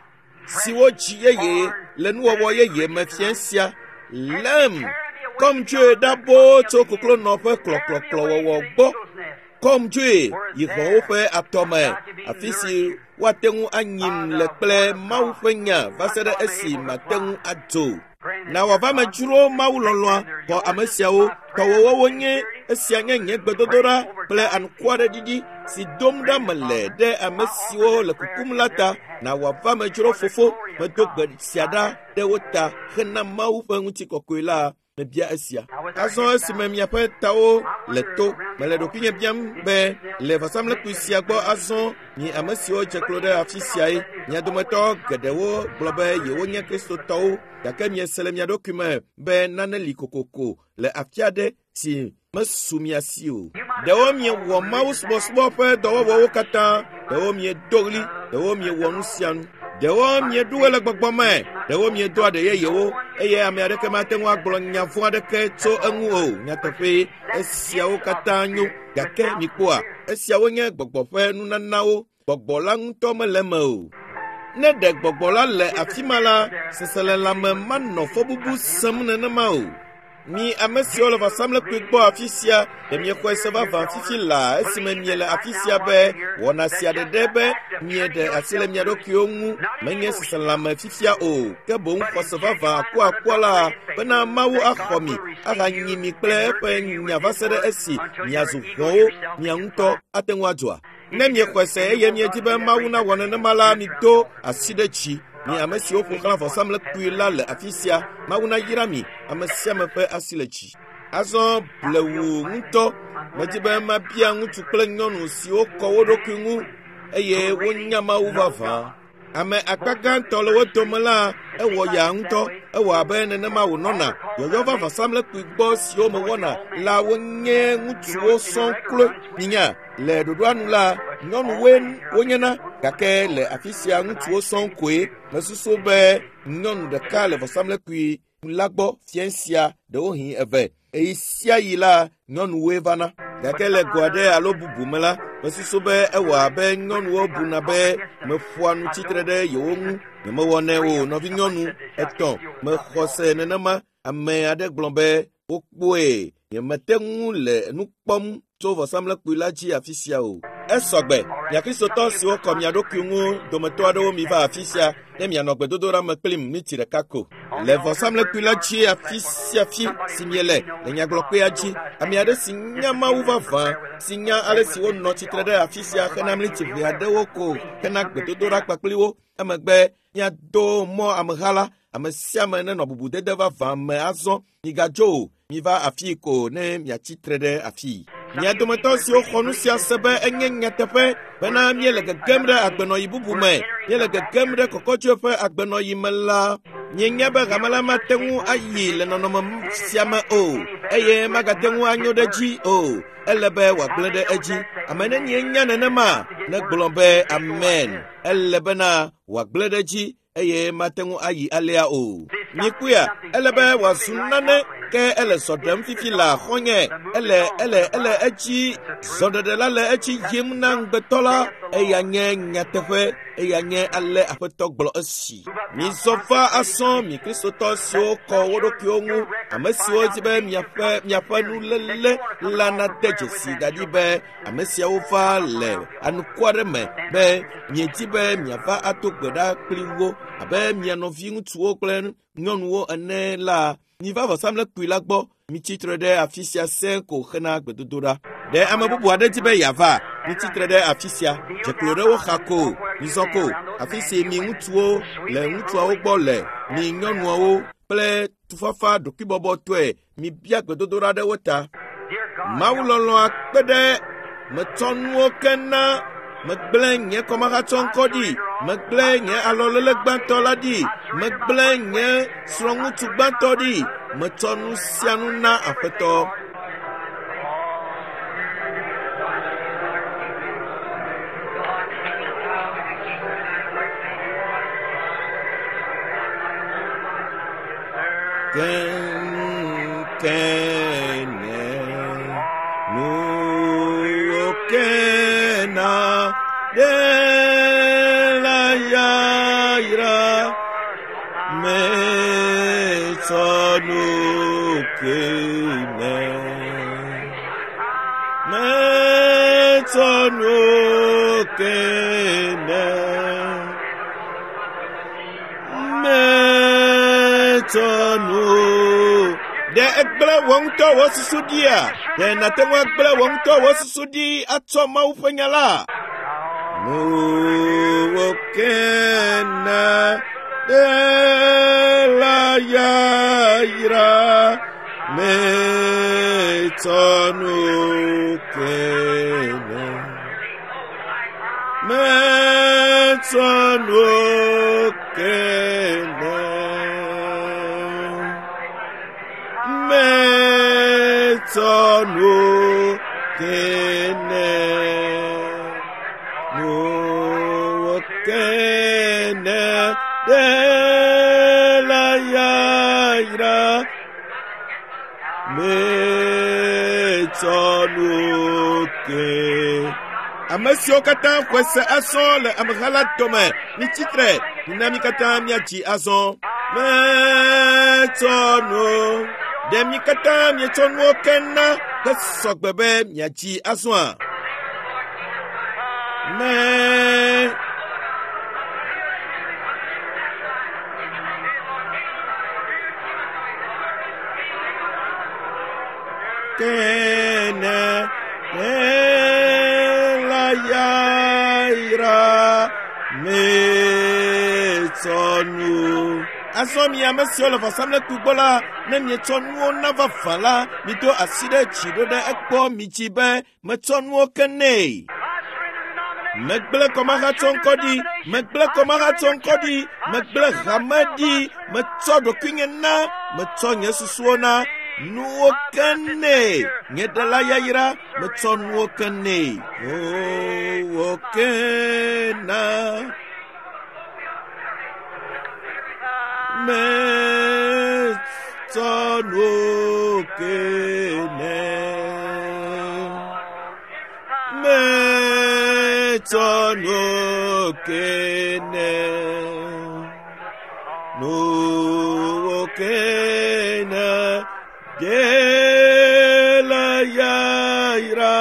siwo dzi yeye le nuwɔwɔ yeye me fiẽ sia. Lém, kɔm dzoe ɖa boo tso koklonɔ ƒe klɔklɔklɔwɔwɔ gbɔ. Kɔm dzoe yi hɔ̃wo ƒe atɔ me, afi si woate ŋu anyim le kple Mawu ƒe nya va se ɖe esi mate ŋu adzo. Na wòava me dzro Mawu lɔlɔ̃a xɔ ame siawo. Tɔwòwo wonye. Esia nye nye gbedodoɖa kple anukware ɖiɖi si dom ɖa mele ɖe ame siwo le kukum la ta. Na wòava me dzro fofo. Medo gbe sia ɖa ɖe wo ta hena Mawu ƒe ŋutikɔkɔe la. Mebia esia. Azɔ esime miaƒe tawo le to, mele ɖokuinye biam be le vɔsamlekpui sia gbɔ azɔ mi ame siwo dze klo ɖe afi siae, mia dometɔ geɖewo gblɔ be yewonye Kristotɔwo, gake miese le mia ɖokui me be nane li kokoko le afi aɖe si mesu mia si o. Ɖewo miewɔ Mawu subɔsubɔ ƒe dɔwɔwɔwo katã, ɖewo miedo ɣli, ɖewo miewɔ nu sia nu. Ɖewo mieɖu ɣe le gbɔgbɔ me, ɖewo miedo aɖe yeyewo eye ame aɖeke mate ŋu agblɔ nya vɔ̃ aɖeke tso eŋu o. Nyateƒee, esiawo katã nyo, gake mikpɔa, esiawo nye gbɔgbɔ ƒe nunanawo. Gbɔgbɔ la ŋutɔ mele eme o. Ne ɖe gbɔgbɔ la le afi ma la, seselelãme manɔ fɔbubu sẽm nenema o. Mi ame siwo le vɔsamlekpui gbɔ afi sia, ɖe miexɔe se vavã fifi laa esime miele afi sia be wɔna sia ɖeɖe be mieɖe asi le mia ɖokuiwo ŋu menye seselelãme fifia o, ke boŋ xɔse vavã akuakua la bena Mawu axɔ mi ahanyi mi kple eƒe nya va se ɖe esi miazu hɔ̃wo mia ŋutɔ ate ŋu adzoa? Ne miexɔe se eye miedi be Mawu nawɔ nenema la, mido asi ɖe dzi. Mi ame siwo ƒo xlã vɔsamlekpui la le afi sia, Mawu nayra mi, ame sia ame ƒe asi le dzi. Azɔ blewu ŋutɔ, medi be mabia ŋutsu kple nyɔnu siwo kɔ wo ɖokui ŋu eye wonya Mawu vavã. Ame akpa gãtɔ le wo dome la, ewɔ yaa ŋutɔ. Ewɔ abe nenema wònɔna. Yɔyɔ va vɔsamlekpui gbɔ siwo mewɔna la wonye ŋutsuwo sɔŋ kloe. Minya, le ɖoɖoa nu la, nyɔnuwoe wonyena, gake le afi sia ŋutsuwo sɔŋ koe. Mesusu be nyɔnu ɖeka le vɔsamlekpui la gbɔ fiẽ sia ɖewohĩ eve. Eyi sia yi la, nyɔnuwoe vana. Gake le go aɖe alo bubu me la, mesusu be ewɔ abe nyɔnuwo buna be meƒoa nu tsitre ɖe yewo ŋu. Nyemewɔnɛ o, nɔvinyɔnu etɔ̃. Mexɔ se nenema. Ame aɖe gblɔ be wokpɔe. Nyemete ŋu le nu kpɔm tso vɔsamlekpui la dzi afi sia o. Esɔgbe, mia Kristotɔ siwo kɔ mia ɖokui ŋu dometɔ aɖewo miva afi sia ne mianɔ gbedodoɖa me kplim miniti ɖeka ko. Le vɔsamlekpui la dzi afi sia afi si miele le nyagblɔkpea dzi, ame aɖe si nya Mawu vavã, si nya ale si wonɔ tsitre ɖe afi sia hena miniti ʋɛ aɖewo ko hena gbedodoɖa kpakpli wo. Emegbe miado mɔ ameha la, ame sia ame nenɔ bubudede vavã me azɔ. Migadzo o, miva afii ko ne miatsi tre ɖe afii. Mia dometɔ siwo xɔ nu sia se be enye nyateƒe bena míele gegem ɖe agbenɔyi bubu me, míele gegem ɖe kɔkɔdzoe ƒe agbenɔyi me la, mienya be hame la mate ŋu ayi le nɔnɔme sia me o, eye magate ŋu anyo ɖe edzi o. Ele be wòagblẽ ɖe edzi. Ame nenie nya nenema negblɔ be amen. Ele bena wòagblẽ ɖe edzi eye mate ŋu ayi alea o. Mikpɔea, ele be wòazu nane ke ele zɔ ɖem fifi la xɔnye. Ele ele ele edzi zɔɖeɖe la le edzi yim na ŋugbetɔ la. Eya nye nyateƒe, eya nye ale Aƒetɔ gblɔ esi. Mizɔ va asɔ mi Kristotɔ siwo kɔ wo ɖokuiwo ŋu, ame siwo di be miaƒe miaƒe nuléle la nade dzesi da ɖi be ame siawo va le anukware me be miedi be miava ado gbe ɖa kpli wo abe mia nɔvi ŋutsuwo kple nyɔnuwo ene la, miva vɔsamlekpui la gbɔ. Mitsi tre ɖe afi sia sẽ ko hena gbedodoɖa. Ɖe ame bubu aɖe di be yeava? Mitsi tre ɖe afi sia. Dze klo ɖe wo xa ko. Mizɔ ko. Afi si mi ŋutsuwo le ŋutsuawo gbɔ le, mi nyɔnuawo kple tufafa ɖokuibɔbɔtɔe mibia gbedodoɖa ɖe wo ta. Mawu lɔlɔ̃a kpe ɖe metsɔ nuwo ke na megblẽ nye kɔmahatsɔŋkɔ ɖi, megblẽ nye alɔlele gbãtɔ la ɖi, megblẽ nye srɔ̃ŋutsu gbãtɔ ɖi, metsɔ nu sia nu na Aƒetɔ. Kenkene nuwo kena ɖe la yayra metsɔ nu kene metsɔ nu kene metsɔ nu. Ɖe egblẽ wò ŋutɔ wò susu ɖia? Ɖe nàte ŋu agblẽ wò ŋutɔ wò susu ɖi atsɔ Mawu ƒe nya la? Nuwo kena ɖe la yayra metsɔ nu kene. Metsɔ nu kene. Metsɔ nu kene. Nuwo kene ɖe la yayra. Metsɔ nu ke. Ame siwo katã xɔe se azɔ le ameha la dome, mitsi tre, mina mi katã míadzi azɔ. Metsɔ nu. Ɖe mi katã mietsɔ nuwo ke na hesɔ gbe be miadzi azɔa? Me. Kene la yayra metsɔ nu. Azɔ mi ame siwo le vɔsamlekpui gbɔ la, ne mietsɔ nuwo na vavã la, mido asi ɖe dzi ɖo ɖe egbɔ midzi be metsɔ nuwo ke nɛ. Megblẽ kɔmahatsɔŋkɔ ɖi, megblẽ kɔmahatsɔŋkɔ ɖi, megblẽ hame ɖi, metsɔ ɖokuinye na, metsɔ nye susuwo na, nuwo ke nɛ. Nye ɖela yayra, metsɔ nuwo ke nɛ. Nuwo ke na. Metsɔ Metsɔ nuwo ke nɛ. Metsɔ nuwo ke nɛ. Nuwo ke nɛ. Dela yayra.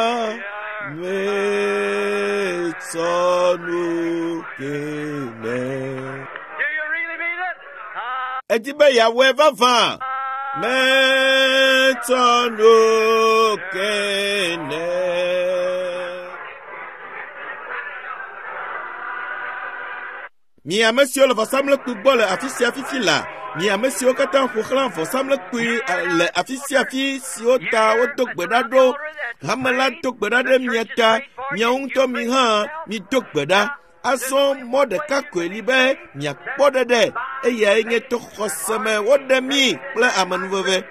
Metsɔ nuwo ke nɛ. Do you really mean it? Edi be yeawɔe vavã. Metsɔ nuwo ke nɛ. Mi ame siwo le vɔsamlekpui gbɔ le afi sia fifi la, mi ame siwo katã ƒo xlã vɔsamlekpui le afi sia afi siwo ta wodo gbe ɖa ɖo, hame la do gbe ɖa ɖe mia ta, miawo ŋutɔ mi hã mido gbe ɖa. Azɔ mɔ ɖeka koe li be miakpɔ ɖeɖe, eyae nye to xɔse me woɖe mi kple amenuveve.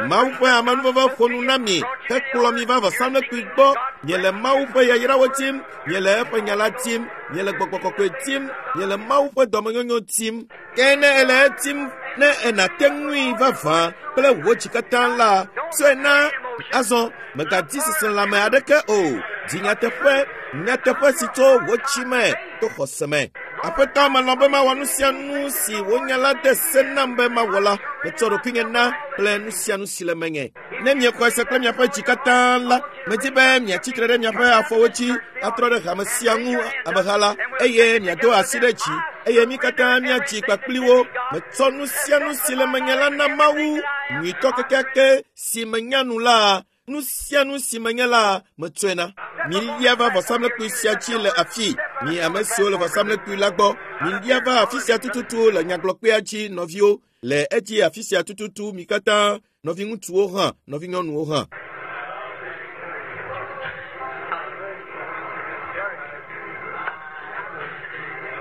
Mawu ƒe amenuveve ƒo nu na mi hekplɔ mi va vɔsamlekpui gbɔ. Miele Mawu ƒe yayrawo tim, miele eƒe nya la tim, miele gbɔgbɔ kɔkɔe tim, miele Mawu ƒe dɔmenyonyo tim. Ke ne ele etim ne enate ŋui vavã kple wò dzi katã la, tsɔe na azɔ mègadi seselãme aɖeke o. Di nyateƒe, nyateƒe si tso wò dzi me to xɔse me. Aƒetɔ, melɔ̃ be mawɔ nu sia nu si wò nya la de se nam be mawɔ la. Metsɔ ɖokuinye na kple nu sia nu si le menye. Ne miexɔe se kple miaƒe dzi katã la, medi be miatsi tre ɖe miaƒe afɔwo dzi atrɔ ɖe hame sia ŋu ameha la, eye miado asi ɖe dzi, eye mi katã miadzi kpakpli wo. Metsɔ nu sia nu si le menye la na Mawu, nyuitɔ kekeake si menya nu la, nu sia nu si menye la, metsɔe na. Milia va vɔsamlekpui sia dzi le afii, mi ame siwo le vɔsamlekpui la gbɔ. Milia va afi sia tututu le nyagblɔkpea dzi, nɔviwo. Le edzi afi sia tututu mi katã, nɔviŋutsuwo hã, nɔvinyɔnuwo hã.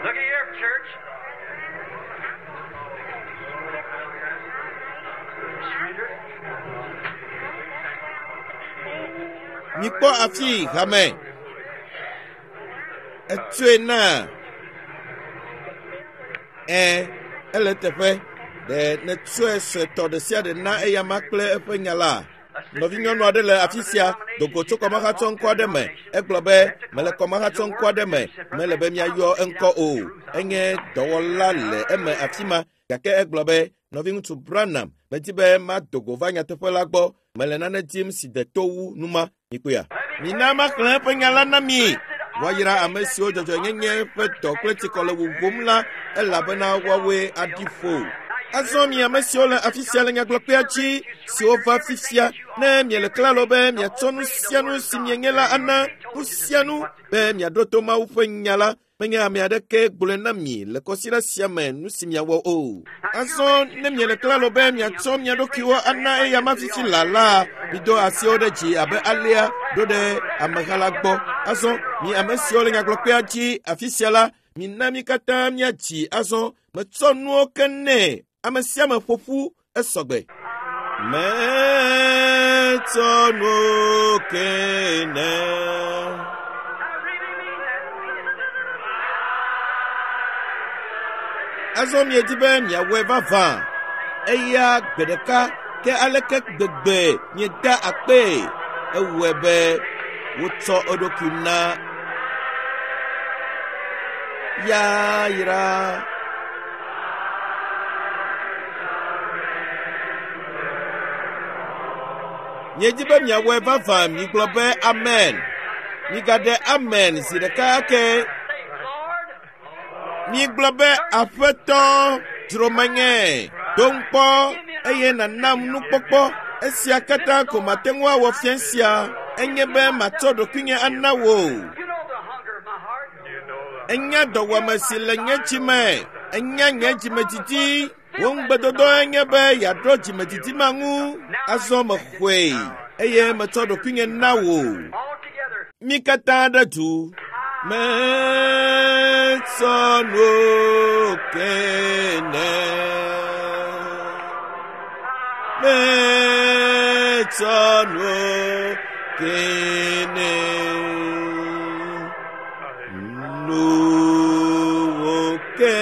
Look at here, church. Surrender. Mikpɔ afii hame. Etsɔe na. Ẽ, ele teƒe. Ɖe nètsɔe suetɔ ɖe sia ɖe na eyama kple eƒe nya la? Nɔvinyɔnu aɖe le afi sia do go tso kɔmahatsɔŋkɔ aɖe me. Egblɔ be, mele kɔmahatsɔŋkɔ aɖe me, mele be miayɔ eŋkɔ o. Enye dɔwɔla le eme afi ma. Gake egblɔ be, nɔviŋutsu Branham, medi be mado go va nyateƒe la gbɔ. Mele nane dim si de to wu numa. Mikpɔea? Mina maxlẽ eƒe nya la na mi. Woayra ame siwo dzɔdzɔenyenye ƒe dɔ kple tsikɔ le wuwum la, elabena woawoe aɖi ƒo. Azɔ mi ame siwo le afi sia le nyagblɔkpea dzi, siwo va fifia, ne miele klalo be miatsɔ nu sia nu si mienye la ana, nu sia nu, be miaɖo to Mawu ƒe nya la, menye ame aɖeke gblɔe na mi le kɔsiɖa sia me nu si miawɔ o. Azɔ ne miele klalo be miatsɔ mia ɖokuiwo ana eyama fifi la la, mido asiwo ɖe dzi abe alea ɖo ɖe ameha la gbɔ. Azɔ mi ame siwo le nyagblɔkpea dzi afi sia la, mina mi katã miadzi azɔ. Metsɔ nuwo ke nɛ. Ame sia ame ƒo ƒu esɔgbe. Metsɔ nuwo ke nɛ. I really mean that. Azɔ miedi be miawɔe vavã. Eya gbe ɖeka ke aleke gbegbe mieda akpee. Ewɔe be wotsɔ eɖokui na yayra. Miedi be miawɔe vavã, migblɔ be amen. Migaɖe amen zi ɖeka ake. Say, Lord, Migblɔ be Aƒetɔ, dzro menye, dom kpɔ eye nànam nukpɔkpɔ. Esia katã ko mate ŋu awɔ fia sia enye be matsɔ ɖokuinye ana wò. you know the hunger of my heart. Enya dɔwɔame si le nye dzi me. Enya nye dzimedidi. Wò ŋugbedodoe nye be yeaɖo dzimedidi ma ŋu. Azɔ mexɔe eye metsɔ ɖokuinye na wò. All together. Mi katã ɖe du. Metsɔ nuwo ke nɛ. Metsɔ nuwo ke nɛ. Nuwo ke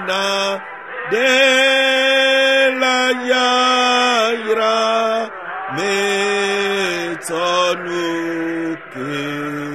na ɖe la yayra metsɔ nu ke.